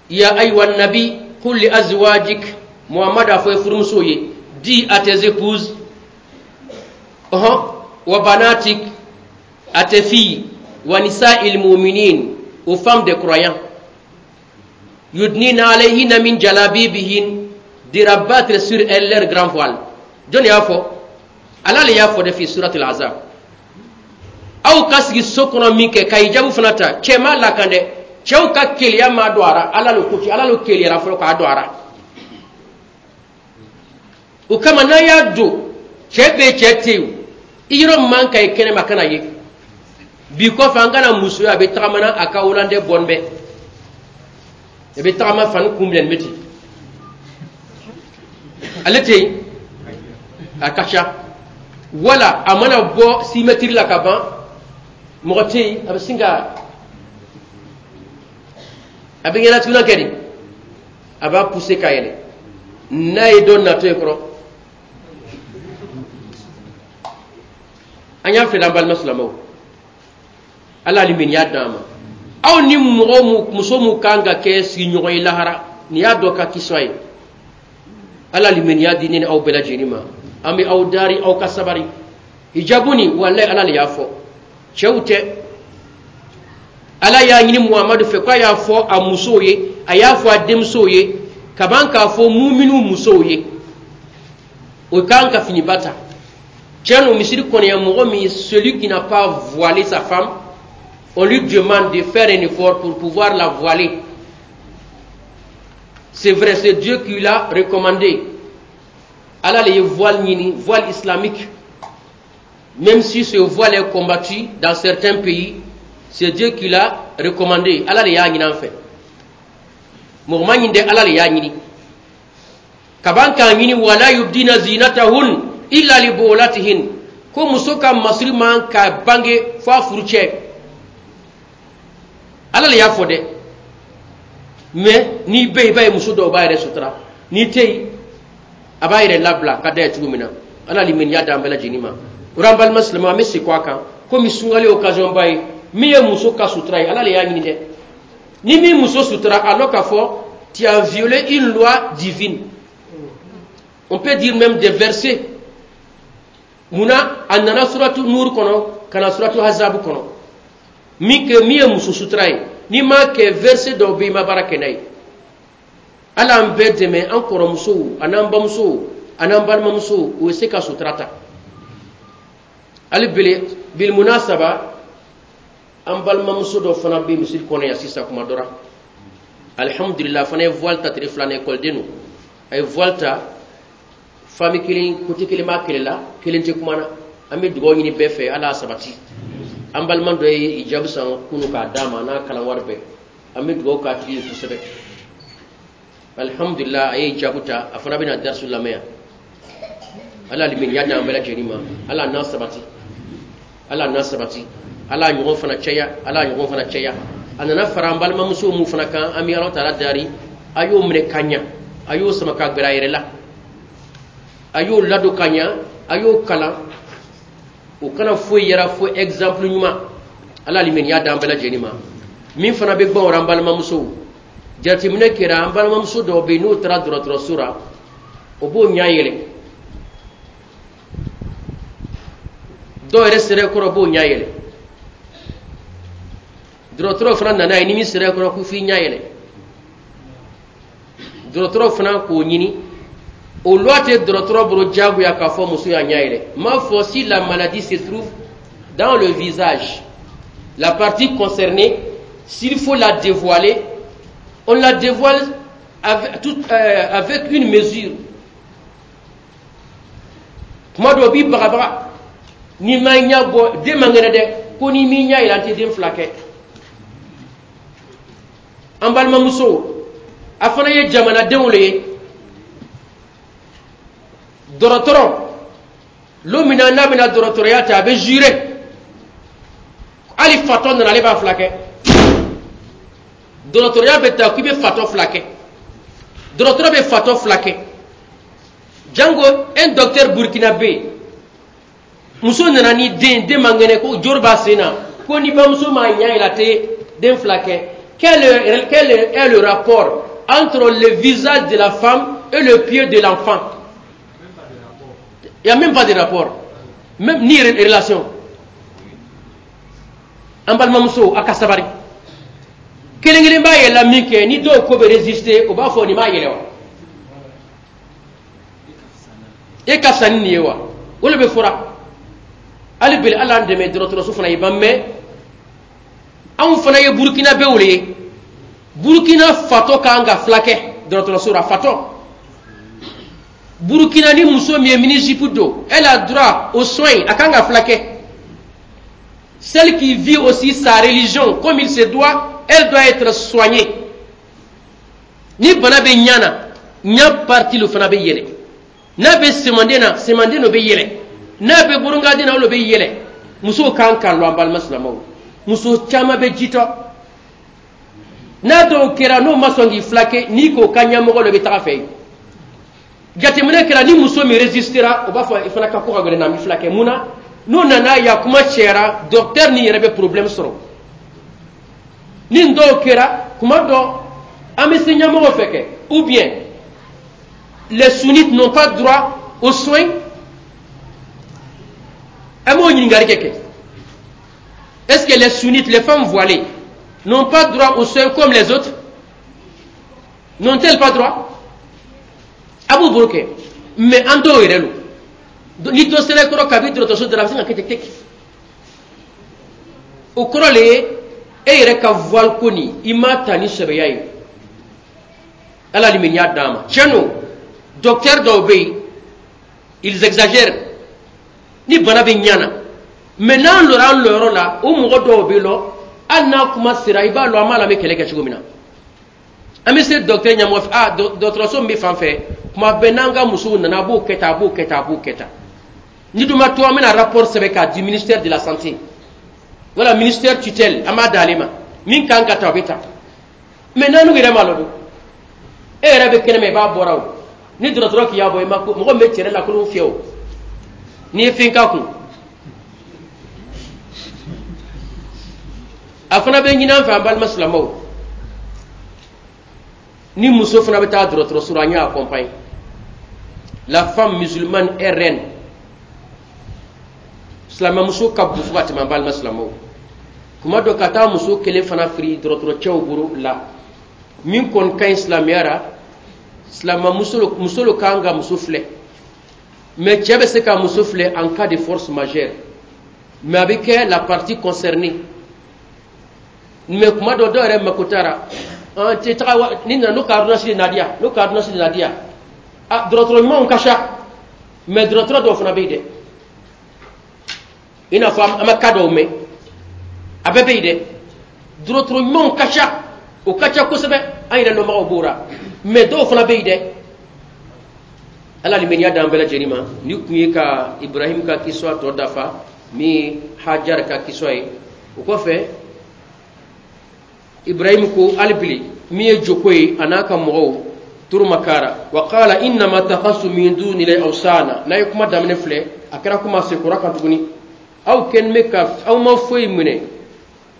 Ya ayiwa nabi, qul li azwajik, Muhammad a fɔ i furumusow ye, dis à tes épouses, ɔhɔn, wa banatik, à tes filles, wa nisa'il mu'minin, aux femmes des croyants, yudnina alayhinna min jalabibihin, de rabattre sur elles leur grand voile. Jɔn y'a fɔ? Ala le y'a fɔ de fi suratul Ahzab. Aw ka sigi so kɔnɔ min kɛ ka hijabu fana ta, cɛ ma lakan dɛ, cɛw ka keleya ma don a ra, Ala le ko ci, Ala le keleyara fɔlɔ k'a don a ra. O kama n'a y'a don, cɛ bɛ cɛ tɛ yen, i yɔrɔ man ka ye kɛnɛma kana ye. Bi kɔfɛ, an kana muso ye a bɛ tagama na a ka hollandais bɔn bɛɛ, i bɛ tagama fani kun minɛ nin bɛ ten, ale tɛ yen, a ka ca. Wala a mana bɔ 6 mètres la ka ban, mɔgɔ tɛ yen, a bɛ sin ka a bɛ ɲɛnatuguna kɛ de, a b'a pousser ka yɛlɛ n'a ye dɔ natɔ ye kɔrɔ. An y'a filɛ, an balima silamɛw, Ala limaniya d'an ma. Aw ni mɔgɔ mu, muso mu kan ka kɛ sigiɲɔgɔn ye lahara, nin y'a dɔ ka kisɔ ye. Ala limaniya di ne ni aw bɛɛ lajɛlen ma. An bɛ aw dari, aw ka sabari. Hijabu nin, walayi, Ala le y'a fɔ, cɛw tɛ. Ala y'a ɲini Muhamadu fɛ k'a y'a fɔ a musow ye, a y'a fɔ a denmusow ye, ka ban k'a fɔ muminiw musow ye, o kan ka finiba ta. Tiɲɛ don, misiri kɔnɔ yan, mɔgɔ min, celui qui n'a pas voilé sa femme, on lui demande de faire un effort pour pouvoir la voiler. C'est vrai, c'est Dieu qui l'a recommandé. Ala le ye voile ɲini, voile islamique. Même si ce voile est combattu dans certains pays, c'est Dieu qui l'a recommandé. Ala le y'a ɲini an fɛ, mɔgɔ ma ɲini dɛ, Ala le y'a ɲini kaban k'a ɲini. Wala yubdina zinatahun illa li bu'ulatihin, ko muso ka masiri man ka bange fo a furucɛ. Ala le y'a fɔ dɛ. Mais n'i bɛ yen, i b'a ye muso dɔw b'a yɛrɛ sutura, n'i tɛ yen, a b'a yɛrɛ labila ka da ye cogo min na. Ala limaniya d'an bɛɛ lajɛlen ma. O an balima silamɛw, an bɛ segin a kan, komi sunkalo ye occasion ba ye. Min ye muso ka sutura ye, Ala le y'a ɲini dɛ. Ni min muso sutura, alors k'a fɔ tu as violé une loi divine, on peut dire même des versets. Munna a nana suratu Nur kɔnɔ ka na suratu Hazabu kɔnɔ? Min kɛ, min ye muso sutura ye, n'i m'a kɛ, verset dɔw bɛ yen, i ma baara kɛ n'a ye. Ala an bɛɛ dɛmɛ, an kɔrɔmusow an'an bamusow an'an balimamusow, u bɛ se ka sutura ta. Hali bele bilmunasaba, an balimamuso dɔ fana bɛ misiri kɔnɔ yan sisan kuma dɔ la, alihamudulila, fana ye voile ta tile filanan, ekɔliden don, a ye voile ta. Famille kelen, côté kelen b'a kɛlɛ la, kelen tɛ kuma na. An bɛ dugawu ɲini bɛɛ fɛ, Ala y'a sabati. An balima dɔ ye hijabu san kunu k'a d'a ma, n'a kalan wari bɛɛ. An bɛ dugawu k'a tigi ye kosɛbɛ. Alihamudulila, a ye hijabu ta, a fana bɛna darisu lamɛn yan. Ala limaniya d'an bɛɛ lajɛlen ma. Ala n'a sabati, Ala n'a sabati, Ala ɲɔgɔn fana caya, Ala ɲɔgɔn fana caya. A nana fara an balimamuso mun fana kan, an bɛ Ala taala dari, a y'o minɛ ka ɲa, a y'o sama ka gbɛrɛ a yɛrɛ la, a y'o ladon ka ɲa, a y'o kalan, o kana foyi yɛrɛ fo exemple ɲuman. Ala limaniya d'an bɛɛ lajɛlen ma. Min fana bɛ gbɔn o an balimamusow, jateminɛ kɛra, an balimamuso dɔw bɛ yen, n'o taara dɔgɔtɔrɔso la, o b'o ɲɛ yɛlɛ. Dɔw yɛrɛ sera kɔrɔ, b'o ɲɛ yɛlɛ. Dɔgɔtɔrɔ fana nana ye, ni min sera kɔrɔ, ko f'i ɲɛ yɛlɛ. Dɔgɔtɔrɔ fana k'o ɲini, o loi tɛ dɔgɔtɔrɔ bolo diyagoya k'a fɔ muso y'a ɲɛ yɛlɛ. N m'a fɔ, si la maladie se trouve dans le visage, la partie concernée, s'il faut la dévoiler, on la dévoile avec une mesure. Kuma dɔw b'i bagabaga, n'i ma ɲɛ bɔ, den man kɛnɛ dɛ, ko n'i m'i ɲɛ yɛlɛ, an tɛ den fila kɛ. An balimamuso, a fana ye jamanadenw le ye. Dɔgɔtɔrɔ lon min na n'a bɛna dɔgɔtɔrɔya ta, a bɛ jurer, hali fatɔ nana, ale b'a fila kɛ. Dɔgɔtɔrɔya bɛ ta k'i bɛ fatɔ fila kɛ, dɔgɔtɔrɔ bɛ fatɔ fila kɛ. Jango un docteur burkinabé, muso nana ni den, den man kɛnɛ, ko jori b'a sen na, ko ni bamuso m'a ɲɛ yɛlɛ, a tɛ den fila kɛ. Quel est le rapport entre le visage de la femme et le pied de l'enfant? Il n'y a même pas de rapport, même ni relation. An balimamuso, a ka sabari. Kelen kelen b'a yɛlɛla min kɛ, ni dɔw ko bɛ résister, o b'a fɔ nin b'a yɛlɛ wa, e ka fisa ni nin ye wa? O de bɛ fɔra. Hali bi, Ala y'an dɛmɛ, dɔgɔtɔrɔso fana ye ban. Mɛ anw fana ye Burukinabew le ye. Burukina fatɔ kan ka fila kɛ dɔgɔtɔrɔso la, fatɔ. Burukina ni muso min ye mini-jupe don, elle a droit aux soins, a kan ka fila kɛ. Celle qui vit aussi sa religion comme il se doit, elle doit être soignée. Ni bana bɛ ɲa na, ɲa partie lo fana bɛ yɛlɛ. N'a bɛ semanden na, semanden lo bɛ yɛlɛ. N'a bɛ burungaden na, o lo bɛ yɛlɛ. Musow kan k'a lɔn, an balima silamɛw, muso caman bɛ jitɔ. N'a dɔw kɛra, n'o ma sɔn k'i filakɛ, n'i k'o ka ɲɛmɔgɔ dɔ bɛ taga fɛ yen. Jateminɛ kɛra, ni muso min résistera, o b'a fɔ i fana ka ko ka gɛlɛn na, n bɛ filakɛ. Mun na? N'o nana ya kuma cayara, docteur ni yɛrɛ bɛ problème sɔrɔ. Ni dɔw kɛra, kuma dɔ an bɛ se ɲɛmɔgɔ fɛ kɛ, ou bien les sunnites n'ont pas droit aux soins. An b'o ɲininkali kɛ: est-ce que les sunnites, les femmes voilées, n'ont pas droit aux soins comme les autres? N'ont-elles pas droit? A b'o bolo kɛ, mais an dɔw yɛrɛ lo, ni dɔ sera kɔrɔ kabi dɔgɔtɔrɔso dara, a bɛ se ka kɛ ten teki. O kɔrɔ le ye e yɛrɛ ka voile ko nin, i m'a ta ni sɛbɛya ye. Ala limaniya d'an ma. Tiɲɛ don, docteur dɔw bɛ yen, ils exagèrent ni bana bɛ ɲana. Mais n'an lɔra an lɔyɔrɔ la, o mɔgɔ dɔw bɛ lɔ, hali n'a kuma sera, i b'a lɔn an b'a la, an bɛ kɛlɛ kɛ cogo min na. An bɛ se docteur ɲɛmɔgɔ fɛ: ah, dɔgɔtɔrɔso min bɛ fan fɛ, kuma bɛɛ n'an ka musow nana, a b'o kɛ tan, a b'o kɛ tan, a b'o kɛ tan. Ni dun ma to, an bɛna rapport sɛbɛn k'a di ministère de la Santé wala ministère tutelle, an b'a d'ale ma. Min kan ka ta, o bɛ ta. Mais n'an yɛrɛ m'a lɔ dun, e yɛrɛ bɛ kɛnɛma, i b'a bɔra o ni dɔgɔtɔrɔ k'i y'a bɔ, i ma ko mɔgɔ min bɛ cɛrɛ la kolon fiyɛ o, n'i ye fɛn k'a kun, a fana bɛ ɲini an fɛ. An balima silamɛw, ni muso fana bɛ taa dɔgɔtɔrɔso la, an y'a accompagner. La femme musulmane est reine. Silamɛmuso ka bon fo ka tɛmɛ. An balima silamɛw, kuma dɔ ka taa muso kelen fana firi dɔgɔtɔrɔcɛw bolo la, min kɔni ka ɲi silamɛya la, silamɛmuso, muso lo kan ka muso filɛ. Mais cɛ bɛ se ka muso filɛ en cas de force majeure, mais a bɛ kɛ la partie concernée. Mais kuma dɔ, dɔw yɛrɛ mako taara an tɛ taga ni nana n'o ka ordonnance de nadiya, n'o ka ordonnance de nadiya. Ah, dɔgɔtɔrɔ ɲumanw ka ca, mais dɔgɔtɔrɔ dɔw fana bɛ yen dɛ, i n'a fɔ an ma cas dɔw mɛn, a bɛɛ bɛ yen dɛ. Dɔgɔtɔrɔ ɲumanw ka ca, o ka ca kosɛbɛ, an yɛrɛ lɔnbagaw b'o la, mais dɔw fana bɛ yen dɛ. Ala limaniya d'an bɛɛ lajɛlen ma. Ni kun ye ka Ibrahim ka kiswa tɔ dafa, min ye Hajar ka kiswa ye. O kɔfɛ, Ibrahim ko hali bili min ye joko ye, a n'a ka mɔgɔw turumakara wa qala innama takhasu min duni awsana. N'a ye kuma daminɛ filɛ, a kɛra kuma sekura kan tuguni. Aw kɛlen bɛ ka aw ma foyi minɛ,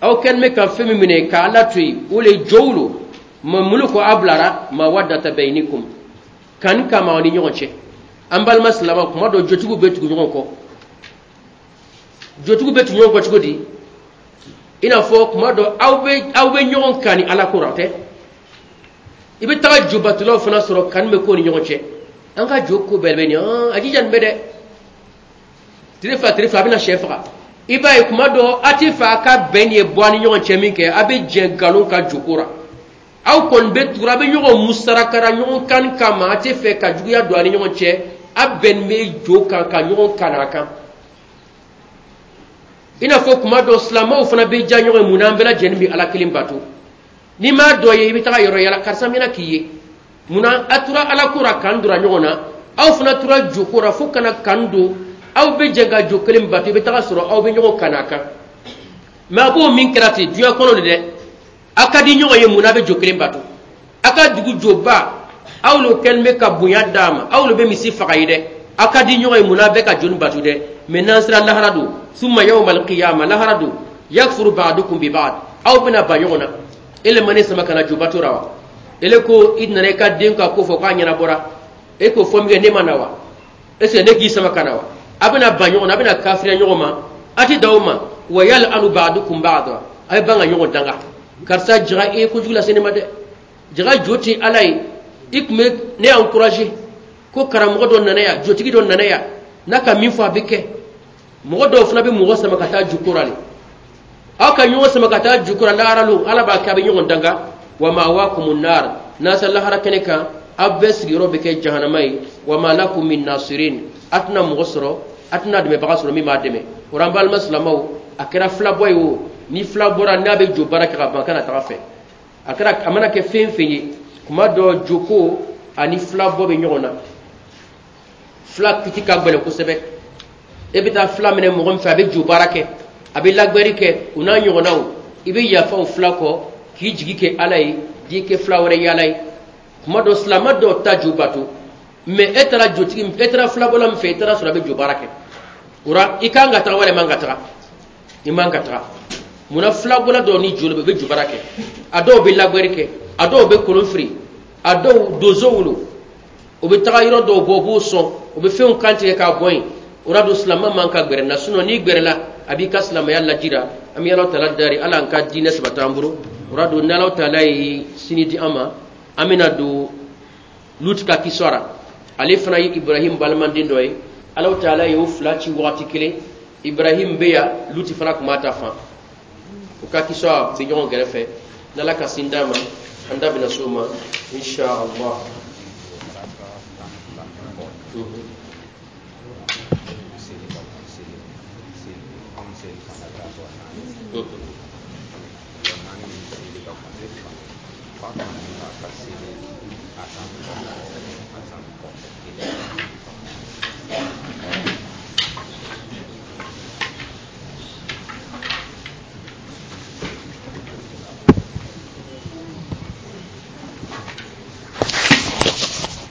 aw kɛlen bɛ ka fɛn min minɛ ka Ala to yen, o le jow lo ma mulu ko a bilara mawaddata baynikum, kan kama aw ni ɲɔgɔn cɛ. An balima silama, kuma dɔ jotigiw bɛ tugu ɲɔgɔn kɔ. Jotigiw bɛ tugu ɲɔgɔn kɔ cogo di? I n'a fɔ kuma dɔ aw bɛ ɲɔgɔn kan ni Ala ko la tɛ, i bɛ taga jobatulaw fana sɔrɔ, kan bɛ ko ni ɲɔgɔn cɛ. An ka jo ko bɛɛ bɛ nin, a jija nin bɛ dɛ, tile fila tile fila a bɛna sɛ faga. I b'a ye kuma dɔ a tɛ fɛ a ka bɛn ye bɔ a ni ɲɔgɔn cɛ min kɛ, a bɛ jɛ nkalon ka joko la. Aw kɔni bɛ tugura, a bɛ ɲɔgɔn musarakara ɲɔgɔn kan kama, a tɛ fɛ ka juguya don a ni ɲɔgɔn cɛ. A bɛn bɛ jo kan ka ɲɔgɔn kan a kan. I n'a fɔ kuma dɔ silamɛw fana bɛ ja ɲɔgɔn ye. Mun na? An bɛɛ lajɛlen bɛ Ala kelen bato. N'i m'a dɔ ye, i bɛ taga yɔrɔ yala, karisa mɛna k'i ye. Mun na a tora Ala ko la kan dora ɲɔgɔn na, aw fana tora joko la fo kana kan don, aw bɛ jɛ ka jo kelen bato, i bɛ taga sɔrɔ aw bɛ ɲɔgɔn kan a kan. Mais a b'o min kɛra ten diɲɛ kɔnɔ de dɛ, a ka di ɲɔgɔn ye. Mun na a bɛ jo kelen bato? A ka dugu joba, aw lo kɛlen bɛ ka bonya d'a ma, aw lo bɛ misi faga ye dɛ. A ka di ɲɔgɔn ye, mun na a bɛ ka joni bato dɛ? Mais n'an sera lahara don, summa yawmal qiyama, lahara don, yakfuru ba'dukum bi ba'd, aw bɛna ba ɲɔgɔn na. E le ma ne sama ka na jobato la wa? Ele ko i nana i ka den ka ko fɔ k'a ɲɛnabɔra, e k'o fɔ min kɛ, ne ma na wa? Est ce que ne k'i sama ka na wa? A bɛna ba ɲɔgɔn na, a bɛna kafiriya ɲɔgɔn ma, a ti da o ma. Wa yal'anu ba'dukum ba'da, a bɛ ban ka ɲɔgɔn danga. Karisa jaga, e ye kojugu lase ne ma dɛ, jaga jo tɛ Ala ye. I tun bɛ ne encouragé ko karamɔgɔ dɔ nana yan, jotigi dɔ nana yan, n'a ka min fɔ a bɛ kɛ. Mɔgɔ dɔw fana bɛ mɔgɔ sama ka taa jukora le, aw ka ɲɔgɔn sama ka taa jukora lahara lo, Ala b'a kɛ a bɛ ɲɔgɔn danga. Wa ma'wakumun nar, n'a sera lahara kɛnɛ kan, aw bɛɛ sigiyɔrɔ bɛ kɛ jahanama ye. Wa ma lakum min nasirin, a tɛna mɔgɔ sɔrɔ, a tɛna dɛmɛbaga sɔrɔ min b'a dɛmɛ. O la, an balima silamɛw, A kɛra filabɔ ye o, ni fila bɔra n'a bɛ jo baara kɛ ka ban, kana taga fɛ. A kɛra, a mana kɛ fɛn fɛn ye, kuma dɔ joko ani filabɔ bɛ ɲɔgɔn na. Fila kiti ka gɛlɛn kosɛbɛ. E bɛ taa fila minɛ mɔgɔ min fɛ, a bɛ jo baara kɛ, a bɛ lagbɛri kɛ, o n'a ɲɔgɔnnaw, i bɛ yafa o fila kɔ k'i jigi kɛ Ala ye, k'i kɛ fila wɛrɛ yaala ye. Kuma dɔ, silamɛ dɔw ta jo bato, mɛ e taara jotigi, e taara filabɔla min fɛ, e taara sɔrɔ a bɛ jo baara kɛ o la, i kan ka taga walima man ka taga? I man ka taga. Munna? Filabɔla dɔw ni jo bɛ jo baara kɛ, a dɔw bɛ lagbɛri kɛ, a dɔw bɛ kolon firi, a dɔw donso wolo, o bɛ taga yɔrɔ dɔw bɔ, u b'o sɔn, o bɛ fɛnw kantigɛ k'a bɔ yen. O la don, silamɛ man ka gɛrɛ na, sinɔn n'i gɛrɛla, a b'i ka silamɛya lajira. An bɛ Ala taala dari, Ala an ka diinɛ sabati an bolo. O la don, ni Ala taala ye sini di an ma, an bɛna don Luti ka kisɔ la. Ale fana ye Ibrahim balimaden dɔ ye. Ala taala ye o fila ci wagati kelen. Ibrahim bɛ yan, Luti fana tun b'a ta fan. O ka kisɔ bɛ ɲɔgɔn kɛrɛfɛ. N'Ala ka sin d'a ma, an da bɛna s'o ma, insha Allah.